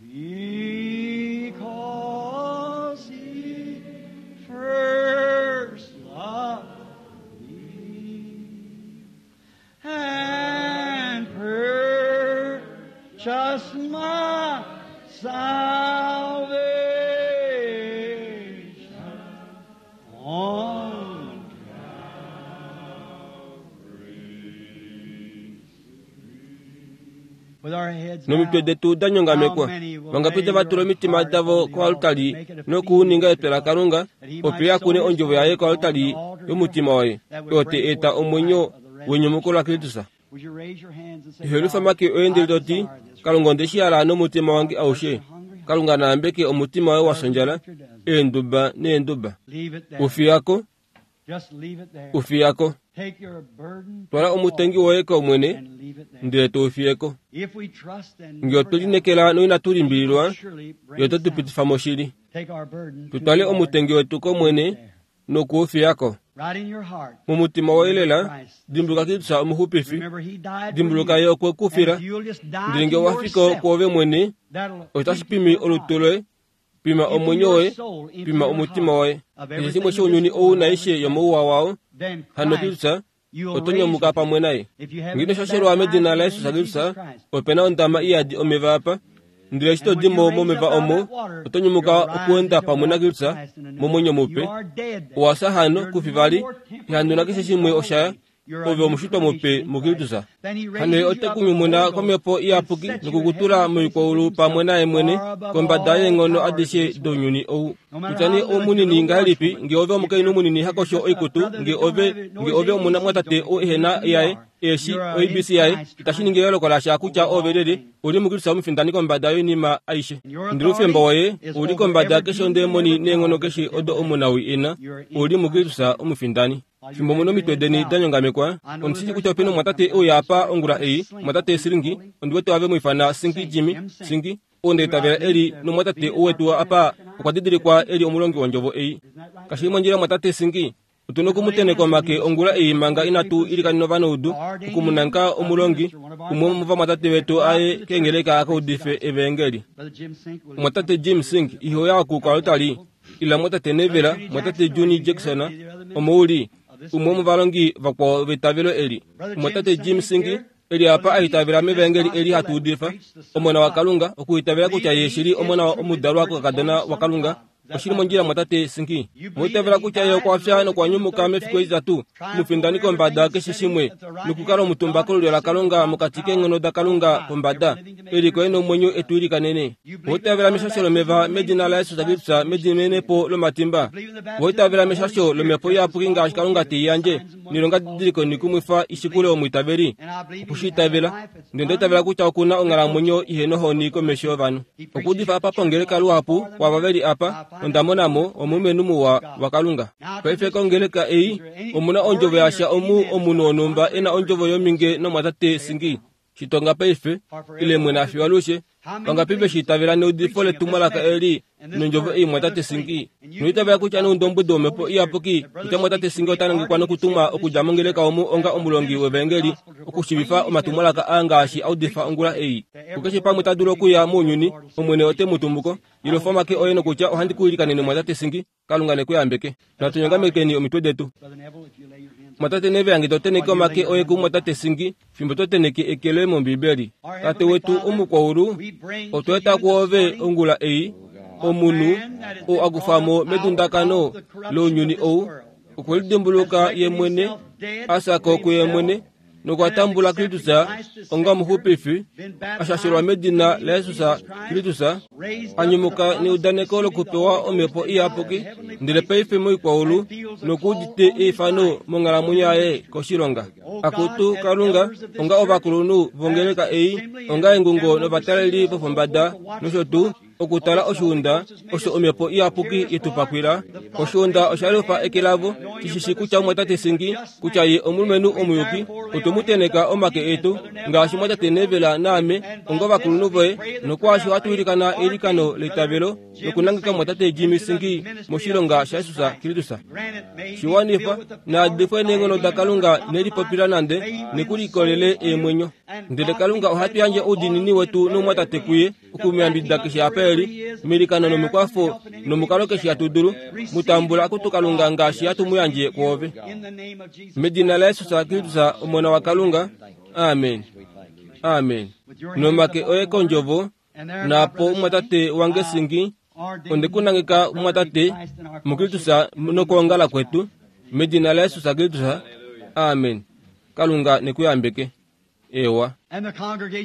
him because he first loved me and purchased my salvation on Calvary's tree. With our heads Nomitwe bowed, detu da nyongamekwa, vangapite va tula omitima davo koaltari nokuuninga etwe laKalunga, opo ya kune ondjovo yaye koaltari yomutima waye, oyo te eta omwenyo wenyumuko laKristus. would you raise your hands and say, Ihelufa God, make oye ndele I to ti, desire this. Kalunga onde shi hala nomutima wange aushe. Kalunga naambeke omutima waye wa sondjala, eenduba neenduba. Leave it there. Ufiyako, Just leave it there. ufiyako. Take your burden Twala omutengi woye kOmwene, and leave it there. ndele to ufiyeko. If we trust and Ngee otwe linekela noinatu limbililwa, surely bring ye ote tu us out. pitifa moshili. Take our burden to Tutwale the Lord. omutengi wetu kOmwene nokuufiyako. Mumutima woye lela, dimbuluka Kristus omuxupifi, dimbuluka ye okwe ku fila. Ndele nge owa fika kwoove mwene, otashi pimi olutu loye, pima omwenyo woye, pima omutima woye. Keshe shimwe shounyuni ou naishe yomouwa wao, hano Kristus oto nyomuka pamwe naye. Ngeno shashelwa medina laYesus Kristus, opena ondama iyadi omeva apa. Ndele eshi to di mo momeva omo, oto nyumuka okuenda pamwe naKristus momwenyo mupe. Owa fya hano kufi vali, ihandu nakeshe shimwe oshaya, ove omushitwa mupe muKristus. Hano ye ote ku nyumuna komhepo iyapuki nokukutula moikwaulu pamwe naye mwene kombada yeenghono adishe dounyuni ou. Kutya nee omunini ngahelipi, nge ove omukainhu munini hakosho oikutu, nge ove nge ove omuna mwatate ou ehena yaye, eshi O B C yaye, itashi ningi eyooloko lasha kutya ove lyelye, uli muKristus omufindani kombada yoinima aishe. Ndele oufemba woye uli kombada keshe ondemoni neenghono keshe odo omunawi ena, uli muKristus omufindani. Fimbo muno omitwe deni da nyongamekwa, ondishishi kutya opena omwatate ouya apa ongula ei, mwatate Siringi, ondiwete ave mwifana Singi Jimmy, Singi, ou ndeitavela eli nomwatate ouwetu apa okwa didilikwa eli omulongi wondjovo ei. Kashi mondjila mwatate Singi, otuna okumuteneka omake ongula ei manga inatu ilikanena ovanaudu, okumunanka omulongi, umwe womovamwatate vetu aye keengeleka akaudife evangeli. Mwatate Jim Sink ihoya oku kwalutali, ila mwatate Nevela, mwatate Juni Jackson, omouli, umwe womovalongi vakwao vetavelo eli. Mwatate Jim Sink eli apa aitavela mevangeli eli hatu udifa, omona waKalunga, okuitavela kutya ye shili omona omudalwa kokakadona waKalunga, oshili mondjila mwatate Sinki. Moitavela kutya ye okwa fya nokwa nyumuka mefiku etitatu, mufindani kombada keshe shimwe, nokukala omutumba kolulyo laKalunga mokati keenghono daKalunga pombada, eliko nomwenyo etu ilikanene. Moitavela meshasho lomeva medina laYesus Kristus medimenepo lomatimba. Moitavela meshasho lomhepo iyapuki ngaashi Kalunga te i yandje, nilonga didiliko nikumwifa ishikule omwiitaveli. Okushiitavela, ndele ndoitavela kutya okuna onghalamwenyo ihe nohoni komesho yovanhu. Okuudifa apa pongeleka luhapu kwava veli apa, onda mona mo omulumenhu muwa waKalunga. Paife kongeleka ei, omuna ondjovo yasha omu omunhu wonhumba ena ondjovo yominge nomwatate Singi. Shitonga paife, ile mwene afiwa alushe, vangapi veshiitavela neudifo letumwalaka eli nondjovo ei mwatate Singi. Noitavela kutya noundombwedi womhepo iyapuki kutya mwatate Singi ota nangekwa nokutumwa okudja mongeleka omu onga omulongi wevangeli okushiivifa omatumwalaka aa ngaashi audifa ongula ei. Kukeshe pamwe ta dulu okuya mounyuni, Omwene ote mu tumbuko. Ilofa omake oye nokutya ohandi ku ilikanene mwatate Singi, Kalunga ne ku yambeke. Natu nyongamekeni omitwe detu. Mwatate Neve ange to teneke omake oye ku mwatate Singi, fimbo to teneke eke loye mOmbibeli. Tate wetu omukwaulu, otwa eta kwoove ongula ei, omunhu ou akufa mo medundakano lounyuni ou, okwe lidimbuluka ye mwene, a fya ko kuye mwene, nokwa tambula Kristus onga omuxupifi, a shashelwa medina laYesus Kristus, a nyumuka neudaneko lokupewa omhepo iyapuki, ndele paife moikwaulu nokuudite eifano monghalamwenyo yaye koshilonga. Akutu Kalunga, onga ovakulunhu vongeleka ei, onga engungo novataleli vopombada nosho tuu, okutala oshiunda osho omhepo iyapuki yetupakwila. Oshiunda osha lufa eke lavo, shishishi kutya mwatate Singi kutya ye omulumenhu omuyuki. Otwe mu teneka omake etu ngaashi mwatate Nevela naame onga ovakulunhu voye, nokwaasho hatu ilikana eilikano leitavelo nokunangeka mwatate Jimmy Singi moshilonga shaJesus Kristus. Shiwanifa naadifwe neenghono daKalunga nelipopila nande nekulikolele eemwenyo. Ndele Kalunga ohatu yandje oudiinini wetu nomwatate kuye okumuyambidida keshe apa eli, milikano nomikwafo nomukalo keshe hatu dulu, mutambula akutu Kalunga ngaashi hatu mu yandje kwoove. Medina laYesus Kristus Omona waKalunga, amen. Amen. Nomake oye kondjovo, naapo mwatate wange Singi, onde kunangeka mwatate muKristus nokuongala kwetu, medina laYesus Kristus, amen. Kalunga nekuyambeke. Ewa.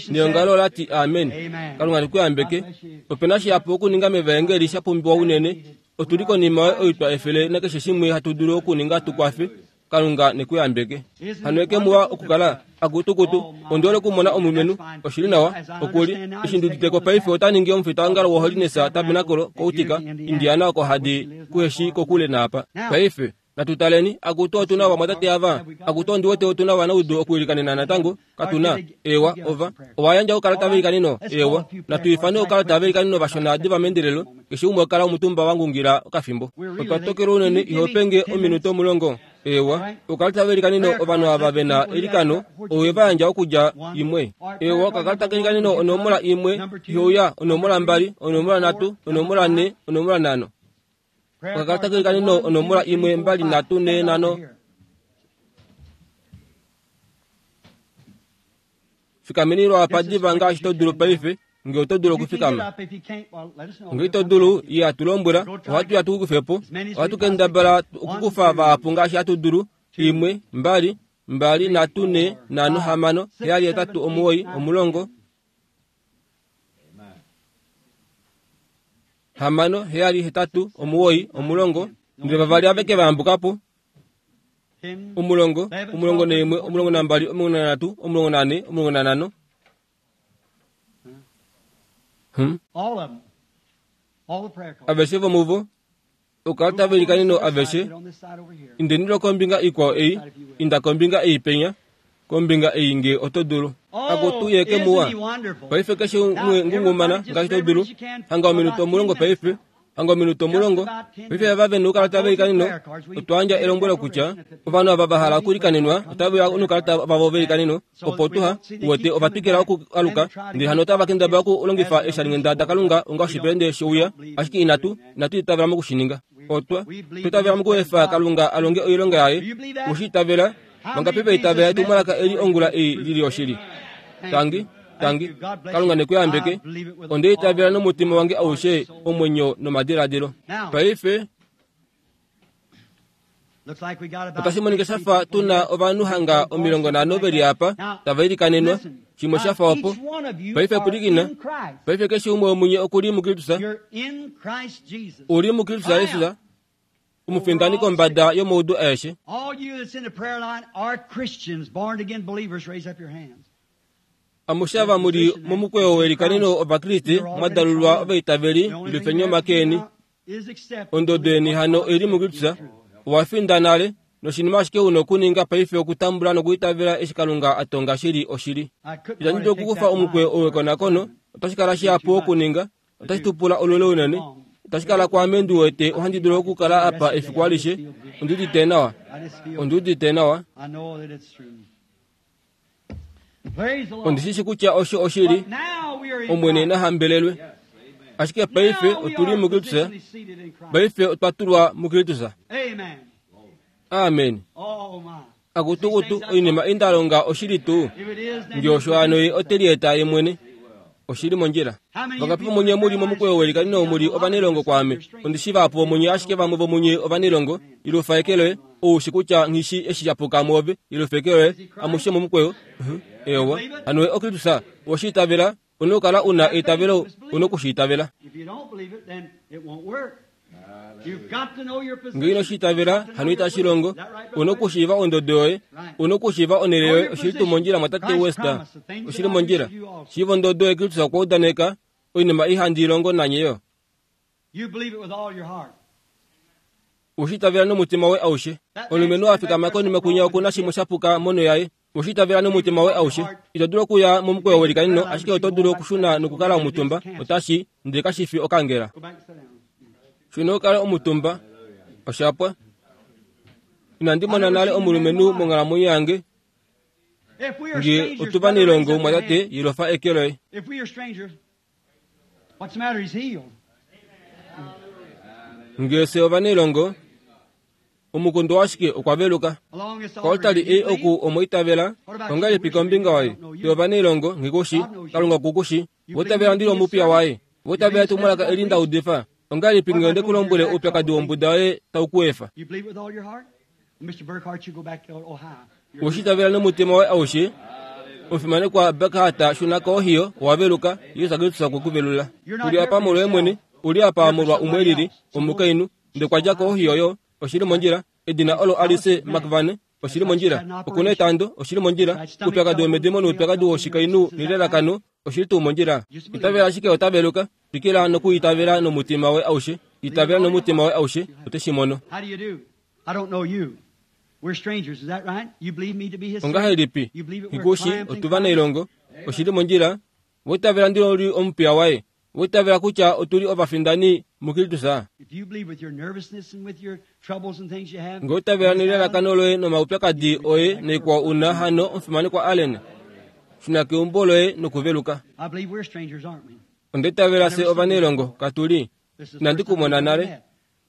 Neongalo lati amen. Kalunga nekuyambeke. Opena shihapu okuninga mevangeli sha pumbiwa unene. Otuli konima oitwa efele nakeshe shimwe hatu dulu okuninga tukwafe. Kalunga nekuyambeke. Hano eke muwa okukala akutukutu ondiole okumona omulumenhu oshili nawa okuli eshi nduditeko paife ota ningi omufitaongalo woHoliness Tabernacle koutika Indiana oko hadi kuheshi kokule naapa. Paife Natutaleni akutu otuna vamwatate ava akutu ondiwete otuna vanaudu okuilikanena natango katuna ewa ova owayandja okalata velikaneno ewa natuifane okalata velikaneno vashona diva mendelelo keshe umwe okala omutumba wangungila okafimbo otwa tokela unene ihopenge ominuto omulongo ewa okalata velikaneno ovanhu ava vena elikano owe vayandja okudja imwe ewa okakalata kelikaneno onomola imwe ihouya onomola mbali onomola nhatu onomola nhe onomola nhano okakalata kelikaneno onomola imwe mbali nhatu nhe nhano fikameni lwapa diva ngaashi to dulu paife nge oto dulu okufikama nge ito dulu ye atulombwela ohatu ya tukukufepo ohatu kendabala okukufa vahapu ngaashi hatu dulu imwe mbali mbali nhatu nhe nhano hamano heyali hetatu omuwoi omulongo hamano heyali hetatu omuwoi omulongo ndele vavali aveke vayambukapo omulongo omulongo neimwe omulongo nambali omulongo nanhatu omulongo nane omulongo nanhano Hmm. Aveshe vomuvo okalata velikaneno aveshe indeni lwokombinga ikwao ei inda kombinga ei penya kombinga ei nge oto dulu akutu yeke muwa paife keshe umwe ngungumana ngaashi to dulu hanga ominuto omulongo paife hanga ominuto omulongo paife ava vena oukalata velikaneno otwayandja elombwelo kutya ovanhu ava vahala okulikanenwa otava noukalata vavo velikaneno opo tuha uwete ovatwikila okualuka ndele hano otava kendabala okulongifa eeshalinghenda dakalunga onga oshipelende shouya ashike inatu inatu itavela mokushininga otwa twitavela mokuefa kalunga alonge oilonga yaye ushiitavela vangapi vaitavela etumwalaka eli ongula ei lili oshili tangi tangi kalunga nekuyambeke ondeitavela nomutima wange aushe omwenyo nomadiladilo paife otashi monika shafa tuna ovanhu hanga omilongo nhano veli apa tava ilikanenwa shimwe shafa opo paife pwilikina paife keshe umwe womunye okuli mukristusa uli mukristusa yesusa omufindani kombada yomaudu aeshe amushe ava muli momukweyo welikaneno ovakriste mwadalulwa ovaitaveli ilufeni omakeni ondodo yeni hano eli mukristusa owafinda nale noshinima ashike una okuninga paife okutambula nokuitavela eshi kalunga atonga shili oshili itandi dulu okukufa omukweyo owekonakono otashi kala shihapu okuninga otashi tupula olule unene otashi kala kwaame ndi wete ohandi dulu okukala apa efiku alishe ondiudite nawa ondiudite nawa ondishishi kutya osho oshili omwene nahambelelwe ashike paife otuli mukristusa paife otwa tulwa mukristusa amen akutukutu oinima indalonga oshili tuu nge osho hano ye otelieta ye mwene oshili mondjila vangapi vomunye muli momukweyo welikaneno muli ovanelongo kwaame ondishi vahapu vomunye ashike vamwe vomunye ovanelongo ilufa eke loye oushi kutya nghishi eshi shapuka mwoove ilufa eke loye amushe momukweyo ewa hano ye okristusa oweshiitavela una okukala una eitavelo una okushiitavela nge inoshiitavela hano itashi longo una okushiiva ondodo yoye una okushiiva onhele yoye oshili tuu mondjila mwatate Wester oshili mondjila shiiva ondodo yoye Kristus okwa udaneka oinima ihandi ilongo nanye yo ushiitavela nomutima woye aushe omulumenhu afikama konima kunya okuna shimwe shapuka mono yaye ushiitavela nomutima woye aushe ito dulu okuya momukweyo welikaneno ashike oto dulu okushuna nokukala omutumba otashi ndele kashifi okangela shuna okale omutumba oshapwa inandi mona nale omulumenhu monghalamwenyo yange nge otuvanelongo mwatate yilofa eke loye nge se ovanelongo omukundu washike okwa veluka koltali ei oku omoitavela ongahelipi kombinga waye te ovanelongo ngikushi kalunga kukushi votavela ndili omupiya waye votavela etumwalaka eli ndaudifa ongahelipi nge ndekulombwele oupyakadi wombuda woye taukuefa ushitavela nomutima woye aushe omufimanekwa Burkhardt shuna koohiyo owaveluka Jesus Kristus okwe uli apa molwoye mwene uli apa molwa umwe lili omukainhu ndekwadja koohiyo yo oshili mondjila edina olo Alice McVane oshili mondjila okuna etando oshili mondjila oupyakadi womedimo noupyakadi woshikainhu nelelakano oshili tuu mondjila itavela ashike otaveluka twikila nokuitavela nomutima woye aushe itavela nomutima woye aushe ote shi mono Ongahelipi ikushi otuva nailongo oshili mondjila witavela ndilo li omupiya waye witavela kutya otuli ovafindani muKristus. Nge witavela nelalakano loye nomaupyakadi oye noikwao una hano omufimanekwa Allen shuna keumbo loye nokuveluka. Onditavela se ovanailongo katuli inandi kumona nale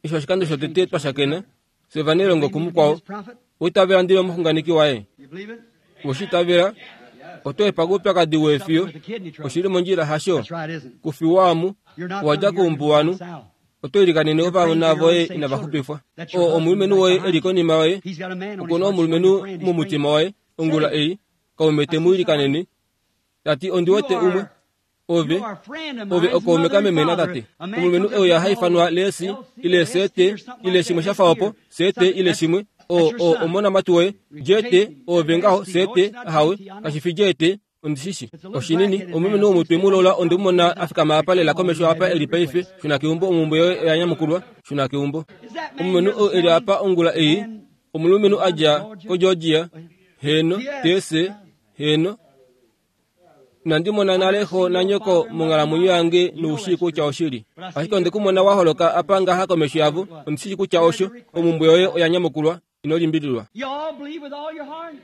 isho oshikando shotete twashakena se ovanailongo kumukwao. Witavela ndilo omuxunganeki waye woshitavela oto epa kuupyakadi weefiyo oshili mondjila hasho kufiwaamu wadja kuumbuwanu oto ilikanene ovana voye inavaxupifwa. O omulumenhu woye eli konima yoye okuna omulumenhu momutima waye ongula ei kaume te mu ilikanene tati ondi wete umwe ove ove okaume kameme natate. Omulumenhu euya haifanwa lesi ile sete ile shimwe shafa opo sete ile shimwe o o omonamati woye jete ove ngaho sete ahawe kashifi jete ondishishi oshinini omulumenhu womutwe mulola ondimumona afikama apa lela komesho apa eli paife shuna keumbo omumbo yoye oyanyamukulwa shuna keumbo. Omulumenhu oo eli apa ongula ei omulumenhu adja koGeorgia heno tese heno nandimona nale xo nanyoko monghalamwenyo yange noushishi kutya oshili ashike ondikumona waholoka apa ngaha komesho yavo ondishishi kutya osho omumbo yoye oyanyamukulwa inolimbililwa.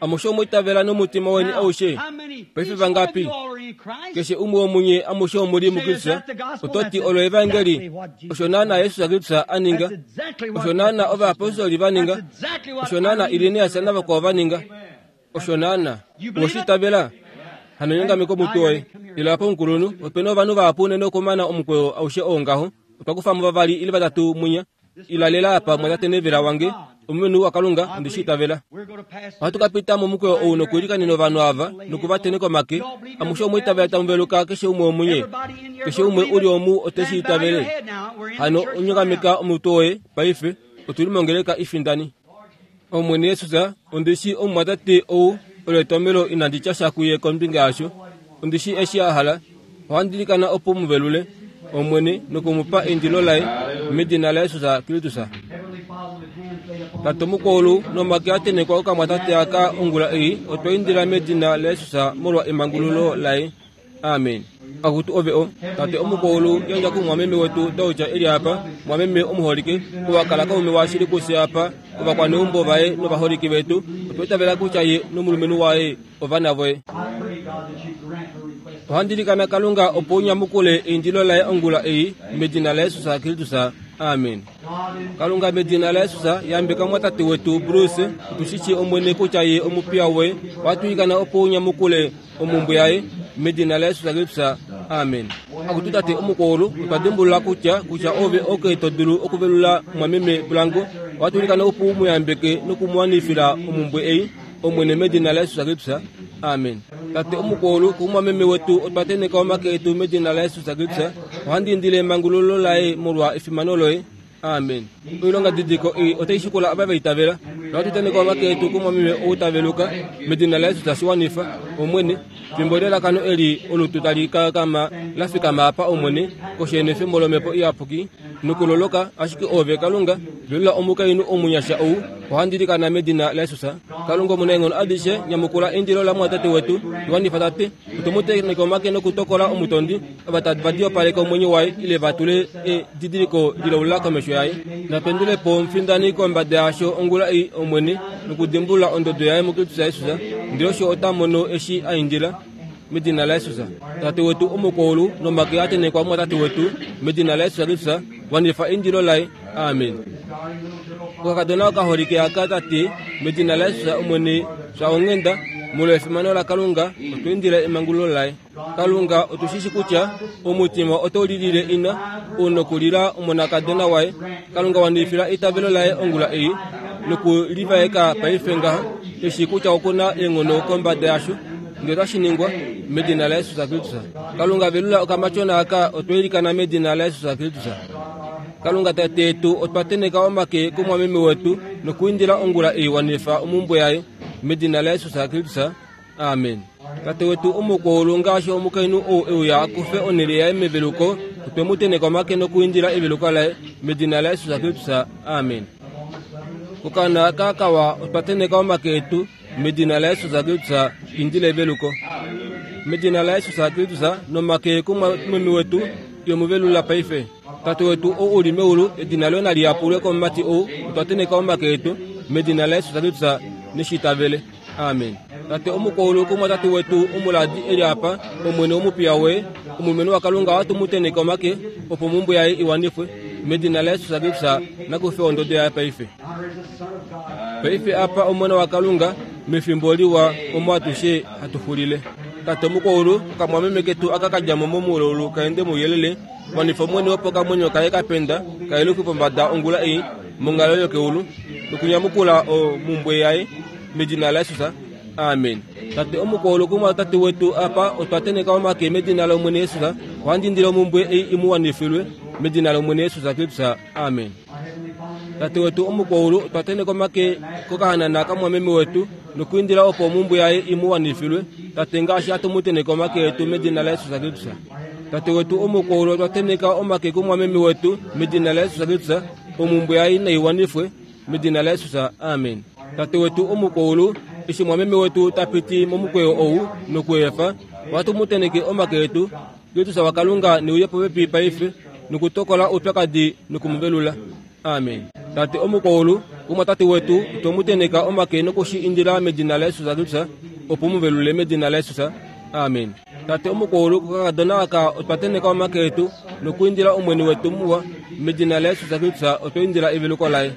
Amushe omwitavela nomutima weni aushe paife vangapi keshe umwe womunye amushe omuli muKristus ototi olo evangeli osho naana Yesus Kristus aninga osho naana ovaapostoli vaninga osho naana Irenaeus navakwao vaninga osho naana woshitavela hano nyongameko mutwe woye ila apa omukulunhu opena ovanhu vahapu unene okumana omukweyo aushe oo ngaho otwa kufamo vavali ile vatatu munya ilalela apa mwatate nevela wange omulumenhu waKalunga ondishitavela. Ohatu ka pita momukweyo ou nokuilikanena ovanhu ava nokuvateneka omake amushe omwiitavela tamu keshe umwe womunye keshe umwe uli omu oteshiitavele. Hano onyongameka omutwe woye paife otuli mongeleka ifindani. Omwene Yesus ondishi omumwatate ou oletomelo inandi tya sha kuye kombinga yasho ondishi eshi a hala ohandilikana opo muvelule omwene nokumupa endilo laye medina laYesus Kristus. Tate mukulu nomake atenekwa okamwatate aka ongula ei otwa indila medina laYesus molwa emangululo laye. Amen. Akutu ove o tate omukulu yandja kumwameme wetu Dauja eli apa mwameme omuholike owakala kaume washili kufye apa ovakwaneumbo vaye novaholike vetu otwaitavela kutya ye nomulumenhu waye ovana voye. Ohandilikana Kalunga opo unyamukule eindilo laye ongula ei medina laYesus Kristus. Amen. Kalunga medina laYesus yambeka mwatate wetu Bruce otushishi omwene kutya ye omupiya woye watuikana opo unyamukule omumbo yaye medina laYesus Kristus. Amen. Akutu tate omukulu otwadimbulula kutya kutya ove oke todulu okuvelula mwameme Blanco watulikana opo umuyambeke nokumuwanifila omumbwe ei omwene medina laYesus Kristus. Amen. Tate omukulu kumwameme wetu otwateneka omake etu medina laYesus Kristus ohandindile emangululo laye molwa efimano loye. Amen. Oilonga didiko ei otaishikula ava vaitavela nohatuteneka omake etu kumwameme outaveluka medina laYesus shiwanifa omwene fimbo lelakano eli olutu tali kakama lafikama apa omwene koshene efimbo lomhepo iyapuki nokuloloka ashike ove Kalunga velula omukainhu omunyasha ou ohandilikana medina laYesus. Kalunga omunaenghono adishe nyamukula endilo lamwatate wetu liwanifa tate otomuteneka omake nokutokola omutondi ava vadiopaleka omwenyo waye ile vatule edidiliko lilaula komesho yaye. Napendulepo omufindani kombada yasho ongula ei omwene nokudimbulula ondodo yaye muKristus Jesus ndele osho ota mono eshi aindila medina laYesus. Tate wetu omukulu nomake atenekwa mwatate wetu medina laYesus Kristus wanifa endilo laye. Amen. Okakadona okaholike aka tate medina laYesus omwene sha onghenda molwa efimano laKalunga otwa indila emangululo laye. Kalunga otushishi kutya omutima oto lilile ina unokulila omonakadona waye. Kalunga wanifila eitavelo laye ongula ei nokulivaeka paife ngaha eshi kutya okuna eenghono kombada yasho ndele otashi ningwa medina laYesus Kristus. Kalunga velula okamatyona aka otwailikana medina laYesus Kristus. Kalunga tate yetu otwa teneka omake kumwameme wetu nokuindila ongula ei wanifa omumbwe yaye medina laYesus Kristus. Amen. Tate wetu omukulu ngaashi omukainhu ou euya akufe onhele yaye meveluko otwe mu teneka omake nokuindila eveluko laye medina laYesus Kristus. Amen. Kokana aka kawa otwa teneka omake etu medina la Yesus Kristus indile eveluko. Medina la Yesus Kristus nomake kumwameme wetu yomuvelula paife. Tate wetu ou uli meulu edina loye nali yapulwe komumati ou otwa teneka omake etu medina la Yesus Kristus neshitavele. Amen. Tate omukwaulu kumwa tate wetu omuladi eli apa omwene omupiya woye omulumenhu waKalunga ohatu mu teneka omake opo omhumbwe yaye iwanifwe medina la Yesus Kristus nakufe ondodo yaye paife. Paife apa omona waKalunga mefimbo liwa omo atushe hatu xulile. Tate omukwaulu okamwameme ketu aka kadjamo momuululu kaende mouyelele wanifa omwene opo kamwenyo kaye kapenda kayeluke pombada ongula ei monghalo yokeulu nokunyamukula omhumbwe yaye medina la Yesus. Amen. Tate omukwaulu kumwa tate wetu apa otwa teneka omake medina lomwene Yesus ohandindile omhumbwe ei imuwanifilwe medina lomwene Yesus Kristus. Amen. Tate wetu omukwaulu otwa teneka omake kokahanana kamwameme wetu nokuindila opo omhumbwe yaye imuwanifilwe tate ngaashi atumuteneka omake etu medina la Yesus Kristus. Tate wetu omukwaulu otwa teneka omake kumwameme wetu medina la Yesus Kristus omhumbwe yaye naiwanifwe medina la Yesus. Amen. Tate wetu omukwaulu eshi mwameme wetu tapiti momukweyo ou nokuefa watumuteneke omake etu Kristus waKalunga neuye popepi paife nokutokola oupyakadi nokumuvelula. Amen. Tate omukwaulu kumwa tate wetu tomuteneka omake nokushi indila medina la Yesus Kristus opo muvelule medina la Yesus. Amen. Tate omukwaulu kokakadona aka otwa teneka omake etu nokuindila omwene wetu muwa medina la Yesus Kristus otwa indila eveluko laye.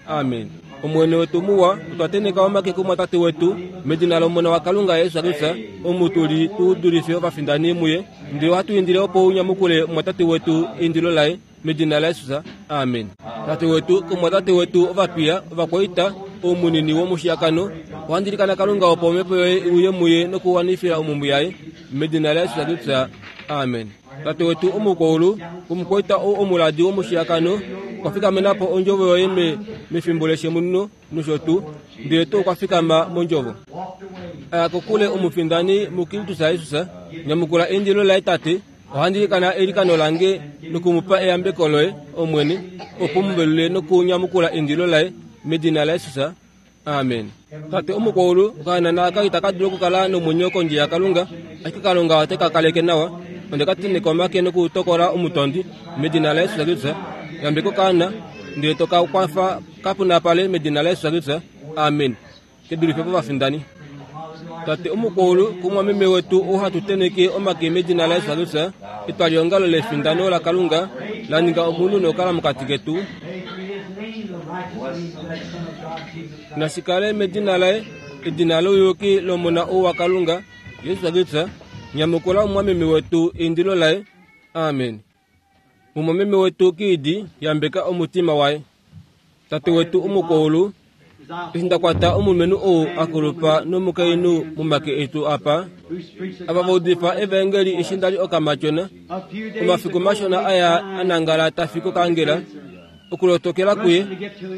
Amen. Omwene wetu muwa otwa teneka omake kumwa tate wetu medina lomona waKalunga Yesus Kristus omutuli tuudulife ovafindani muye ndele ohatu indile opo unyamukule mwa tate wetu eindilo laye medina la Yesus. Amen. Tate wetu kumwa tate wetu ovapiya ovakwaita omunini womushiyakano ohandilikana Kalunga opo omhepo yoye iuye muye nokuwanifila omhumbwe yaye medina la Yesus Kristus. Amen. Tate wetu omukwaulu omukwaita ou omuladi womushiyakano okwa fikamenapo ondjovo yoye me mefimbo leshemuno nosho tuu ndele tuu okwa fikama mondjovo. Aya kokule omufindani muKristus Jesus nyamukula eindilo laye tate ohandilikana eilikano lange nokumupa eyambeko loye omwene opo muvelule nokunyamukula eindilo laye medina la Yesus. Amen. Tate omukwaulu okahanana aka itaka dulu okukala nomwenyo kondje yaKalunga ashike Kalunga ote ka kaleke nawa onde ka teneka omake nokutokola omutondi medina la Yesus Kristus. Yambeko kaana ndele toka kwafa kapunapale medina la Yesus Kristus. Amen. Kedulife povafindani. Tate omukwaulu kumwameme wetu ou hatu teneke omake medina la Yesus Kristus etwaliongalo lefindano laKalunga la ninga omunhu nokala mokati ketu nashikale medina laye edina louyuki lomona ou waKalunga Yesus Kristus nyamukula omwameme wetu eindilo laye. Amen. Omwameme wetu kiidi yambeka omutima waye. Tate wetu omukwaulu eshi ndakwata omulumenhu ou akulupa nomukainhu momake etu apa ava vaudifa evangeli eshi ndali okamatyona omafiku mashona aya anangala tafi kokangela okulotokela kuye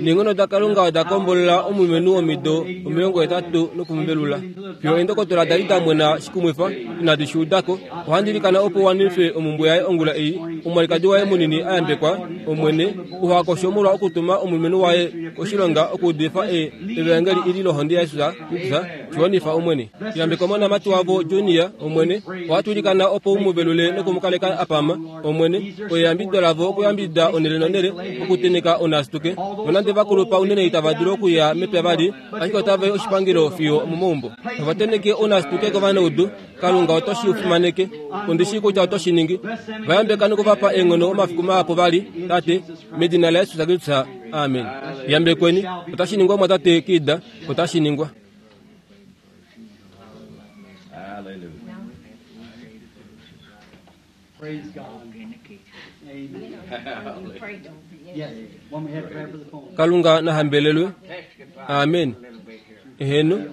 neenghono daKalunga oda kombolola omulumenhu womido omilongo hetatu nokumuvelula. Fiyo eendokotola dali da mwena shikumwifa inadi shuudako ohandilikana opo wanife omhumbwe yaye ongula ei omwalikadi waye munini ayambekwa omwene uhakosho molwa okutuma omulumenhu waye koshilonga okuudifa evangeli ili lohonde yaYesus Kristus shiwanifa omwene. Yambeka omonamati wavo Junior omwene ohatulikana opo umuvelule nokumukaleka apama omwene oyeyambido lavo okuyambidida onele nonele okuteneka onasituke nonande vakulupa unene itava dulu okuya mepya vali ashike otava i oshipangelo fiyo omomaumbo. Ovateneke onasituke kovanaudu Kalunga oto shi fimaneke ondishi kutya oto shi ningi vayambeka nokuvapa eenghono omafiku mahapu vali tate medina la Yesus Kristus. Amen. Yambekweni otashi ningwa mwa tate Kida otashi ningwa. Praise God. Amen. Yes. When we had prayer for the phone. Kalunga nahambelelwe. Amen. Eheno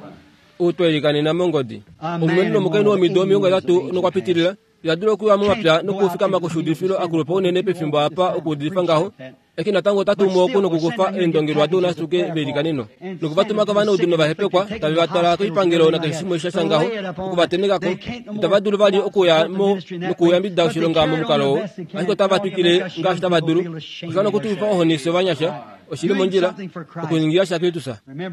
utwelikanena mongodi omulumenhu nomukainhu womido omilongo hetatu nokwapitilila yadula okuya momapya nokufikama koshuudifilo akulupa unene pefimbo apa okuudifa ngaho eki natango otatumu oku nokukufa eendongelwa dounasuke velikaneno nokuvatuma kovanaudu novahepekwa tave vatwala koipangelo nakeshe shimwe sha ngaho okuvatenekako itava dulu vali okuya mo nokuyambidida oshilonga momukalo oo ashike otava twikile ngaashi tava dulu osha nokutufifa ohoni fye ovanyasha Oshili mondjila okuningila sha Kristus.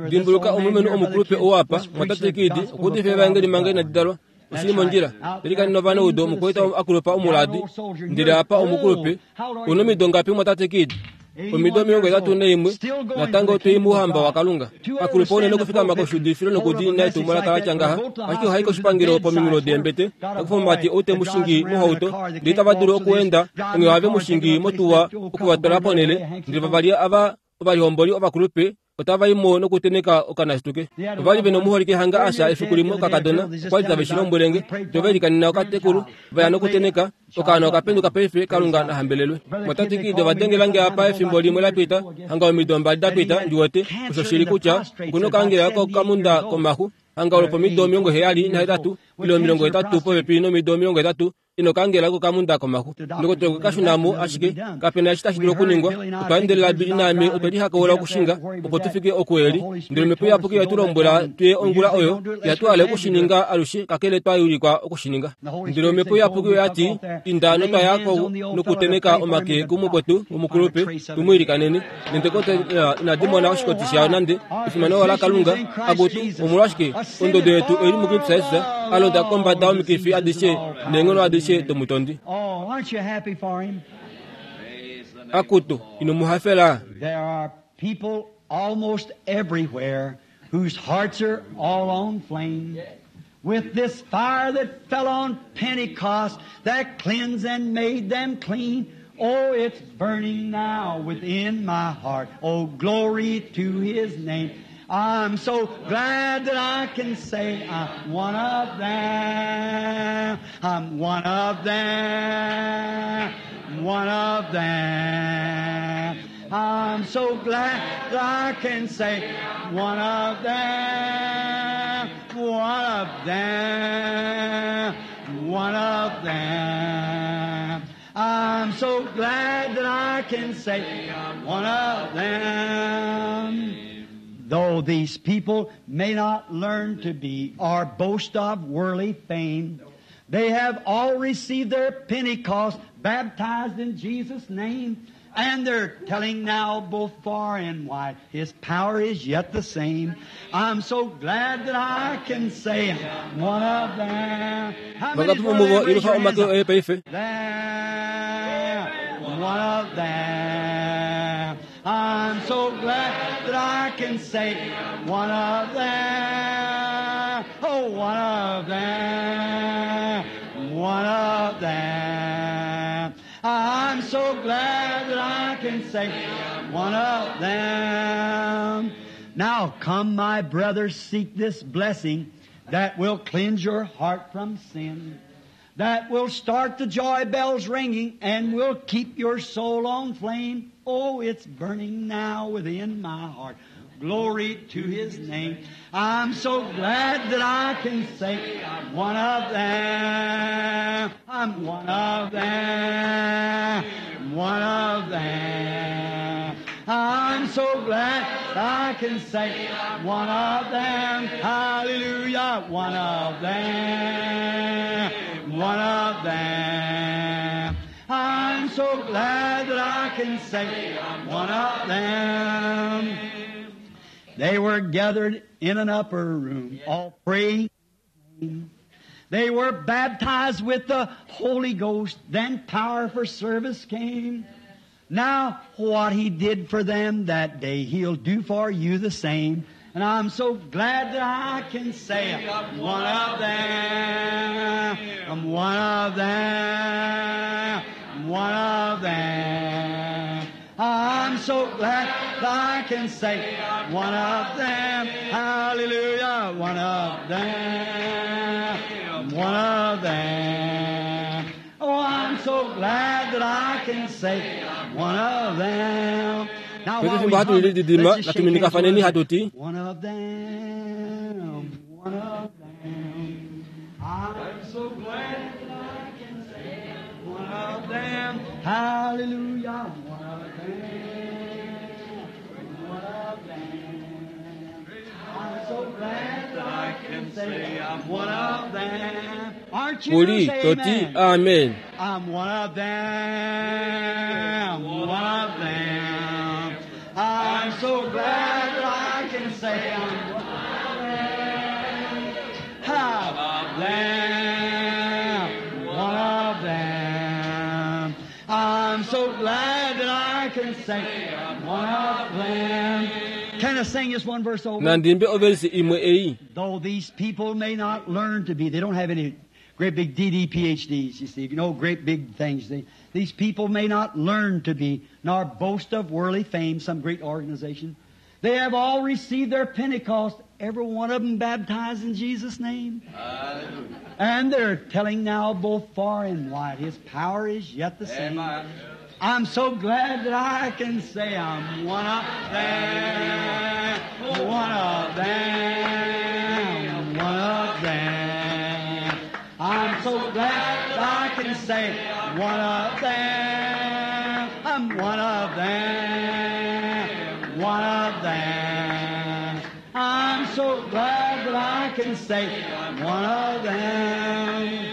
Dimbuluka omulumenhu omukulupe owapa mwatate Kidi okuudifa evangeli manga inadi dalwa. Oshili mondjila elikani novaneudo omukwaita akulupa omuladi ndele apa omukulupe unomido ngapi mwatate Kidi? Omido omilongo etatu naimwe natango twei mouhamba waKalunga. Akulupa unene okufikama koshuudifilo nokudiinina etumwalaka latya ngaha, ashike ohai koshipangelo pominghulo deembete takufa omumati ou te mu shingi mohauto ndele itava dulu okuenda onghee ohave mu shingi motuwa okuvatwala ponhele ndele vavali ava ovalihomboli ovakulupe otava imo nokuteneka okanashituke. Ovali vena omuholike hanga asha efiku limwe okakadona okwali tave shi lombwelenge tovelikanena okatekulu vaya nokuteneka okaana okapenduka paife Kalunga nahambelelwe. Mwatate Kidi ovadengelange apa efimbo limwe lapita hanga omido mbali dapita ndiwete osho shili kutya okuna okaangela kokamunda komaxu hanga olopomido omilongo heyali nahetatu ile omilongo hetatu popepi nomido omilongo hetatu ino kaangela kokamunda komaxu. Ndokotola okwe kashunamo ashike kapena eshi tashi dulu okuningwa. Otwa endelela Bili naame otwe lihakaula okushinga opo tufike oku eli ndele Omhepo Iyapuki oye tu lombwela tuye ongula oyo ihatu hale okushininga alushe kakele twa yulikwa okushininga. Ndele Omhepo Iyapuki oyati inda notwaya ko nokuteneka omake kumukwetu omukulupe tumuilikaneni. Nentekote inadi mona oshikoti shayo nande efimano la Kalunga akutu omolwashike ondodo yetu oili muKristus Jesus alonda kombada omikifi adishe neenghono adishe domutondi. Oh, aren't you happy for him? Akutu ino muhafela. There are people almost everywhere whose hearts are all on flame with this fire that fell on Pentecost that cleansed and made them clean. Oh, it's burning now within my heart. Oh, glory to His name. I'm so glad that I can say I'm one of them. I'm one of them. One of them. I'm so glad that I can say one of them. One of them. One of them. I'm so glad that I can say I'm one of them. Though these people may not learn to be or boast of worldly fame, they have all received their Pentecost, baptized in Jesus' name, and they're telling now both far and wide, His power is yet the same. I'm so glad that I can say I'm one of them. How many is one of them? Raise your hands up. Them, one of them. I'm so glad that I can say one of them. Oh, one of them. One of them. I'm so glad that I can say one of them. Now come, my brothers, seek this blessing that will cleanse your heart from sin, that will start the joy bells ringing and will keep your soul on flame. Oh, it's burning now within my heart. Glory to His name. I'm so glad that I can say I'm one of them. I'm one of them. One of them. I'm so glad I can say I'm one of them. Hallelujah. One of them. One of them. I'm so glad that I can say I'm one of them. They were gathered in an upper room, all praying. They were baptized with the Holy Ghost. Then power for service came. Now, what He did for them that day, He'll do for you the same. And I'm so glad that I can say I'm one of them. I'm one of them. One of them. I'm so glad that I can say I'm one of them. Hallelujah. One of them. One of them. Oh, I'm so glad that I can say I'm one of them. Now, while we hum, let's just shake hands. One of them. One of them. I'm so glad that I can say one of them. Hallelujah. One of them. One of them. I'm so glad that I can say I'm one of them. Aren't you? Kuli Say toti amen. amen. I'm one of them. One of them. so glad that I can say I'm one of them. Of them, one of them. I'm so glad that I can say I'm one of them. Can I sing just one verse over? Nandimbe oversi imwe ei. Though these people may not learn to be, they don't have any great big D D P H Ds, you see, no great big things. They, these people may not learn to be, nor boast of worldly fame, some great organization. They have all received their Pentecost, every one of them baptized in Jesus' name. Hallelujah. And they're telling now both far and wide, His power is yet the same. Amen. I'm so glad that I can say I'm one of them, one of them, one of them. I'm so glad that I can say one of them, I'm one of them, one of them. I'm so glad that I can say I'm one of them.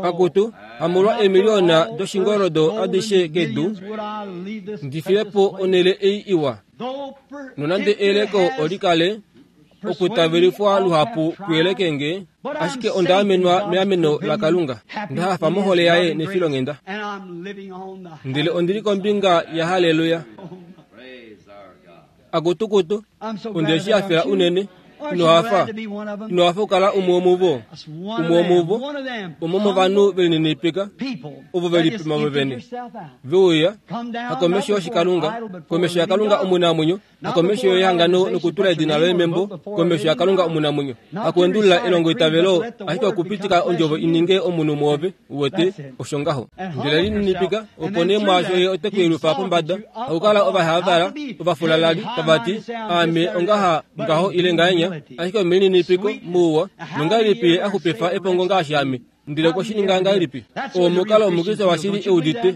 Akutu, hamolwa emiliona doshingorodo adishe kedu ndifilepo onele ei iwa nonande eleko olikale okutavelifwa luhapu kuyelekenge ashike ondaamenwa meameno la Kalunga ndahafa mohole yaye nefilongenda ndele ondili kombinga ya haleluya. Akutukutu ondeshi afela unene inohafa inohafa okukala umwe womuvo umwe womuvo umwe womovanhu velinenepeka ovo velipima vovene veuya hakomesho yoshikalunga komesho yakalunga omunamwenyo hakomesho yehangano nokutula edina loye membo komesho yakalunga omunamwenyo hakuendulula elongo itavelo ashike okupitika ondjovo ininge omunhu mwoove uwete osho ngaho ndele lininipika opo nee mwaasho ye ote kuyelufa pombada hakukala ovahavala ovafulalali tavati aame ongaha ngaho ile ngahenya ashike omelinenepeko muuwa nongahelipi ye axupifa epongo ngaashi ame ndele kwoshininga ngahelipi omukalo omukriste washili eudite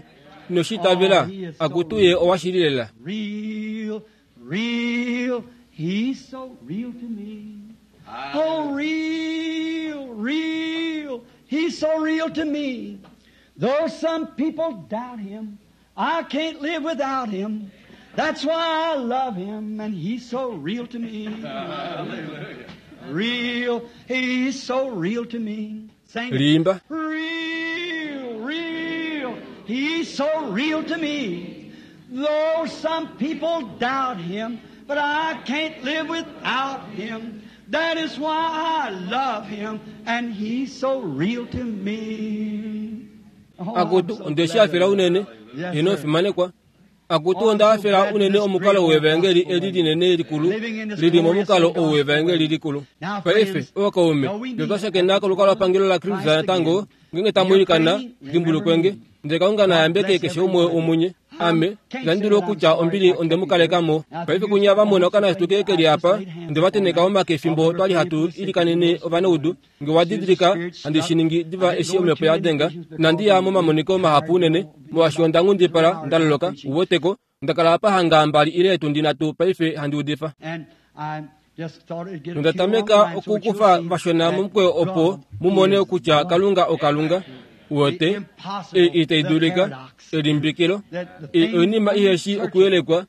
noshitavela akutu ye owashili lela. Real, real, he's so real to me. Oh, real, real, he's so real to me. Though some people doubt him, I can't live without him. That's why I love him, and he's so real to me. Real, he's so real to me. Sing it. Limba. Real, real, he's so real to me. Though some people doubt him, but I can't live without him. That is why I love him, and he's so real to me. Oh, I'm Akutu so ondeshi glad afela of that. unene Yes, ino sir. fimanekwa akutu onda afela unene omukalo wevangeli eli linene likulu lili momukalo ou wevangeli likulu. Paife ovakaume notwashakena kolukalo lwapangelo la Kristu natango ngenge tamuilikana dimbulukwenge ndele Kalunga nayambeke keshe umwe womunye. Ame landula okutya ombili ondemukalekamo. Paife kunya vamona okanasituke keli apa nde vateneka omake efimbo twali hatu ilikanene ovanaudu nge wadidilika handi shiningi diva eshi omhepo yadenga nandiya momamoniko mahapu unene molwaashi onda nghundipala ndaloloka uweteko ndakala apa hanga mbali ile etundi nhatu paife handi udifa. And I just thought it'd get a Nonda few tameka online so that you'll okukufa see vashona that momukweyo opo God mumone is kutya God. Kalunga okalunga uwete e itaidulika elimbikilo e oinima iheshi okuyelekwa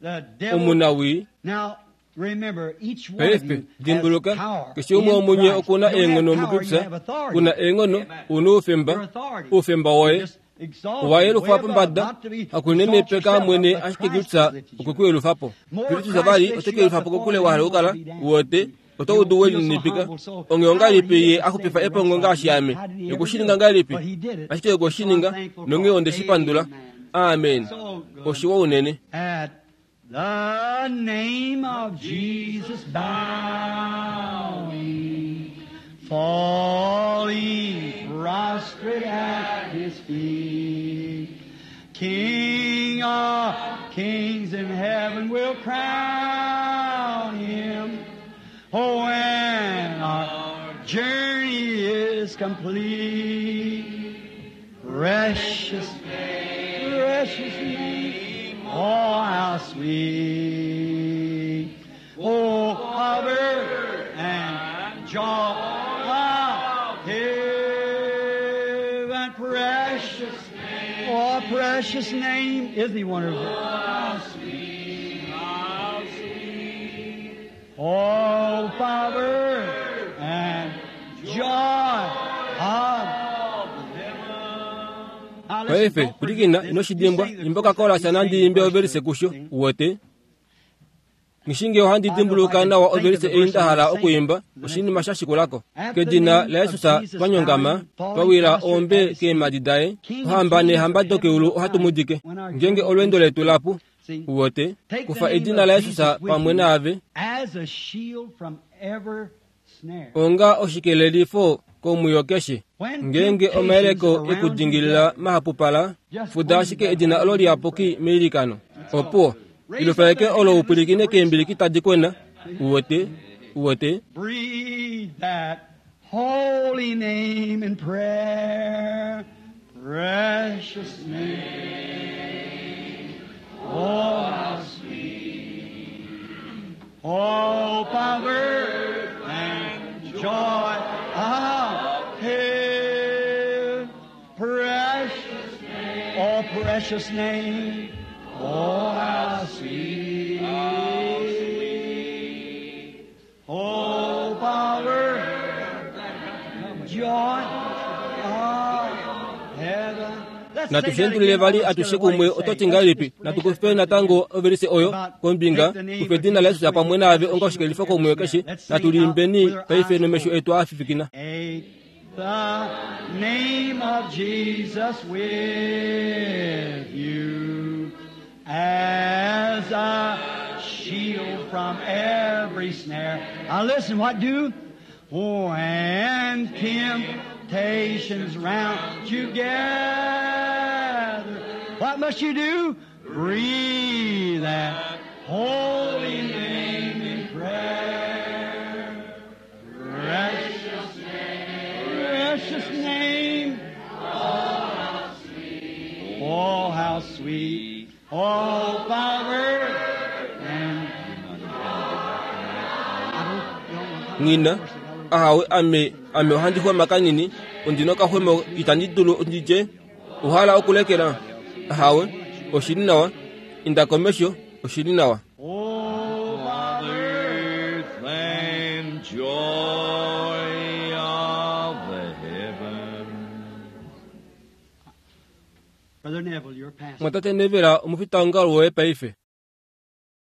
omunawii. Now, remember, each one of Paife you has dimbuluka power keshe umwe in womunye Christ. okuna You don't have eenghono power, you muKristu have authority. kuna eenghono una Your oufemba authority. oufemba woye Just exalted owayelufa way above, pombada not to be exalt hakunenepeka yourself mwene up, but ashike Christ Kristu lifted you up. okwekuyelufapo. More Kristu Christ vali lifts you up, otekeyelufapo the kokule farther wahala you want okukala to be down. uwete oto You udu feel so welinipika humble, so onge how ongahelipi he ye is axupifa to stand epongo the rest ngaashi of ame you. How did he ever okushininga do it? ngahelipi But he did it. ashike okwoshininga So I'm thankful nonge for onde it. shipandula. Amen. Amen. So good. Oshiwa unene. At the name of Jesus bowing, falling prostrate at his feet, King of kings in heaven will crown him. Oh, when our journey is complete, precious, precious name, oh how sweet, oh cover and joy of heaven, precious, oh precious name, isn't he wonderful? Hope of earth and joy of Now listen, paife don't forget pwilikina this. ino shidimbwa You sing the imba okakolasa nandi imbe ovelise kusho uwete ngishinge ohandi dimbuluka nawa ovelise ei nda hala okuimba oshinima sha shikulako kedina la yesus twanyongama twawila ombe keemadi daye ohamba neehamba dokeulu ohatu mudike ngenge olwendo letu lapu uwete kufa edina la yesus pamwe naave As a shield from every snare. onga oshikelelifo komwiyo keshe ngenge omayeleko ekudingilila mahapupala fuda ashike edina olo liyapuki meilikano opuwo ilufaeke olo upwilikine keembiliki tadi kwena uwete uwete Breathe that holy name in prayer. Precious name. Oh, how sweet. Hope of earth and joy of heaven. Precious name. Oh, precious name. Oh, how sweet. Oh, power, joy of heaven. Let's natu sing that shendulile again. vali Let's atushe get what kumwe it say. ototi ngahelipi natukufe natango ovelise oyo kombinga kufe edina la yesus pamwe naave onga oshikelelifo komwiyo keshe natuliimbeni paife nomesho etu aafifikina Take the name of Jesus with you as a shield from every snare. Now listen, what do? When temptations round you gather, what must you do? Breathe that holy name in prayer. Precious name, precious name. Oh, how sweet. Oh, power and ng'ina ahawe ame ame ohandi xwema kanini ondina okaxwema itandi dulu nditye ohala okulekela ahawe oshili nawa inda komesho oshili nawa Oh, power. Earth and joy of the heaven. Brother Neville, your pastor. mwatate nevela omufitaongalo woye paife